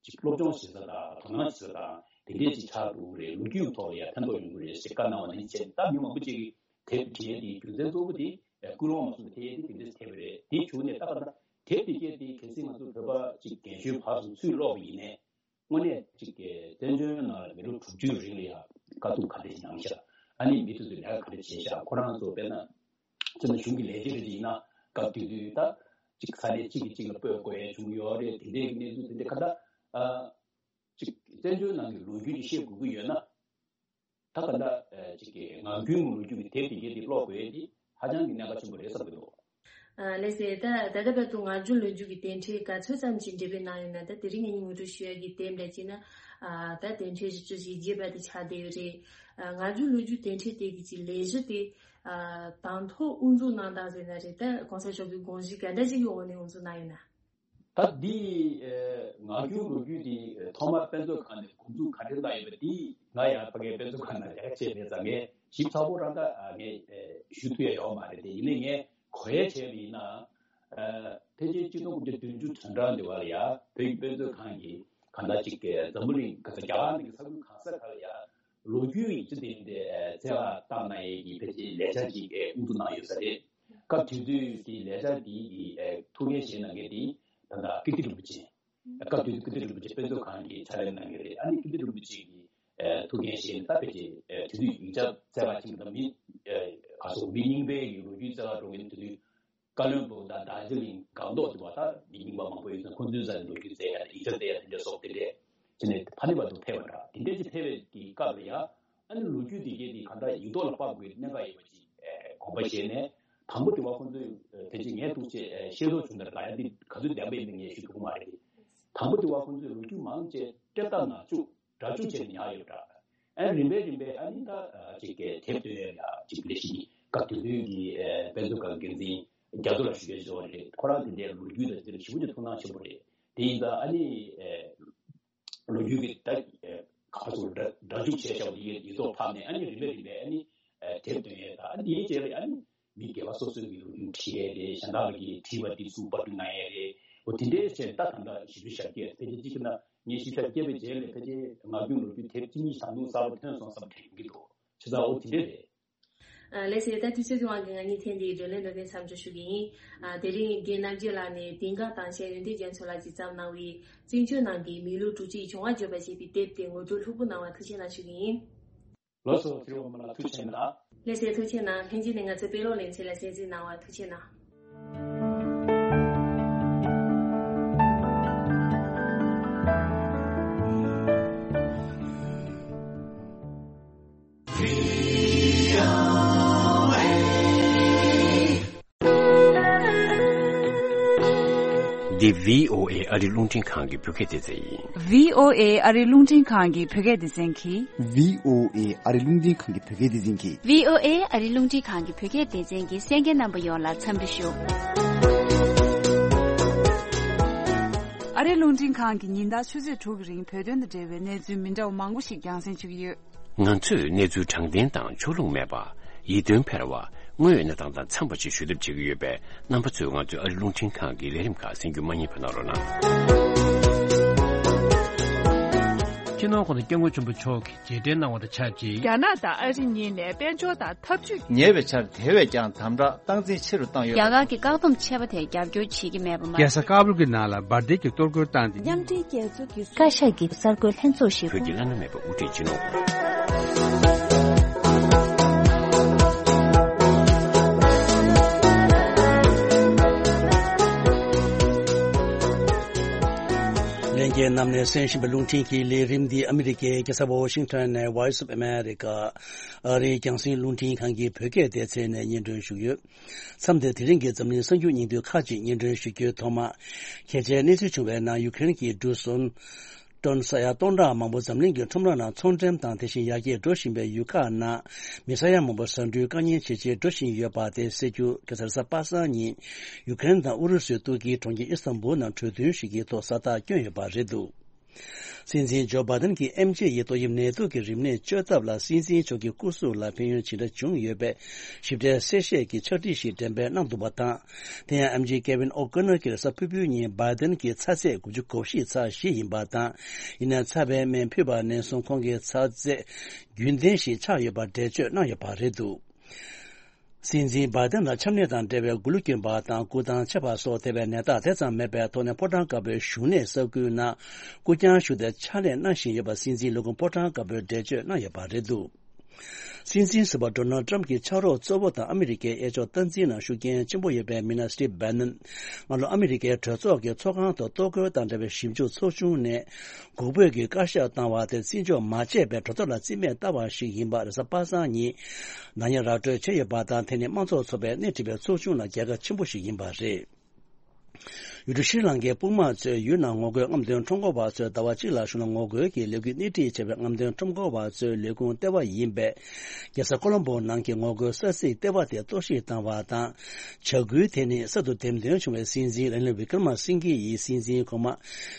ཅིག་སློབ་སྦྱོང་བྱེད་ས་དང་དོ་སྣང་བྱེད་ས་དང་དེ་འདྲས་ཅིག་ཆགས་འགྲོ་གི་རེད། ལོ་རྒྱུས་ཐོག་ལ་ཡང་ཕན་ཐོགས་ཡོང་གི་རེད་ཟེར་བཀའ་གནང་བ་ནང་བཞིན་བྱས་ནས། ད་མི་མང་པོ་ཅིག་གིས་དེབ་བྲིས་ཡས་དེའི་རྒྱུ་མཚན་གཙོ་བོ་དེ་ཀུན་སློང་མ་སོང་ན་དེ་ཡས་དེ་དེ་འདྲས་ཐེབས་པ་རེད། དེ་བྱུང་ནས་ད་ག་ད་དེབ་དེ་གས་དེ་གལ་སྲིད་ང་ཚོ་བོད་པ་ཅིག་རྒན་གཞོན་བར་གསུམ་ཚུར་ཀློག་པ་ཡིན་ནའི། དངོས་གནས་ཅིག་གི་བཙན་བྱོལ་ནང་ལ་མི་ལོ་དྲུག་ཅུའི་རིང་ལ་ཡང་དཀའ་སྡུག་ག་འདྲ་ཞིག་མྱངས་ཤག་ཨ་ནི་མི་དེ་ཚོས་ལས་ཀ་ག་འདྲ་བྱས་ཤག་ཁོ་རང་ཚོ་དཔེར་ན་སྤྱིར་ན་གཞུང་གི་ལས་བྱེད་རེ་ཅིག་ཡིན་ན་སྐབས་དེ་དུས་ད་ཅིག་ས་གནས་གཅིག་གིས་གཅིག་ལ་སྤོས་དགོས་ཡས་བྱུང་ཡོད་རེད། དེ་འདྲའི་གནས་ཚུལ་དེ་འདྲ་ག་ད་ཨ་ཅིག་བཙན་བྱོལ་ནང་གི་ལོ་རྒྱུས་ཅིག་ཤེས་དགོས་ཀྱི་ཡོད་ན། ད་ག་ད་ཨ་ཅིག་གི་ངག་རྒྱུན་ལོ་རྒྱུས་ཀྱི་དེབ་དེ་གས་དེ་ཀློག་དགོས་ཡས་དེ་ཧ་ཅང་གི་གནད་འགག་ཆེན་པོ་རེད་བསམ་གྱི་འདུག་ཨ་ལགས་སེ། ད་ད་ལྟ་བར་དུ་ངག་རྒྱུན་ལོ་རྒྱུས་ཀྱི་དེབ་ཕྲེང་ག་ཚོད་ཙམ་ཞིག་འབྲི་འདོད་གནང་ཡོད་ན། ད་དེ་རིང་ངས་ངོ་སྤྲོད་ཞུ་ཡ་གི་དེབ་འདྲ་ཅིག་ན། ཨ་ད་དེབ་ཕྲེང་བཞི་བཅུ་ཞེ་བརྒྱད་པ་དེ་ཆགས་བསྡད་ཡོད་རེད། ཨ་ངག་རྒྱུན་ལོ་རྒྱུས་དེབ་ཕྲེང་དེ་གི་ཅིག་ལས་གཞི་དེ་ཨ་དང་ཐོག་དབུ་འཛུགས་གནང་སྟངས་ཟེར་ན་རེད། ད་གོང་ས་མཆོག་གི་དགོངས་གཞི་ག་འདྲ་ཅིག་གི་འོག་ནས་དབུ་འཛུགས་གནང་ཡོད་ན། ད་འདི་ཨེ་ངག་རྒྱུན་ལོ་རྒྱུས་འདི་ཨེ་ཐོག་མར་དཔེ་མཛོད་ཁང་ནས་འགོ་འཛུགས་ག་འདྲ་གནང་ཡོད་པ་འདི་ང་ཡང་ཕ་གིའི་དཔེ་མཛོད་ཁང་ནང་ལས་ཀ་བྱས་མེད་ཙང་ངས་ ཞིབ་ཚགས་པོ་རང་ད་ངས་ཞུ་ཐུབ་ཡ་ཡོད་མ་རེད་དེ། ཡིན་ནའི་ངས་གོ་ཡ་བྱས་པ་ཡིན་ན། ཕལ་ཆེར་གཅིག་སྟོང་དགུ་བརྒྱ་བདུན་ཅུ་དོན་གྲངས་འདི་བར་ལ་ཡ་བོད་ཀྱི་དཔེ་མཛོད་ཁང་གིས་གང་ལྟར་ཅིག་འཛམ་བུ་གླིང་ག་ས་རྒྱ་གར་ནང་གི་ས་ཁུལ་གང་ས་ག་ལ་ཡ་ལོ་རྒྱུས་ཡིག་ཆ་དེ་འདྲ་བཙལ་བར་བཏང་གནང་ཡས་ཀྱི་ཕལ་ཆེར་ལས་འཆར་ཅིག་དབུ་འཛུགས་གནང་ཡོད་ས་རེད། སྐབས་དེ་དུས་ཀྱི་ལས་འཆར་འདིའི་གི་ཐུགས་འགན་བཞེས་གནང་མཁན་དེ་ད་ལྟ་ཀིརྟི་རིན་པོ་ཆེ། སྐབས་དེ་དུས་ཀིརྟི་རིན་པོ་ཆེ་དཔེ་མཛོད་ཁང་གི་ཕྱག་ལས་གནང་མཁན་རེད། ཨ་ནི་ཀིརྟི་རིན་པོ་ཆེ་གི་ཐུགས་འགན་བཞེས་ནས་ད་ཕལ་ཆེར་དེ་དུས་ཡིག་ཆ་བཙལ་བར་ཕྱིན་པ་དང་མི་ག་སོགས་མི་རྙིང་པའི་གི་ལོ་རྒྱུས་བཙལ་བར་འགྲོ་མཁན་དེ་དུས། བཀའ་བློན་སྦུག་དང་རྡོ་རྗེ་གླིང་སྒང་ཏོག་དེ་བ་ད་མི་རྙིང་པ་མང་པོ་ཡོད་ཙང་ཁོང་ཚོའི་རྩ་ནས་ལོ་རྒྱུས་བཙལ་ཡ་དང་ཡིག་ཆ་བཙལ་ཡ་དེ་འདྲ་སོགས་དེ་འདྲས་བྱས་ནས་ཕ་ནི་བར་དུ་ཕེབས་པ་འདྲ། དེ་འདྲས་ཀྱི་ཕེབས་པའི་གི་སྐབས་ལ་ཡ་ཨ་ནི་ལོ་རྒྱུས་དེ་གའི་དེ་ག་འདྲ་ཡིག་ཐོག་ལ་ཕབ་དགོས་གནད་འགག་ཡོད་པ་ཅིག་དགོངས་པ་བཞེས་ནས། དང་པོ་དེ་བ་ཁོང་ཚོས་ཕལ་ཆེར་ངས་ཐུགས་ཆེ་ཤེས་རྟོགས་བྱུང་ནས་ད་ཡ་འདི་ག་ཚོད་བདེན་པ་ཡིན་མིན་ངས་ཞུ་ཐུབ་ཀྱི་མ་རེད། དང་པོ་དེ་བ་ཁོང་ཚོས་ལོ་རྒྱུས་མང་ཆེ་སྤྲད་ཐབས་ནང་བཅུག་སྒྲ་འཇུག་བྱས་ནས་ཉར་ཡོད་འདྲ། ཨ་རིམ་པས་རིམ་པས་ཨ་ནི་ད་ཅིག་གི་དེབ་ཐོན་ཡོད་ལ་ཅིག་ལས་ཤིག་སྐབས་དེ་དུས་ཀྱི་དཔེ་མཛོད་ཁང་འགན་འཛིན་རྒྱ་མཚོ་ལགས་ཞུ་སྐྱོན་བྱས་པ་རེད། ཁོ་རང་དེ་འདྲའི་ལོ་རྒྱུས་དང་དེ་འདྲ་ཞེ་པོ་ཅིག་ཐུགས་སྣང་ཆེན་པོ་རེད། དེ་ཡིན་ཙང་ཨ་ནི་ལོ་རྒྱུས་ཀྱི་ད་ག་ཚོད་སྒྲ་སྒྲ་འཇུག་བྱས་བཞག་པ་དེ་ཡིག་ཐོག་ཕབ་ནས་ཨ་ནི་རིམ་པས་རིམ་པས་ཨ་ནི་དེབ་ཐོན་ཡོད། ད་ཨ་ནི་དེའི་རྗེས་ལ་ཨ་ནི། མི་སྒེར་པ་སོ་སོའི་གི་ལོ་རྒྱུས་བྲིས་ཡས་རེད། གཞན་དག་གི་བྲིས་པ་དེ་ཚུར་པར་སྐྲུན་གནང་ཡས་རེད། འོ་དེ་འདྲའི་བྱས་ད་ད་ལྟ་ཞིབ་འཇུག་ཞབས་སྐྱེས་ཕལ་ཆེར་གཅིག་ན་ངས་ཞིབ་ཞབས་སྐྱེས་པའི་རྗེས་ལ་ཕལ་ཆེར་ངག་རྒྱུན་ལོ་རྒྱུས་དེབ་གཅིག་གཉིས་ཞིག་ད་དུང་གསར་པ་ཐོན་སོང་བསམ་དྲན་གྱི་འདུག་བྱས་ཙང་འོ་དེ་འདྲ་རེད། ལགས་སོ། ད་དུས་ཚོད་ཀྱི་དབང་གིས་ང་གཉིས་ཐེངས་འདིའི་བགྲོ་གླེང་འདི་ནས་མཚམས་འཇོག་ཞུ་གི་ཡིན། དེ་རིང་རྒན་རྣམ་རྒྱལ་ལགས་ནས་དེང་སྐབས་དང་ཆེད་ཡོན་ཏན་རྒྱ་མཚོ་ལགས་ཀྱིས་བརྩམས་གནང་བའི་བཙན་བྱོལ་ནང་གི་མི་ལུས་དྲུག་ཅུའི་བྱུང་བ་བརྗོད་པ་ཞེས་པའི་དེབ་དེ་ངོ་སྤྲོད་ལྷུག་པོ་གནང་བར་ཐུགས་རྗེ་གནང་ཞུ་གི་ཡིན། ལགས་སོ། ཚེ་རིང་དབང་མོ་ལགས་ཐུགས་རྗེ་གནང་། ལགས་སོ། ཐུགས་རྗེ་གནང་། ལྷན་རྒྱས་ནས་ང་ཚོའི་དཔེ་ཀློག་ལེ་ཚན་ལ་གསན་གཟིགས་གནང་བར་ཐུགས་རྗེ་གནང་། འདི་བྷི་ཨོ་ཨེ་ཨ་རི་རླུང་འཕྲིན་ཁང་གི་བོད་སྐད་སྡེ་ཚན་ཡིན། བྷི་ཨོ་ཨེ་ཨ་རི་རླུང་འཕྲིན་ཁང་གི་བོད་སྐད་སྡེ་ཚན་གྱིས། བྷི་ཨོ་ཨེ་ཨ་རི་རླུང་འཕྲིན་ཁང་གི་བོད་སྐད་སྡེ་ཚན་གྱིས། བྷི་ཨོ་ཨེ་ཨ་རི་རླུང་འཕྲིན་ཁང་གི་བོད་སྐད་སྡེ་ཚན་གྱི་གསན་མཁན་རྣམ་པ་ཡོངས་ལ་འཚམས་འདྲི་ཞུ། ཨ་རི་རླུང་འཕྲིན་ཁང་གིས་ཉིན་ལྟར་ཆུ་ཚོད་དྲུག་གི་རིང་བོད་དོན་དང་འབྲེལ་བའི་གནས་ཚུལ་མི་འདྲ་བ་མང་པོ་ཞིག་རྒྱང་སྲིང་ཞུ་གི་ཡོད། ང་ཚོས་གནས་ཚུལ་དྲང་བདེན་དང་ཕྱོགས་ལྷུང་མེད་པ། ཡིད་རྟོན་འཕེར་བ། དངོས་ཡོད་གནས་སྟངས་དང་འཚམས་པ་ཞིག་ཞུ་ཐབས་བྱེད་ཀྱི་ཡོད་པས། རྣམ་པ་ཚོས་ང་ཚོའི་ཨ་རི་རླུང་འཕྲིན་ཁང་གི་ལས་རིམ་ཁག་གསན་རྒྱུ་མ་བསྙེལ་བ་གནང་རོགས་གནང་། སྤྱི་ནོར་༸གོང་ས་༸སྐྱབས་མགོན་ཆེན་པོ་མཆོག་གིས་རྗེས་དྲན་གནང་བ་དང་ཆབས་ཅིག་རྒྱ་ནག་དང་ཨ་རི་གཉིས་ནས་དཔལ་འབྱོར་དང་འཐབ་ཇུས། ཉེ་བའི་ཆར་དེ་བས་ཀྱང་དམ་དྲག་སྟངས་འཛིན་ཆེ་རུ་བཏང་ཡོད་པ། རྒྱ་གར་གྱི་བཀག་སྡོམ་ཆད་པ་དེར་རྒྱབ་སྐྱོར་བྱེད་ཀྱི་མེད་པ་མ། རྒྱལ་ས་ཀ་བུལ་གྱི་ནང་ལ་འབར་མདེལ་གྱི་གཏོར་རྒོལ་བཏང་སྟེ། མཉམ་འབྲེལ་རྒྱལ་ཚོགས་ཀྱི་བཀའ་ཤག་གི་གསར་འགོད་ལྷན་ཚོགས་ཤིག་བོད་ཀྱི་བླ་ན་མེད་པ་དབུ་ཁྲིད་སྤྱི་ནོར་ལྷན་རྒྱས་རྣམས་ནས་གསན་བཞིན་པའི་རླུང་འཕྲིན་གྱི་ལས་རིམ་འདི་ཨ་མི་རི་ཀའི་རྒྱལ་ས་ཝ་ཤིང་ཊོན་ནས་Voice of America ཨ་རིའི་རྒྱང་སྲིང་རླུང་འཕྲིན་ཁང་གི་བོད་སྐད་སྡེ་ཚན་ནས་སྙན་སྒྲོན་ཞུས་ཡོད། མཚམས་འདིར་དེ་རིང་གི་འཛམ་གླིང་གསར་འགྱུར་སྙིང་བསྡུས་ཁག་ཅིག་སྙན་སྒྲོན་ཞུ་རྒྱུའི་ཐོག་མར། གལ་ཆེའི་གནས་ཚུལ་བྱུང་བའི་ནང་ཡུ་ཀེ་རེན་གྱི་འབྲུ་སོན་ཊོན་ས་ཡ་སྟོང་ཕྲག་མང་པོ་འཛམ་གླིང་གི་ཁྲོམ་ར་ནང་ཚོང་འགྲེམས་དང་དེ་བཞིན་ཡར་རྒྱས་འགྲོ་བཞིན་པའི་ཡུལ་ཁག་ནང་མི་ས་ཡ་མང་པོ་ཟ་འབྲུའི་དཀའ་ཉེན་ཇེ་ཆེར་འགྲོ་བཞིན་ཡོད་པ་དེ་གསལ་རྒྱུ་ག་ས་རེས་གཟའ་པ་སངས་ཉིན་ཡུ་ཀེ་རེན་དང་ཨུ་རུ་སུའི་ཏུར་ཀིའི་གྲོང་ཁྱེར་ཨི་སྟན་བུལ་ནང་གྲོས་མཐུན་ཞིག་གི་ཐོག་ས་རྟགས་བསྐྱོན་ཡོད་པ་རེད་འདུག་སྲིད་འཛིན་ཇོ་བྷ་དན་གྱིས་ཨེམ་ཆི་ཡི་ཏོག་དབྱིབས་ནད་དུག་གི་རིམས་ནད་བཅོས་ཐབས་ལ་སྲིད་འཛིན་མཆོག་གི་སྐུ་གཟུགས་ལ་ཕན་ཡོན་ཇི་འདྲ་བྱུང་ཡོད་པའི་ཞིབ་ཕྲའི་གསལ་བཤད་ཀྱི་ཕྱག་བྲིས་ཤིག་འགྲེམས་སྤེལ་གནང་འདུག་པ་དང་། དེ་ཡང་ཨེམ་ཆི་ཀེ་ཝིན་ཨོ་ཀོ་ནར་གྱིས་གཟའ་ཕུར་བུའི་ཉིན་བྷ་དན་གྱི་ཚ་ཚད་དགུ་བཅུ་གོ་བཞི་ཚག་བཞི་ཡིན་པ་དང་། ཡིན་ནའང་ཚ་བའི་སྨན་ཕུད་པ་ནས་བཟུང་ཁོང་གི་ཚ་ཚད་རྒྱུན་ལྡན་ཞིག་ཆགས་ཡོད་པར་འགྲེལ་བརྗོད་གནང་ཡོད་པ་རེད་འདུག་སྲིད་འཛིན་བྷ་དན་ལ་ཆམ་ནད་དང་འབྲེལ་བའི་མགོ་ལུས་སྐྱོན་པ་དང་སྐུ་ཐང་ཆད་པ་སོགས་ཐེབས་པའི་ནད་རྟགས་དེ་ཙམ་མེད་པའི་ཐོག་ནས་ཕོ་བྲང་དཀར་པོའི་བཞུགས་གནས་ས་ཁུལ་ནང་སྐུ་རྐྱང་བཞུགས་ཏེ་ཕྱག་ལས་གནང་བཞིན་ཡོད་པ་སྲིད་འཛིན་ལས་ཁུངས་ཕོ་བྲང་དཀར་པོས་འགྲེལ་བརྗོད་གནང་ཡོད་པ་རེད་འདུག་སྲིད་འཛིན་ཟུར་པ་ཌོ་ནལ་ཏྲམ་གྱི་ཕྱག་རོགས་གཙོ་བོ་དང་ཨ་མི་རི་ཀའི་གཡས་ཕྱོགས་སྟངས་འཛིན་ནང་ཤུགས་རྐྱེན་ཆེན་པོ་ཡོད་པའི་མི་སྣ་སི་ཊིབ་བྷེ་ནན་སྔ་ལོ་ཨ་མི་རི་ཀའི་གྲོས་ཚོགས་ཀྱི་ཚོགས་ཁང་དུ་གཏོར་རྒོལ་དང་འབྲེལ་བའི་ཞིབ་འཇུག་ཚོགས་ཆུང་ནས་འགོག་པའི་གི་བཀའ་ཤག་བཏང་བ་དེ་བརྩི་འཇོག་མ་བྱས་པའི་གྲོས་ཚོགས་ལ་རྩིས་མེད་བཏང་བ་ཞིག་ཡིན་པ་རེས་གཟའ་པ་སངས་ཉིན་ནག་ཉེས་ར་སྤྲོད་བྱས་ཡོད་པ་དང་། དེ་ནི་དམངས་གཙོ་ཚོགས་པས་སྣེ་ཁྲིད་པའི་ཚོགས་ཆུང་ལ་རྒྱལ་ཁ་ཆེན་པོ་ཞིག་ཡིན་པ་རེད། ཡུལ་གྲུ་ཤྲི་ལང་ཀའི་དཔུང་དམག་ཚོས་ཡུལ་ནང་ངོ་རྒོལ་རྔམ་སྟོན་ཁྲོམ་སྐོར་བ་ཚོས་ཟླ་བ་གཅིག་ལ་གཞུང་ལ་ངོ་རྒོལ་གྱི་ལས་འགུལ་སྣེ་ཁྲིད་བྱས་པའི་རྔམ་སྟོན་ཁྲོམ་སྐོར་བ་ཚོའི་ལས་ཁུངས་ལྟེ་བ་ཡིན་པའི་རྒྱལ་ས་ཀོ་ལོམ་པོ་ནང་གི་ངོ་རྒོལ་ས་ཚིགས་ལྟེ་བ་དེ་གཏོར་བཤིག་བཏང་བ་དང་། བྱ་འགུལ་དེ་ནི་གསར་དུ་འདེམས་ཐོན་བྱུང་བའི་སྲིད་འཛིན་ར་ནིལ་བི་ཀྲ་མ་སིང་གྷེ་ཡི་སྲིད་འཛིན་གོང་མ་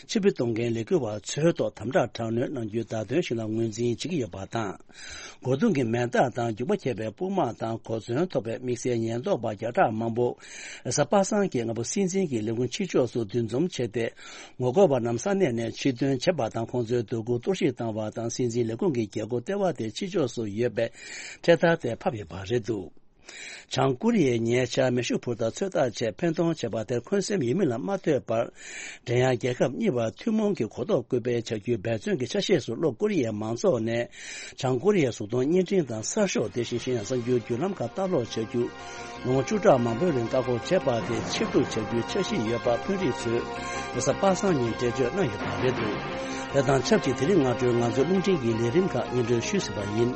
ཕྱིར་འབུད་གཏོང་མཁན་ལས་འགུལ་བ་ཚོའི་ཐོག་དམ་དྲག་དྲག་གནོན་གནང་རྒྱུའི་བརྡ་སྟོན་ཞིག་ལ་ངོས་འཛིན་བྱེད་ཀྱི་ཡོད་པ་དང་། གོ་བརྡུང་གི་མེ་སྟག་དང་རྒྱུག་པ་འཁྱེར་བའི་དཔུང་དམག་དང་གོ་མཚོན་ཐོགས་པའི་དམིགས་བསལ་ཉེན་རྟོག་པ་བརྒྱ་ཕྲག་མང་པོ་རེས་གཟའ་པ་སངས་ཀྱི་སྔ་པོ་སྲིད་འཛིན་གྱི་ལས་ཁུངས་ཕྱི་ཕྱོགས་སུ་འདུ་འཛོམས་བྱས་ཏེ། ངོ་རྒོལ་བ་རྣམས་ས་གནས་ནས་ཕྱིར་ཐོན་བྱས་པ་དང་། ཁོང་ཚོའི་འདོད་རྒུ་གཏོར་བཤིག་བཏང་བ་དང་། སྲིད་འཛིན་ལས་ཁུངས་ཀྱི་རྒྱལ་སྒོ་ལྟེ་བ་དེ་ཕྱི་ཕྱོགས་སུ་ཡོད་པའི་འཕྲེད་དར་དེ་ཕབ་ཡོད་པ་རེད་འདུག། བྱང་ཀོ་རི་ཡས་ཉེ་ཆར་མེ་ཤུགས་འཕུར་མདའ་ཚོད་ལྟ་ཆེད་འཕེན་གཏོང་བྱས་པ་དེར་འཁོན་སེམས་ཡོད་མིན་ལ་མ་ལྟོས་པར། འགྲན་ཡ་རྒྱལ་ཁབ་གཉིས་བར་ཐུན་མོང་གི་གོ་རྟོགས་སྐུལ་སྤེལ་བྱ་རྒྱུའི་འབད་བརྩོན་གྱི་ཆ་ཤས་སུ། ལྷོ་ཀོ་རི་ཡའི་མང་ཚོགས་ནས་བྱང་ཀོ་རི་ཡའི་གཟུགས་མཐོང་བརྙན་འཕྲིན་དང་གསར་ཤོག་དེ་བཞིན་གཞན་ཡང་གསར་འགྱུར་བརྒྱུད་ལམ་ཁག་ལྟ་ཀློག་བྱ་རྒྱུ། ལོ་ངོ་བཅུ་ཕྲག་མང་པོའི་རིང་བཀག་འགོག་བྱས་པ་དེ་ཕྱིར་བསྡུ་བྱ་རྒྱུའི་འཆར་གཞི་ཡོད་པ་དཔོན་རིགས་ཚོས་རེས་གཟའ་པ་སངས་ཉིན་འགྲེལ་བརྗོད་གནང་ཡོད་པ་རེད་འདུག། དེ་དང་ཆབས་ཅིག་དེ་རིང་སྔ་དྲོའི་ང་ཚོའི་རླུང་འཕྲིན་གྱི་ལས་རིམ་ཁག་སྙན་སྒྲོན་ཞུས་ཟིན་པ་ཡིན།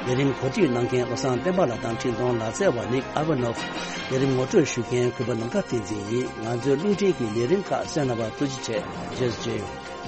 ལས་རིམ་གོ་སྒྲིག་གནང་མཁན་བློ་བཟང་བསྟན་པ་ལགས་དང་འཕྲིན་གཏོང་ལག་རྩལ་བ་ནིག་ཨ་ཝ་ནོབ། ལས་རིམ་ངོ་སྤྲོད་ཞུ་མཁན་གུས་པ་ནམ་མཁའ་བསྟན་འཛིན་ཡིན། ང་ཚོའི་རླུང་འཕྲིན་གྱི་ལས་རིམ་ཁག་གསན་གནང་བར་ཐུགས་རྗེ་ཆེ། རྗེས་སུ་མཇལ་ཡོང་།